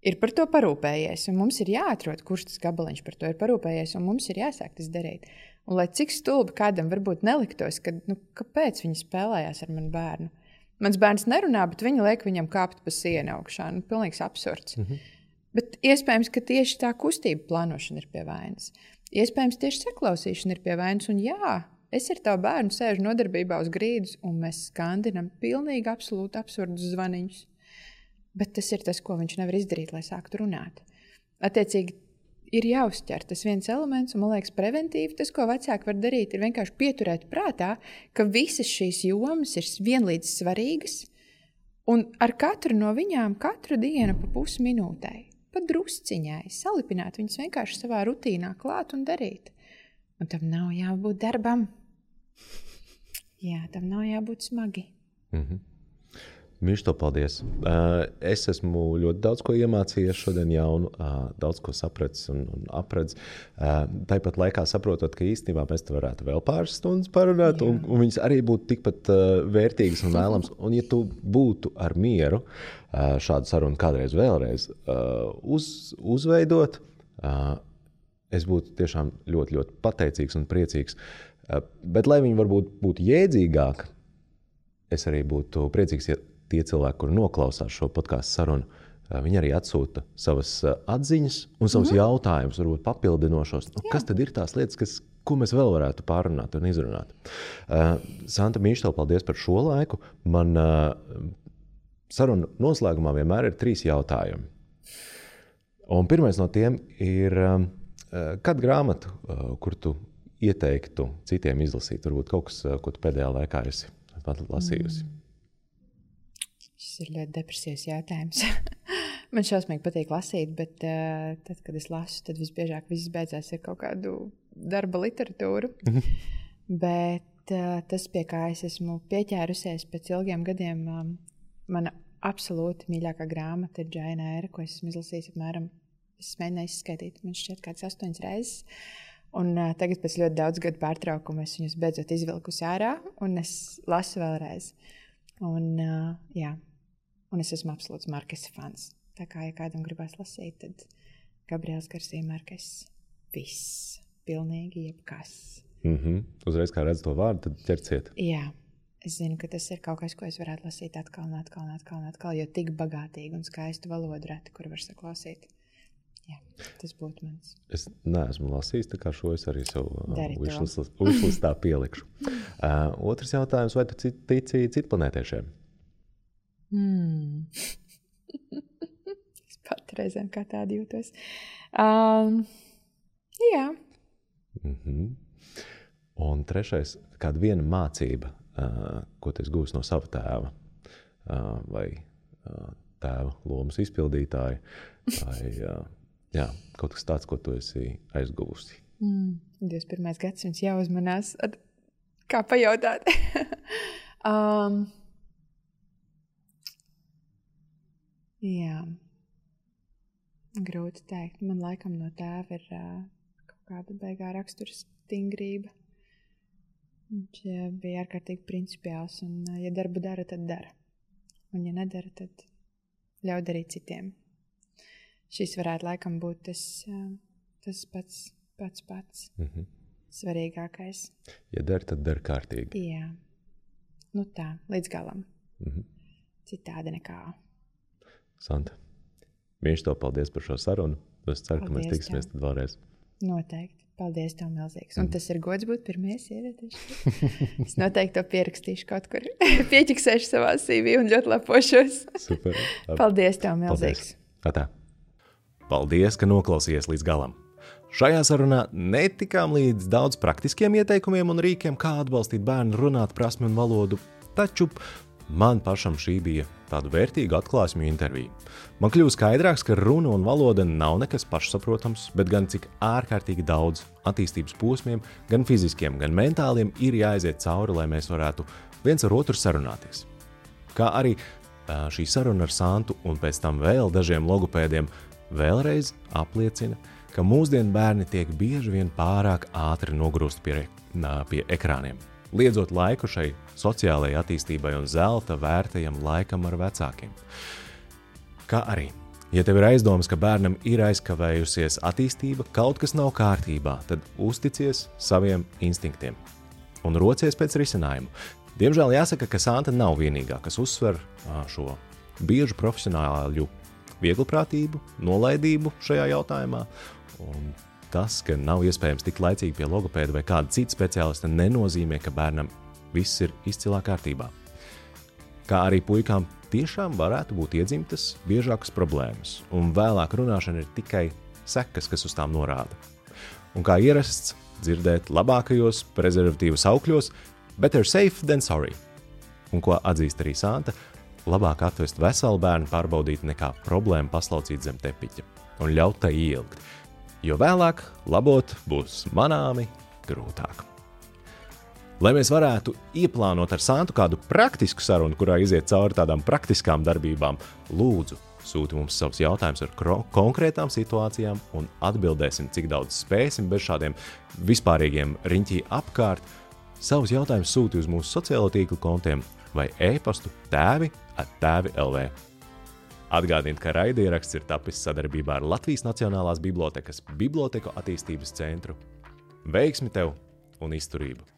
ir par to parūpējies. Un mums ir jāatrod, kurš tas gabaliņš par to ir parūpējies, un mums ir jāsāk tas darīt. Un lai cik stulbi kādam varbūt neliktos, ka, kāpēc viņi spēlējās ar manu bērnu? Mans bērns nerunā, bet viņi liek viņam kāpt pa sienu augšā. Pilnīgs absurds. Bet iespējams, ka tieši tā kustība plānošana ir pie vainas. Iespējams, tieši saklausīšana ir pie vainas. Un jā, es ar tavu bērnu sēžu nodarbībā uz grīdas, un mēs skandinam pilnīgi absolūti absurdus zvaniņus. Bet tas ir tas, ko viņš nevar izdarīt, lai sāktu runāt. Attiecīgi, ir jāuztver tas viens elements, un man liekas, preventīvi tas, ko vecāki var darīt, ir vienkārši pieturēt prātā, ka visas šīs jomas ir vienlīdz svarīgas, un ar katru no viņām katru dienu pa pusminūtei. Pat drusciņai, salipināt viņus vienkārši savā rutīnā klāt un darīt. Un tam nav jābūt darbam. Jā, tam nav jābūt smagi. Mīļš, to paldies. Es esmu ļoti daudz ko iemācījies šodien jaunu, daudz ko sapratis un apredz. Tāpat laikā saprotot, ka īstenībā mēs te varētu vēl pāris stundas parunāt, un viņas arī būtu tikpat vērtīgas un vēlams. Un ja tu būtu ar mieru šādu sarunu kādreiz vēlreiz uzveidot, es būtu tiešām ļoti, ļoti pateicīgs un priecīgs. Bet, lai viņi varbūt būtu jēdzīgāk, es arī būtu priecīgs, ja tie cilvēki, kuri noklausās šo podcastu sarunu, viņi arī atsūta savas atziņas un savus jautājumus, varbūt papildinošos. Kas tad ir tās lietas, ko mēs vēl varētu pārrunāt un izrunāt? Santa, mīļš, tev paldies par šo laiku. Man saruna noslēgumā vienmēr ir 3 jautājumi. Un pirmais no tiem ir, kādu grāmatu, kur tu ieteiktu citiem izlasīt? Varbūt kaut kas, ko tu pēdējā laikā esi lasījusi. Šis ir ļoti depresīvs jautājums. Man šausmīgi patīk lasīt, bet tad, kad es lasu, tad visbiežāk viss beidzās ar kaut kādu darba literatūru. Bet tas, pie kā es esmu pieķērusies pēc ilgiem gadiem, mana absolūti mīļākā grāmata ir Džaina Ēra, ko esmu izlasījis apmēram, es mēģināju izskaitīt, man šķiet kāds 8 reizes. Un tagad pēc ļoti daudz gadu pārtraukuma es viņus beidzot izvilkusi ārā, un es lasu vēlreiz. Un es esmu absolūts Markesa fans. Tā kā, ja kādam gribās lasīt, tad Gabriels Garcia Markes. Viss. Pilnīgi jebkas. Uzreiz, kā redz to vārdu, tad ķerciet. Jā. Es zinu, ka tas ir kaut kas, ko es varētu lasīt atkal, jo tik bagātīgi un skaistu valodu reti, kur var saklausīt. Jā, tas būtu mans. Es neesmu lasījis, tā kā šo es arī savu wishlistā pielikšu. Otrs jautājums, vai tu tici citplanētiešiem? Es pat reizēm kā tādi jūtos. Jā. Un trešais, kāda viena mācība, ko tu esi gūs no sava tēva, vai tēva lomas izpildītāja, vai kaut kas tāds, ko tu esi aizguvusi. 21. gadsimts jāuzmanās, kā pajautāt. Jā, grūti teikt. Man laikam no tēva ir kaut kāda beigā rakstura stingrība. Viņš bija ārkārtīgi principiāls, un ja darbu dara, tad dara. Un ja nedara, tad ļauj darīt citiem. Šis varētu laikam būt tas pats svarīgākais. Ja dara, tad dara kārtīgi. Jā. Tā, līdz galam. Citādi nekā. Santa, mīļš, tev paldies par šo sarunu. Es ceru, ka mēs tiksimies tad vēlreiz. Noteikti. Paldies tev milzīgs. Un tas ir gods būt pirmie sievietieši. Es noteikti to pierakstīšu kaut kur. Pieķiksēšu savā CV un ļoti lepošos. Super. Paldies tev milzīgs. Paldies. Paldies, ka noklausījies līdz galam. Šajā sarunā netikām līdz daudz praktiskiem ieteikumiem un rīkiem, kā atbalstīt bērnu runāt prasmi un valodu, taču man pašam šī bija tādu vērtīgu atklāsmju interviju. Man kļuva skaidrāks, ka runa un valoda nav nekas pašsaprotams, bet gan cik ārkārtīgi daudz attīstības posmiem, gan fiziskiem, gan mentāliem ir jāaiziet cauri, lai mēs varētu viens ar otru sarunāties. Kā arī šī saruna ar Santu un pēc tam vēl dažiem logopēdiem vēlreiz apliecina, ka mūsdienu bērni tiek bieži vien pārāk ātri nogrūst pie ekrāniem, liedzot laiku šai sociālajai attīstībai un zelta vērtajam laikam ar vecākiem. Kā arī, ja tev ir aizdomas, ka bērnam ir aizkavējusies attīstība, kaut kas nav kārtībā, tad uzticies saviem instinktiem un rocies pēc risinājumu. Diemžēl jāsaka, ka Santa nav vienīgā, kas uzsver šo biežu profesionāļu vieglprātību, nolaidību šajā jautājumā, un tas, ka nav iespējams tikt laicīgi pie logopēda vai kāda cita speciālista, nenozīmē, ka bērnam viss ir izcilā kārtībā. Kā arī puikām tiešām varētu būt iedzimtas biežākas problēmas, un vēlāk runāšana ir tikai sekas, kas uz tām norāda. Un kā ierasts dzirdēt labākajos prezervatīvu saukļos, better safe than sorry. Un ko atzīst arī Santa, labāk atvest veselu bērnu pārbaudīt nekā problēmu paslaucīt zem tepiķa un ļaut tai ielgt, jo vēlāk labot būs manāmi grūtāk. Lai mēs varētu ieplānot ar Santu kādu praktisku sarunu, kurā iziet cauri tādām praktiskām darbībām, lūdzu, sūti mums savus jautājumus ar konkrētām situācijām un atbildēsim, cik daudz spēsim bez šādiem vispārīgiem riņķī apkārt. Savus jautājumus sūti uz mūsu sociālo tīklu kontiem vai e-pastu tēvi@tēvi.lv. Atgādiniet, ka raidieraksts ir tapis sadarbībā ar Latvijas Nacionālās bibliotekas Biblioteku attīstības centru. Veiksmi tev un izturību!